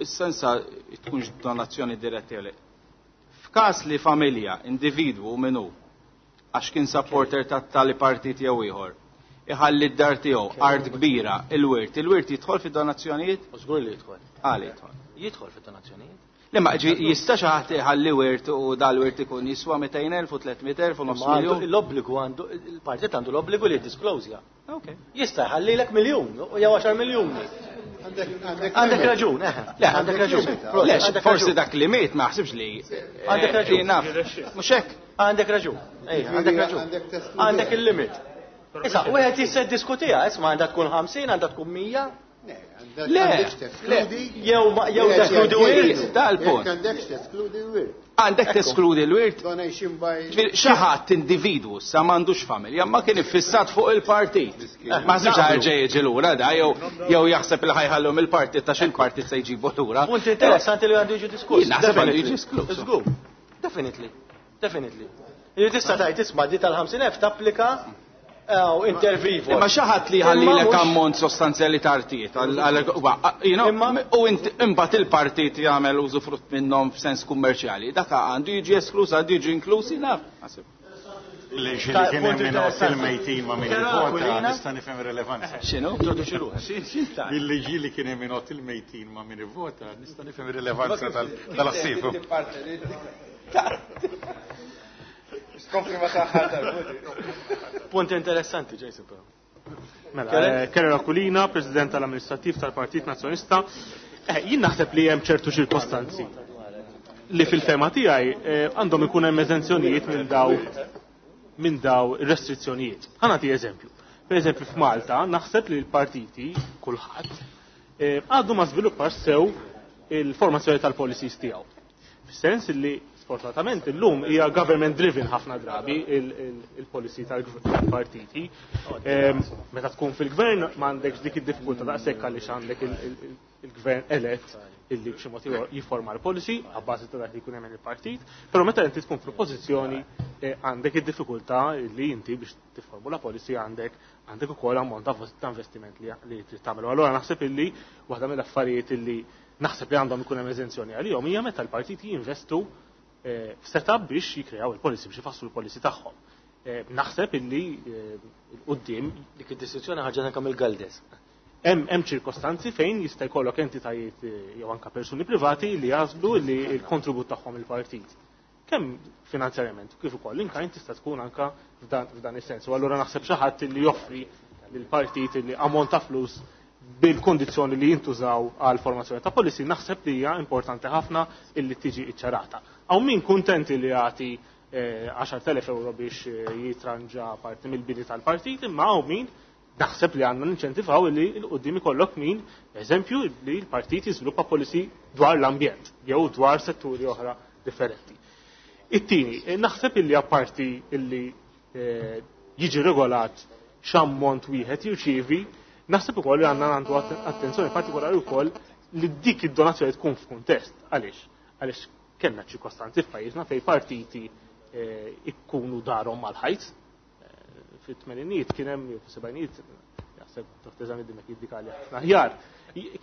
is-sensa tkunx donazzjoni diretta jew le. F'każ li familja, individwu minnu, għax kien supporter ta' tali partit jew ieħor, iħalli d-dar tiegħu art kbira, il-wirt, il-wirt jidħol fid-donazzjonijiet? Żgur li jidħol. Għal jidħol. Jidħol fid-donazzjonijiet. Le ma ġi jista' xi ħadd iħalli wirt u dal-wirt ikun jiswa 200,000 u 300,000 u nofs Imma għandu miljun. L-obbligu għandu, il-partit għandu l-obbligu li jiddisclosja. Ok. Jista' jħallilek miljun jew 10 miljuni. Għandek raġun, eh. Le, għandek raġun. Le, forsi dak li miet ma ħsibx li. Għandek raġun. Naf. Mhux hekk. Għandek raġun. Għandek raġun. Għandek il-limit. Issa, wieħed jista' jiddiskutiha, isma' għandha tkun 50, għandha tkun 100. Le, le, jew jew teskludi wirt, dal-punt. Għandek teskludi l-wirt. Għandek teskludi l-wirt. Donation by. Xi ħadd individwu sa m'għandux familja, ma kien iffissat fuq il-partit. Ma ħsibx ħarġa jiġi lura da jew jew jaħseb li ħajħallhom il-partit ta' xil-partit se jġibu lura. Punt interessanti li għandu jiġi diskuss. Naħseb għandu jiġi diskuss. Żgur. Definitely. Definitely. Li tista' tgħid isma' di tal-50,000 tapplika intervivo. Imma xi ħadd li ħallilek ammont sostanzjali ta' artijiet u imbagħad il-partit jagħmel użu frott minnhom f'sens kummerċjali. Dak għandu jiġi esklus, għandu jiġi inkluż, naf. Li xi kien hemm minn il-mejtin ma' min ivvota nista' nifhem rilevanza. X'inhu? Bil-liġi li kien hemm minn il-mejtin ma' min ivvota nista' nifhem rilevanza tal-assifu. Skompli ma taħħa Punt interessanti, Jason, però. Mela, Kerry Aquilina, President tal-Amministrattiv tal-Partit Nazzjonista. Jien naħseb li hemm ċertu ċirkostanzi li fil-fema tiegħi għandhom ikun hemm eżenzjonijiet minn daw minn daw ir-restrizzjonijiet. Ħa nagħti eżempju. Per eżempju f'Malta naħseb li l-partiti kulħadd għadu ma żviluppax sew il-formazzjoni tal-policies tiegħu. Fis-sens li sfortunatament illum hija government driven ħafna drabi il-policy tal-partiti. Meta tkun fil-gvern m'għandekx dik id-diffikultà daqshekk għaliex għandek il-gvern elett illi b'xi mod jifforma l-policy abbażi ta' dak li jkun hemm il-partit, però meta inti tkun fl-oppożizzjoni għandek id-diffikultà li inti biex tifformula policy għandek għandek ukoll ammont ta' investiment li trid tagħmel. Allura naħseb illi waħda mill-affarijiet illi naħseb li għandhom ikun hemm eżenzjoni għalihom hija meta l-partiti jinvestu f'setup biex jikreaw il-policy, biex ifasslu l-policy tagħhom. Naħseb illi il-qudiem dik id-distinzjoni ħarġet anke mill-Galdes. Hemm ċirkostanzi fejn jista' jkollok entitajiet jew anke persuni privati li jażlu li l-kontribut tagħhom il-partit. Kemm finanzjarjament kif ukoll in-kind tista' tkun anke f'dan is-sens. U allura naħseb xi ħadd li joffri lill-partit li ammont ta' flus bil-kondizzjoni li jintużaw għal formazzjoni ta' policy, naħseb li hija importanti ħafna illi tiġi iċċarata. Hawn min kuntenti li jagħti 10,000 euro biex jitranġa parti mill-bini tal-partit, imma hawn min naħseb li għandna ninċentivaw li l-qudiem ikollok min, eżempju, li l-partit jiżviluppa policy dwar l-ambjent jew dwar setturi oħra differenti. It-tieni, naħseb illi apparti illi jiġi regolat x'ammont wieħed jirċievi, naħseb ukoll li għandna għandu attenzjoni partikolari wkoll li dik id-donazzjoni tkun f'kuntest. Għaliex? Għaliex kellna ċirkostanzi f'pajjiżna fejn partiti ikkunu darhom mal-ħajt. Fit-tmeninijiet kien hemm, jew fis-sebgħinijiet, jaħseb Dr. Zammit Dimech jiddikali ħafna aħjar,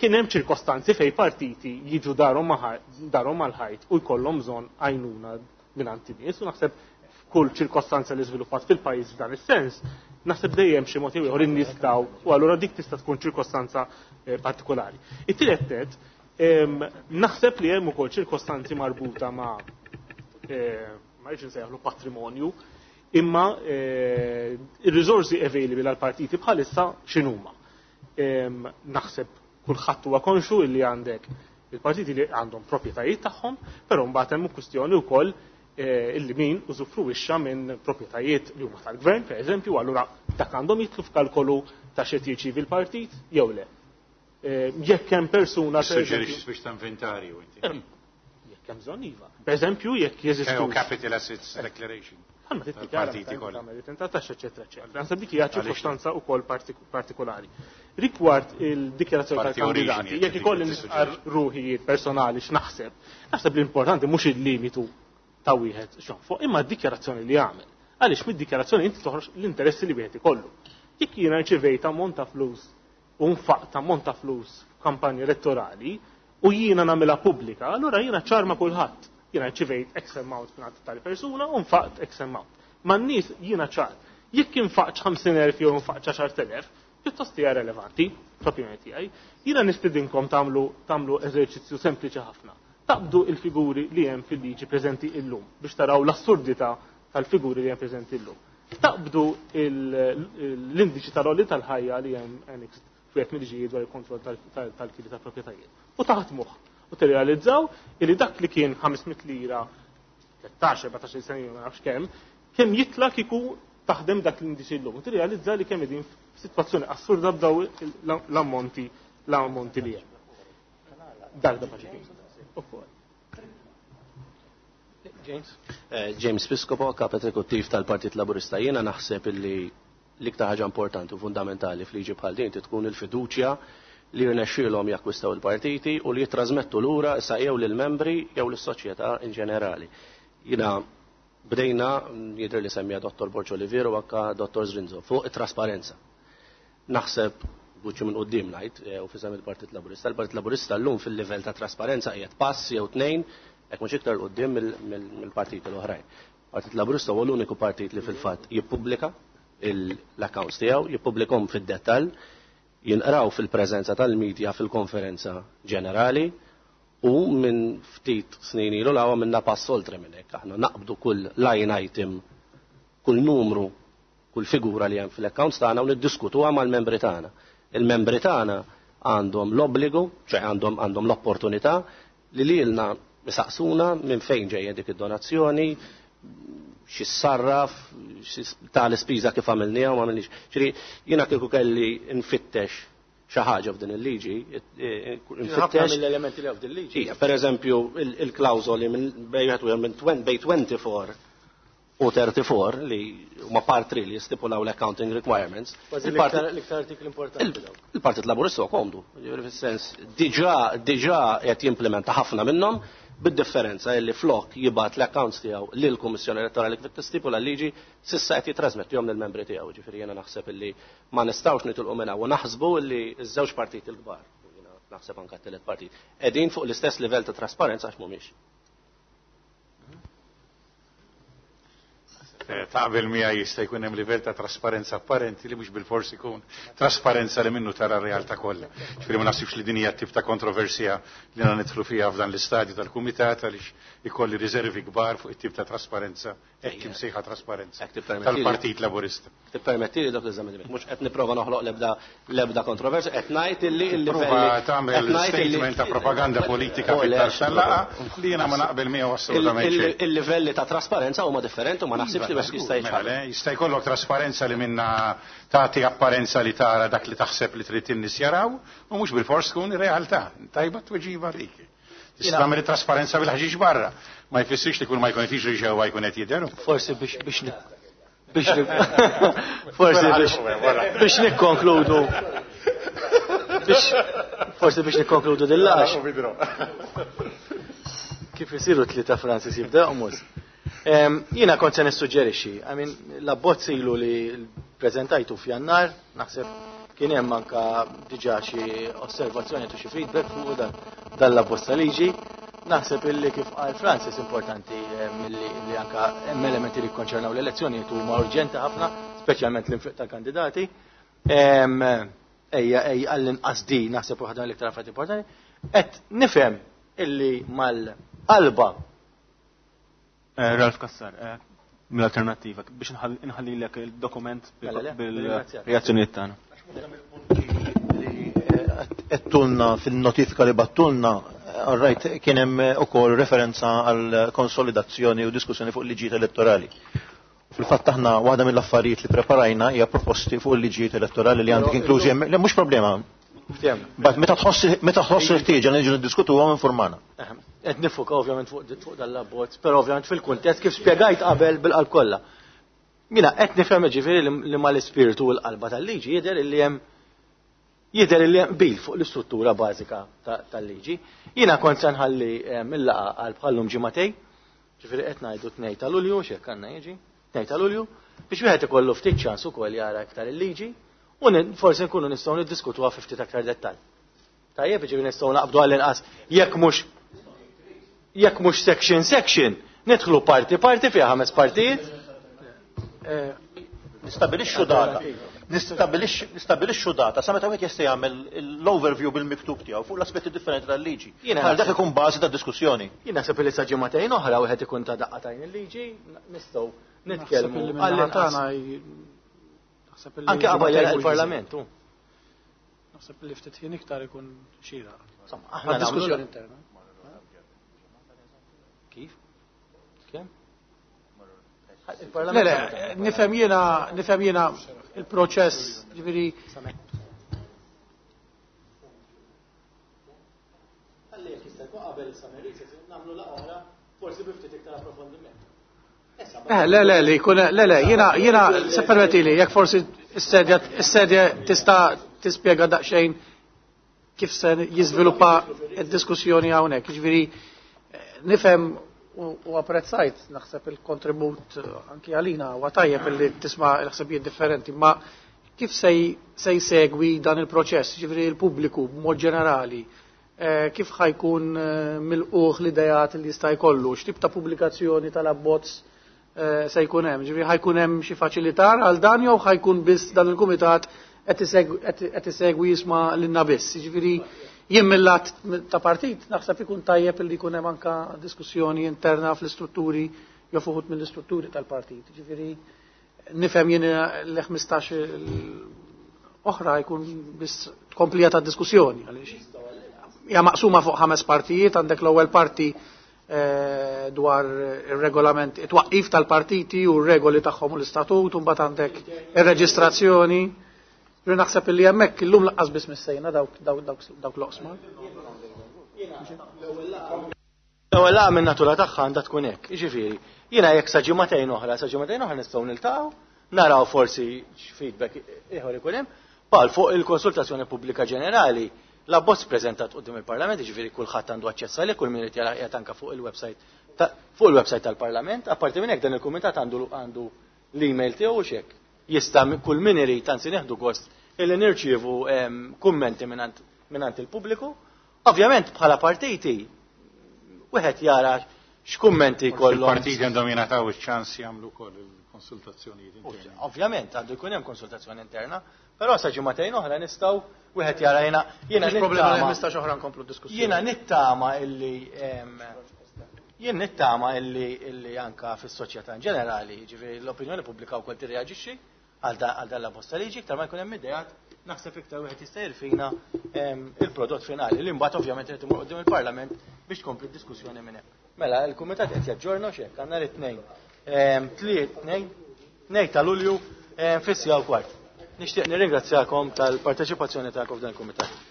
kien hemm ċirkostanzi fejn partiti jiġu darhom mal-ħajt u jkollhom bżonn għajnuna mingħand in-nies, u naħseb f'kull ċirkostanza li żviluppat fil-pajjiż f'dan is-sens, naħseb dejjem xi mod jew ieħor in-nies daw, u allura dik tista' tkun ċirkostanza partikolari. It-tielet net, naħseb li hemm ukoll ċirkostanzi marbuta ma' ma rridx insejjaħlu patrimonju, imma ir-riżorsi available għal partiti bħalissa x'inhuma. Naħseb kulħadd huwa konxu li għandek il-partiti li għandhom proprjetajiet tagħhom, però mbagħad hemm kwistjoni wkoll illi min użufruwixxa minn proprjetajiet li huma tal-gvern, per eżempju, allura dak għandhom jidħlu f'kalkolu ta' x'qed jirċievi l-partit jew le. Jekk hemm persuna, per Suġġerixxi eżempju, biex ta' inventarju inti. Jekk hemm bżonn iva. Per eżempju, jekk jeżistu Jew capital assets declaration. Għalma tiddikjara Tal-partiti meta kollha. tagħmel it-tenta taxxa, eċetera, eċetera. Naħseb dik hija Għaliex? ċirkostanza wkoll partikolari. Rigward il-dikjarazzjoni Parti tal-kandidati, oriġini, jekk ikolli dik nistqarr ruħijiet personali x'naħseb, naħseb l-importanti mhux il-limitu ta' wieħed x'jonfoq, imma d-dikjarazzjoni li jagħmel. Għaliex mid-dikjarazzjoni inti toħroġ l-interessi li wieħed ikollu. Jekk jiena rċevejt ammont ta' flus u nfaqt ammont ta' flus f'kampanja elettorali u jiena nagħmilha pubblika, allura jiena ċarma kulħadd. Jiena rċevejt X amount minn tali persuna u nfaqt X amount. Ma n-nies jiena ċar. Jekk infaqx 50,000 jew infaqx 10,000, pjuttost hija relevanti, fl-opinjoni tiegħi. Jiena nistidinkom tagħmlu eżerċizzju sempliċi ħafna. Taqbdu il-figuri li hemm fil-liġi preżenti illum biex taraw l-assurdità tal-figuri li hemm preżenti illum. Taqbdu l-indiċi tal-għoli tal-ħajja li hemm annexed f'wieħed mill-liġijiet dwar il-kontroll tal-kiri tal-proprjetajiet. U taħdmuh u tirrealizzaw li dak li kien 500 lira 13, 14 sena ilu ma nafx kemm, kemm jitla' kieku taħdem dak l-indiċi llum. U tirrealizza li kemm qegħdin f'sitwazzjoni assurda b'daw l-ammonti l-ammonti li hemm. Dak da paċi. Ukoll. James? Eh, James Piscopo, kap eżekuttiv tal-Partit Laburista. Jiena naħseb illi l-iktar ħaġa importanti u fundamentali f'liġi bħal din tkun il-fiduċja li jirnexxielhom jakkwistaw il-partiti u li jittrażmettu lura issa jew lill-membri jew lis-soċjetà in ġenerali. Jiena bdejna jidher li semmija Dottor Borg Olivier u anka Dottor Zrinzo fuq it-trasparenza. Naħseb buċċu minn quddiem ngħid eh, u fisem il-Partit Laburista, il-Partit Laburista llum fil-livell ta' trasparenza qiegħed pass jew tnejn hekk mhux iktar quddiem mill-partiti l-oħrajn. Partit Laburista huwa l-uniku partit li fil-fatt jippubblika l-accounts tiegħu, jippubblikhom fid-dettall, jinqraw fil-preżenza tal-media fil-konferenza ġenerali u minn ftit snin ilu lawa minna pass oltre minn hekk. Aħna naqbdu kull line item, kull numru, kull figura li hemm fil-accounts tagħna u niddiskutuha mal-membri tagħna. Il-membri tagħna għandhom l-obbligu, ċe għandhom għandhom l-opportunità li lilna isaqsuna minn fejn ġejja dik id-donazzjoni, x'issarraf, ta' l-ispiża kif għamilniha u ma għamilniex. Ġifieri jiena kieku kelli nfittex xi ħaġa f'din il-liġi, nfittex mill-elementi li f'din il-liġi. Ija, per eżempju, il-klawżoli minn bejn minn bejn 24 u 34 li huma part li jistipulaw l-accounting requirements. L-iktar artikli importanti. Il-Partit Laburista huwa komdu, jiġifieri fis-sens diġà diġà qed jimplementa ħafna minnhom bid-differenza li flok jibgħat l-accounts tiegħu lill-Kummissjoni Elettorali kif tistipula l-liġi s'issa qed jitrasmettihom lill-membri tiegħu. Ġifieri jiena naħseb illi ma nistgħux nitilqu minn hawn u naħsbu li ż-żewġ partiti l-kbar, jiena naħseb anke t-tielet partit, qegħdin fuq l-istess livell ta' trasparenza għax mhumiex. Eh, taqbel miegħi jista' jkun hemm livell ta' trasparenza apparenti li mhux bilfors ikun trasparenza li minnu tara r-realtà kollha. Ġifieri ma naħsibx li din hija tip ta' kontroversja li għandna nidħlu fiha f'dan l-istadju tal-kumitat għaliex ikolli riservi kbar fuq it-tip ta' trasparenza hekk imsejħa trasparenza tal-Partit Laburista. Tippermettili dak l-eżami mhux qed nipprova noħloq l-ebda l-ebda kontroversja, qed ngħid illi il-livelli. tagħmel statement ta' propaganda politika fit-tarf tal-laqgħa li jiena ma naqbel miegħu assolutament xejn. Il-livelli ta' trasparenza huma differenti u ma naħsibx li wieħed jista' mela jiċħad. Jista' jkollok trasparenza li minnha tagħti apparenza li tara dak li taħseb li trid in-nies jaraw u mhux bilfors tkun ir-realtà. Tajba t-tweġiba dik. Tista' tagħmel it-trasparenza bil-ħġieġ barra. Ma jfissirx li kull ma jkun qed jiġri ġewwa jkun qed jidher. Forsi biex biex biex forsi biex biex nikkonkludu biex forsi biex nikkonkludu dillax. Kif isiru tlieta Francis jibda joqmos. Jiena kont se nissuġġerixxi, I mean, l-abbozz ilu li preżentajtu f'Jannar, naħseb kien hemm anka diġà xi osservazzjoni u xi feedback fuq dan dan l-abbozz ta' liġi. Naħseb illi kif qal Francis importanti li, li anka hemm elementi li jikkonċernaw l-elezzjonijiet huma urġenti ħafna, speċjalment l-infiq tal-kandidati. Ejja, ejja, għall-inqas di naħseb waħda mill-iktar affarijiet importanti. Qed nifhem illi mal-qalba Eh, Ralph Kassar, eh, mill-Alternattiva, biex nħallilek il-dokument mela, bil-reazzjonijiet tagħna. Għedtulna fil-notifika li battulna, rajt kien hemm ukoll referenza għal konsolidazzjoni u diskussjoni fuq liġijiet elettorali. Fil-fatt aħna waħda mill-affarijiet li preparajna hija proposti fuq il-liġijiet elettorali li għandek inklużi hemm, le mhux problema. Bat meta tħoss meta tħoss il-ħtieġa li niġu niddiskutuhom informana. Qed nifuka ovvjament fuq dan l-abbozz, però ovvjament fil-kuntest kif spjegajt qabel bil-qalb kollha. Jiena qed nifhem ġifieri li mal-ispirtu u l-qalba tal-liġi jidher li hemm Jidher li hemm qbil fuq l-istruttura bażika tal-liġi. Jiena kont se nħalli eh, mill-laqgħa għal bħallum ġimagħtej, ġifieri qed ngħidu tnej ta' Lulju, x'hekk għandna jiġi, tnej ta' Lulju, biex wieħed ikollu ftit ċans ukoll jara iktar il-liġi u forsi nkunu nistgħu niddiskutuha fi ftit aktar dettall. Tajjeb, ġifieri nistgħu naqbdu għall-inqas jekk mhux jekk mhux section section, nidħlu parti parti fiha ħames partijiet. Eh, nistabilixxu data. Nistabilixxu data sa meta wieħed jista' jagħmel l-overview bil-miktub tiegħu fuq l-aspetti differenti tal-liġi. Jiena dak ikun bażi ta' diskussjoni. Jien naħseb li sa ġimagħtejn oħra wieħed ikun ta' daqqa tajn il-liġi, nistgħu nitkellmu għall Anke qabel il-Parlament. Naħseb li ftit ħin iktar ikun xieraq. Insomma, aħna diskussjoni interna. Kif? Kemm? Le, le, nifhem jiena, nifhem jiena il-proċess, ġifieri. Ħalli jekk jista' jkun qabel is-summer recess nagħmlu laqgħa oħra forsi bi ftit iktar approfondiment. Eh, le, le, li jkun, le, le, jiena, jiena, se permettili, jekk forsi s-sedja, s-sedja tista' tispjega daqsxejn kif se jiżviluppa d-diskussjoni hawnhekk. Jiġifieri nifhem u apprezzajt naħseb il-kontribut anki għalina huwa tajjeb illi tisma' l-ħsibijiet differenti, ma kif se jsegwi dan il-proċess, jiġifieri l-pubbliku b'mod ġenerali, kif ħa jkun milqugħ l-ideat li jista' jkollu, x'tip ta' pubblikazzjoni tal-abbozz se jkun hemm, ġifieri ħa jkun hemm xi faċilitar għal dan jew ħa jkun biss dan il-kumitat qed isegwi jisma' lilna biss. Jiġifieri jien mill-lat ta' partit naħseb ikun tajjeb li jkun hemm anke diskussjoni interna fl-istrutturi jew fuħut mill-istrutturi tal-partit. Jiġifieri nifhem jien l-15 oħra jkun biss tkomplija ta' diskussjoni għaliex hija maqsuma fuq 5 partijiet, għandek l-ewwel parti dwar ir-regolament, it-twaqqif tal-partiti u r-regoli tagħhom u l-istatut, u mbagħad għandek ir-reġistrazzjoni. Jien naħseb illi hemmhekk illum laqqas biss missejna dawk l-oqsma. L-ewwel laqgħa minn natura tagħha għandha tkun hekk. Jiġifieri, jiena jekk sa ġimagħtejn oħra, sa ġimagħtejn oħra nistgħu niltaqgħu, naraw forsi x'feedback ieħor ikun hemm. Pal fuq il-konsultazzjoni pubblika ġenerali, l-abbozz preżentat quddiem il-Parlament, jiġifieri kulħadd għandu aċċess għalih, kull min irid jara qiegħed anke fuq il-website fuq il-website tal-Parlament. Apparti minn hekk dan il-kumitat għandu l-email tiegħu u x'hekk. Jista' kull min irid, anzi nieħdu gost illi nirċievu kummenti mingħand il-pubbliku. Ovvjament bħala partiti wieħed jara x'kummenti Forsi jkollhom. Il-partiti għandhom jingħataw iċ-ċans jagħmlu wkoll il-konsultazzjonijiet interni. Ovvjament għandu jkun hemm konsultazzjoni interna, però sa ġimagħtejn oħra nistgħu wieħed jara jiena Mhux problema li nittama 15 oħra nkomplu diskussjoni. Jiena nittama illi, jien nittama illi anka fis-soċjetà in ġenerali, jiġifieri l-opinjoni pubblika wkoll tirreaġixxi għal dan l-abbozz ta' liġi, iktar ma jkun hemm ideat, naħseb iktar wieħed jista' jirfina il-prodott finali li mbagħad ovvjament irid imur quddiem il-Parlament biex tkompli d-diskussjoni minn hemm. Mela, il-Kumitat qed jaġġorna x'hekk, għandna l-tnejn. Tliet, tnejn, tnejn ta' Lulju, fis-siegħa u kwart. Nixtieq nirringrazzjakom tal-parteċipazzjoni tagħkom f'dan il-Kumitat.